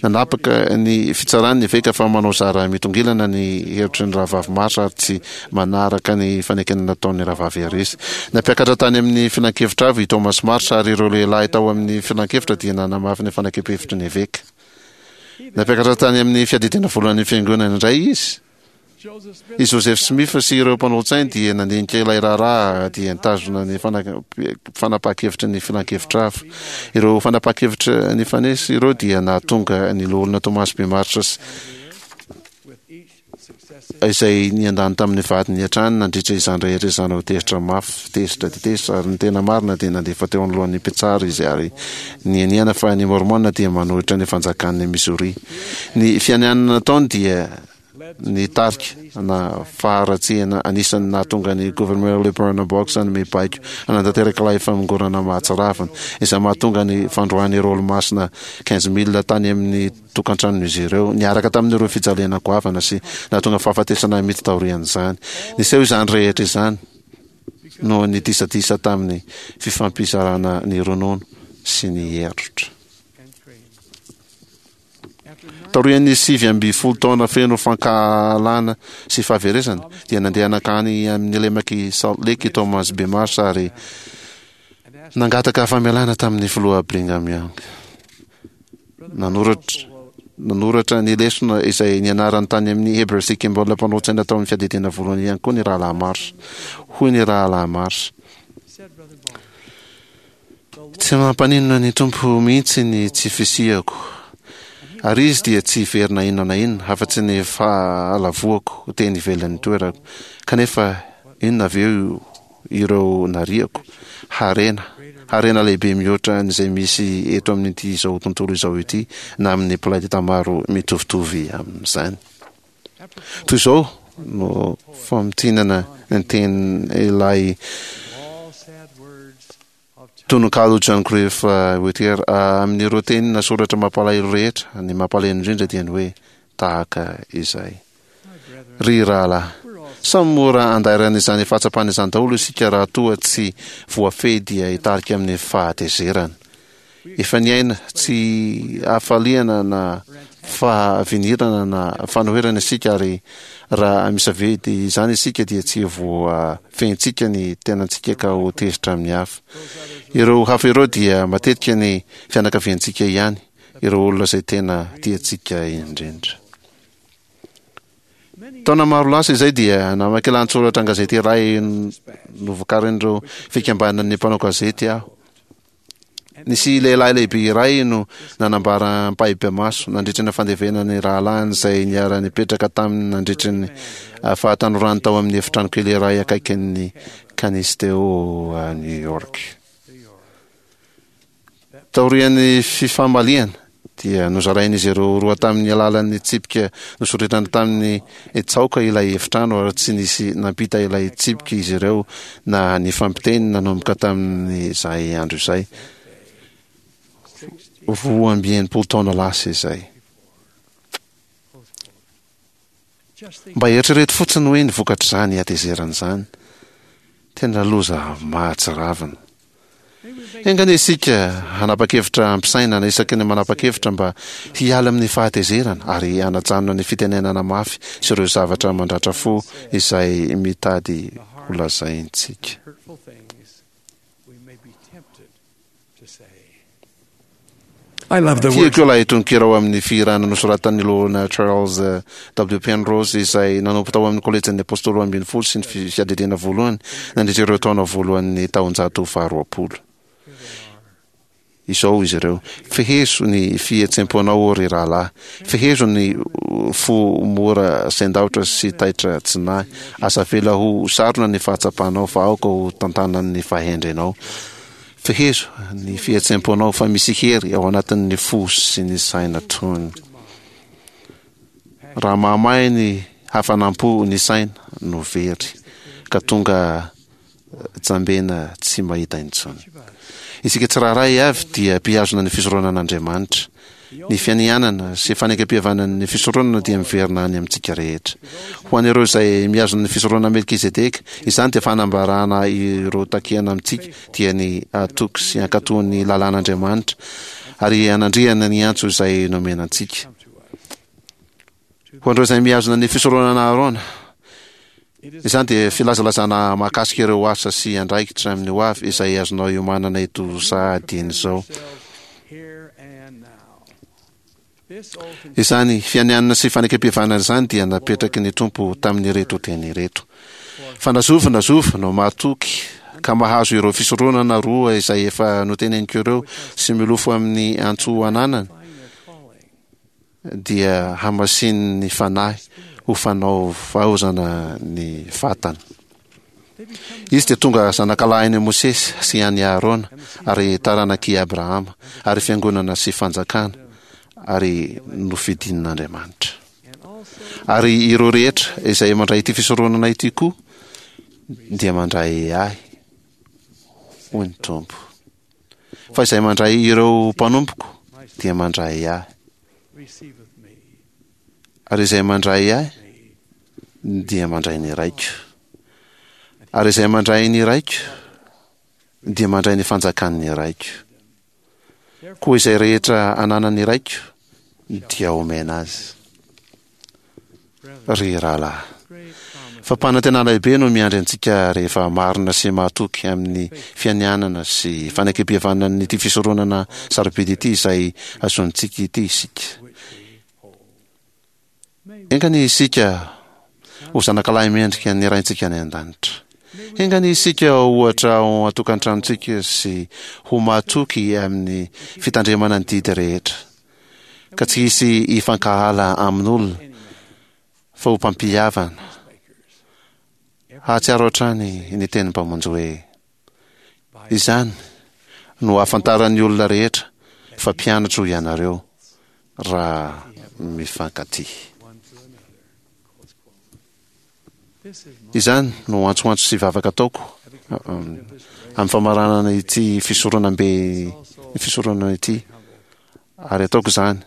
Nanapaka ny fitsarany ny eveka fa manao zara mitongilana ny hevitry ny Rahavavy Marsh ary tsy manaraka ny fanekena nataon'ny Rahavavy Harris. Nampiakatra tany amin'ny filankevitra avo i Thomas Marsh ary ireo lehilahy tao amin'ny filankevitra dia nanamafy ny fanakepehevitry ny eveka. Nampiakatra tany amin'ny fiadidiana voalohan'ny fiangonana indray izy. I Joseph Smith sy ireo mpanolo-tsainy dia nandinika ilay raharaha dia nitazona ny fanapahan-kevitry ny filankevitra hafa. Ireo fanapahan-kevitra nifanesy ireo dia nahatonga ny Loholona Thomas B. Marsh izay niandany tamin'ny vadiny hatrany nandritra izany rehetra izany ho tezitra mafy, tezitra dia tezitra, ary ny tena marina dia nandefa teo anoloan'ny mpitsara izy ary nianiana fa ny Mormon dia manohitra ny fanjakan'i Missouri. Ny fianianana nataony dia Nitarika na faharatsiana anisan'ny nahatonga ny Governor Lilburn Boggs hanome baiko hanatanteraka ilay famongorana mahatsiravina, izay mahatonga ny fandroahan'ireo Olomasina quinze mille tany amin'ny tokantranon'izy ireo, niaraka tamin'ireo fijaliana goavana sy nahatonga fahafatesana mihitsy taorian'izany. Niseho izany rehetra izany noho ny disadisa tamin'ny fifampizarana ny ronono sy ny herotra. Taorian'ny sivy ambin'ny folo taona feno fankahalana sy fahaverezana, dia nandeha nankany amin'ny lemak'i Salt Lake i Thomas B. Marsh ary nangataka famelana tamin'ny filoha Brigham Young. Nanoratra nanoratra ny lesona izay nianarany tany amin'ny Heber C. Kimball mpanolo-tsaina tao amin'ny fiadidiana voalohany ihany koa ny Rahalahy Marsh. Hoy ny Rahalahy Marsh, Tsy mampaninona ny Tompo mihitsy ny tsy fisiako. Ary izy dia tsy hiverina inona na inona afa-tsy ny fahalavoako teny ivelan'ny toerako. Kanefa inona avy eo ireo nariako? Harena, harena lehibe mihoatra an'izay misy eto amin'ity izao tontolo izao ity na amin'ny planeta maro mitovitovy amin'izany. Toy izao no famintinana ny tenin'ilay tononkalo John Griff Whittier, Amin'ireo teny nasoratra mampalahelo rehetra, ny mampalahelo indrindra dia ny hoe tahaka izay. Ry rahalahy, samy mora andairan'izany fahatsapana izany daholo isika raha toa tsy voafehy dia hitarika amin'ny fahatezerana. Efa niaina tsy hafaliana na fahavinirana na fanoherana isika ary raha misafidy izany isika dia tsy voafehintsika ny tenantsika ka ho tezitra amin'ny hafa. Ireo hafa ireo dia matetika ny fianakaviantsika ihany, ireo olona izay tena tiantsika indrindra. Taona maro lasa izay dia namaky lahatsoratra an-gazety iray novokarin'ireo fikambanan'ny mpanao gazety aho. Nisy lehilahy lehibe iray no nanambara ampahibemaso nandritra ny fandevenana ny rahalahiny izay niara-nipetraka taminy nandritra ny fahatanorany tao amin'ny efitrano kely iray akaikin'ny Canisteo, New York. Taorian'ny fifamaliana, dia nozarain'izy ireo roa tamin'ny alalan'ny tsipika nosoritana tamin'ny tsaoka ilay efitrano ary tsy nisy nampita ilay tsipika izy ireo na nifampiteny nanomboka tamin'izay andro izay, roa amby enimpolo taona lasa izay. Mba eritrereto fotsiny hoe ny vokatr'izany hatezerana izany. Tena loza mahatsiravina. Enga anie isika hanapa-kevitra am-pisainana isaky ny manapa-kevitra mba hiala amin'ny fahatezerana ary hanajanona ny fitenenana mafy sy ireo zavatra mandratra fo izay mitady holazaintsika. Tiako ilay tononkira ao amin'ny fihirana nosoratan'ny Loholona Charles W. Penrose izay nanompo tao amin'ny Kolejin'ny Apôstôly Roa Ambin'ny Folo sy ny Fiadidiana Voalohany nandritra ireo taona voalohan'ny taonjato faharoapolo. Izao izy ireo, Fehezo ny fihetsem-ponao, ô ry rahalahy. Fehezo ny fo mora sendaotra sy taitra tsy nahy. Aza avela ho sarona ny fahatsapanao, fa aoka ho tantanan'ny fahendrenao. Fehezo ny fihetsem-ponao fa misy hery ao anatin'ny fo sy ny saina tony. Raha mahamay ny hafanam-po ny saina no very ka tonga jambena tsy mahita intsony. Isika tsirairay avy dia mpihazona ny fisoronan'Andriamanitra. Ny fianianana sy fanekempihavanan'ny fisoronana dia miverina any amintsika rehetra. Ho an'ireo izay mihazona ny fisoronana Melkizedeka, izany dia fanambarana ireo takiana amintsika, dia ny hatoky sy hankatò ny lalàn'Andriamanitra ary hanandriana ny antso izay nomena antsika. Ho an'ireo izay mihazona ny fisoronana Aharôna, izany dia filazalazana mahakasika ireo asa sy andraikitra amin'ny ho avy izay azonao iomanana eto sahady eny izao. Izany fianianana sy fanekempihavanana izany dia napetraky ny Tompo tamin'ireto teny ireto, Fa na zovy na zovy no mahatoky ka mahazo ireo fisoronana roa izay efa noteneniko ireo sy milofo amin'ny antso ananany, dia hamasinin'ny Fanahy ho fanaovaozana ny vatana. Izy dia tonga zanakalahin'i Mosesy sy an'i Aharona ary taranak'i Abrahama ary fiangonana sy fanjakana ary nofidin'Andriamanitra. Ary ireo rehetra izay mandray ity fisoronana ity koa dia mandray ahy, hoy ny Tompo. Fa izay mandray ireo mpanompoko dia mandray ahy. Ary izay mandray ahy dia mandray ny Raiko. Ary izay mandray ny Raiko dia mandray ny fanjakan'ny Raiko. Koa izay rehetra ananan'ny Raiko dia homena azy. Ry rahalahy, fampanantenana lehibe no miandry antsika rehefa marina sy mahatoky amin'ny fianianana sy fanekempihavanan'ity fisoronana sarobidy ity izay azontsika ity isika. Enga anie isika ho zanakalahy mendrika ny Raintsika any An-danitra. Enga anie isika ho ohatra ao an-tokantranontsika sy ho mahatoky amin'ny fitandremana ny didy rehetra. Ka tsy hisy hifankahala amin'olona, fa ho mpampihavana. Hahatsiaro hatrany ny tenin'ny Mpamonjy hoe, Izany no hahafantaran'ny olona rehetra fa mpianatro ianareo, raha mifankatia. Izany no antsoantso sy vavaka ataoko amin'ny famaranana ity fisoronambe ny fisoronana ity, ary ataoko izany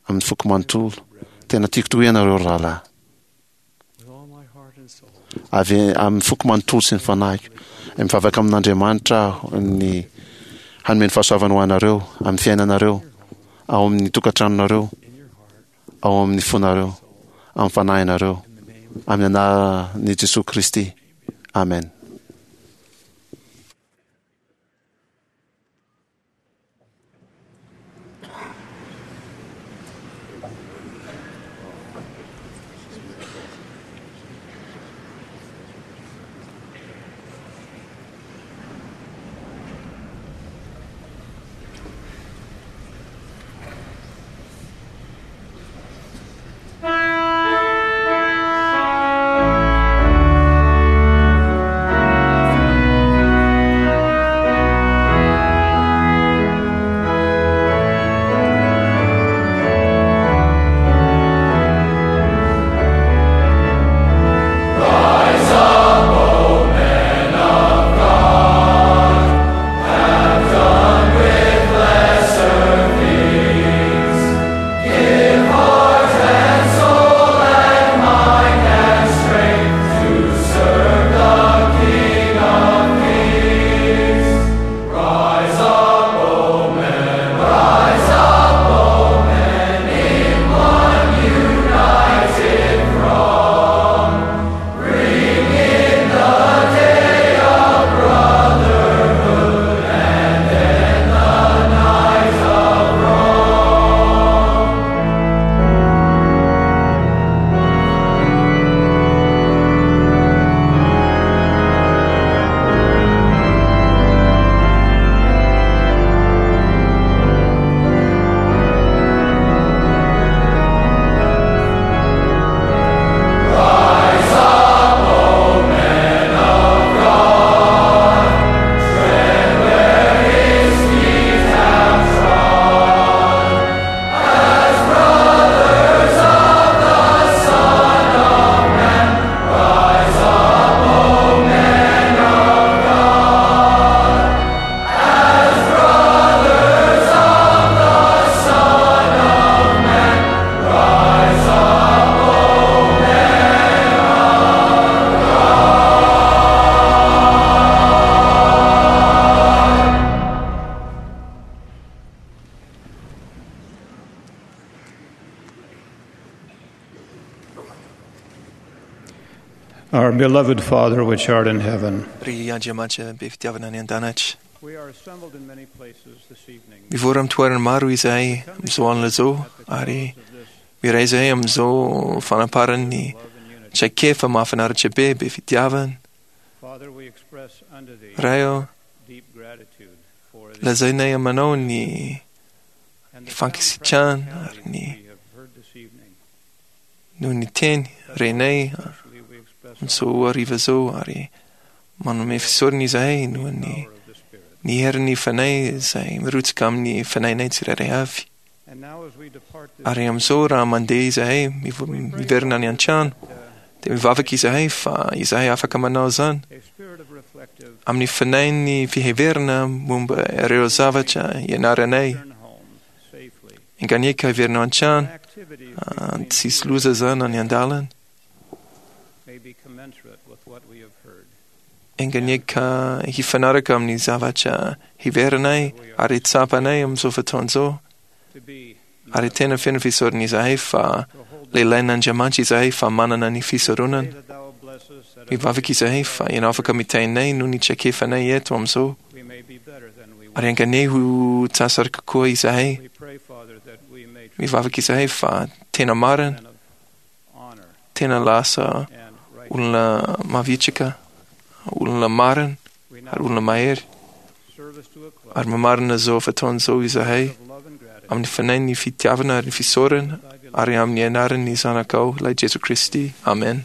amin'ny foko manontolo. Tena tiako tokoa ianareo ry rahalahy. Avy amin'ny foko manontolo sy ny fanahiko. Mivavaka amin'Andriamanitra aho ny hanome ny fahasoavany ho anareo amin'ny fiainanareo, ao amin'ny tokantranonareo, ao amin'ny fonareo, amin'ny fanahinareo, amin'ny anaran'i Jesoa Kristy. Amen. Our beloved Father, which art in heaven, Ry Andriamanitra be fitiavana any an-danitra. we are assembled in many places this evening. Mivory amin'ny toerana maro izahay amin'izao alina izao ary miray izahay amin'izao fanaparan'ny traikefa mahafinaritra be be fitiavana. Father, we express unto thee Ray ô, deep gratitude for the lazainay aminao ny and ny the fankasitrahana ary ny we have heard this evening. noho ny teny renay Especially we express amin'izao hariva izao ary manome fisaorana izahay noho ny power of the Spirit. ny herin'ny fanahy izay mirotsaka amin'ny fanahinay tsirairay avy. And now as we depart this Ary amin'izao raha mandeha izahay mivo- miverina any an-trano dia mivavaka izahay fa izahay afaka manao izany a spirit of reflective amin'ny fanahin'ny fiheverana momba ireo zavatra ianaranay. return home safely. Enga hiverina ao an-trano, Activities ah, tsisy loza izany any an-dalana. may be commensurate with what we have heard. Enga ka hifanaraka amin'ny zavatra hiverinay ary tsapanay amin'izao fotoana izao. To be Ary tena feno fisaorana izahay fa to hold lehilahin'Andriamanitra izahay fa manana ny fisoronana. pray that thou bless us that Mivavaka izahay fa ianao afaka mitainay noho ny traikefanay eto amin'izao. we may be better than we Ary were. enga ho tsara kokoa izahay. We pray, Father, that we may Mivavaka izahay fa tena marina, men of honor tena lasa and righteousness. olona mavitrika, olona marina We now ary olona mahery. service to a close Ary mamarina izao fotoana izao izahay of love and gratitude. Amin'ny fanahin'ny fitiavana ary ny fisaorana ary amin'ny anaran'ny Zanakao, ilay Jesoa Kristy. Amen.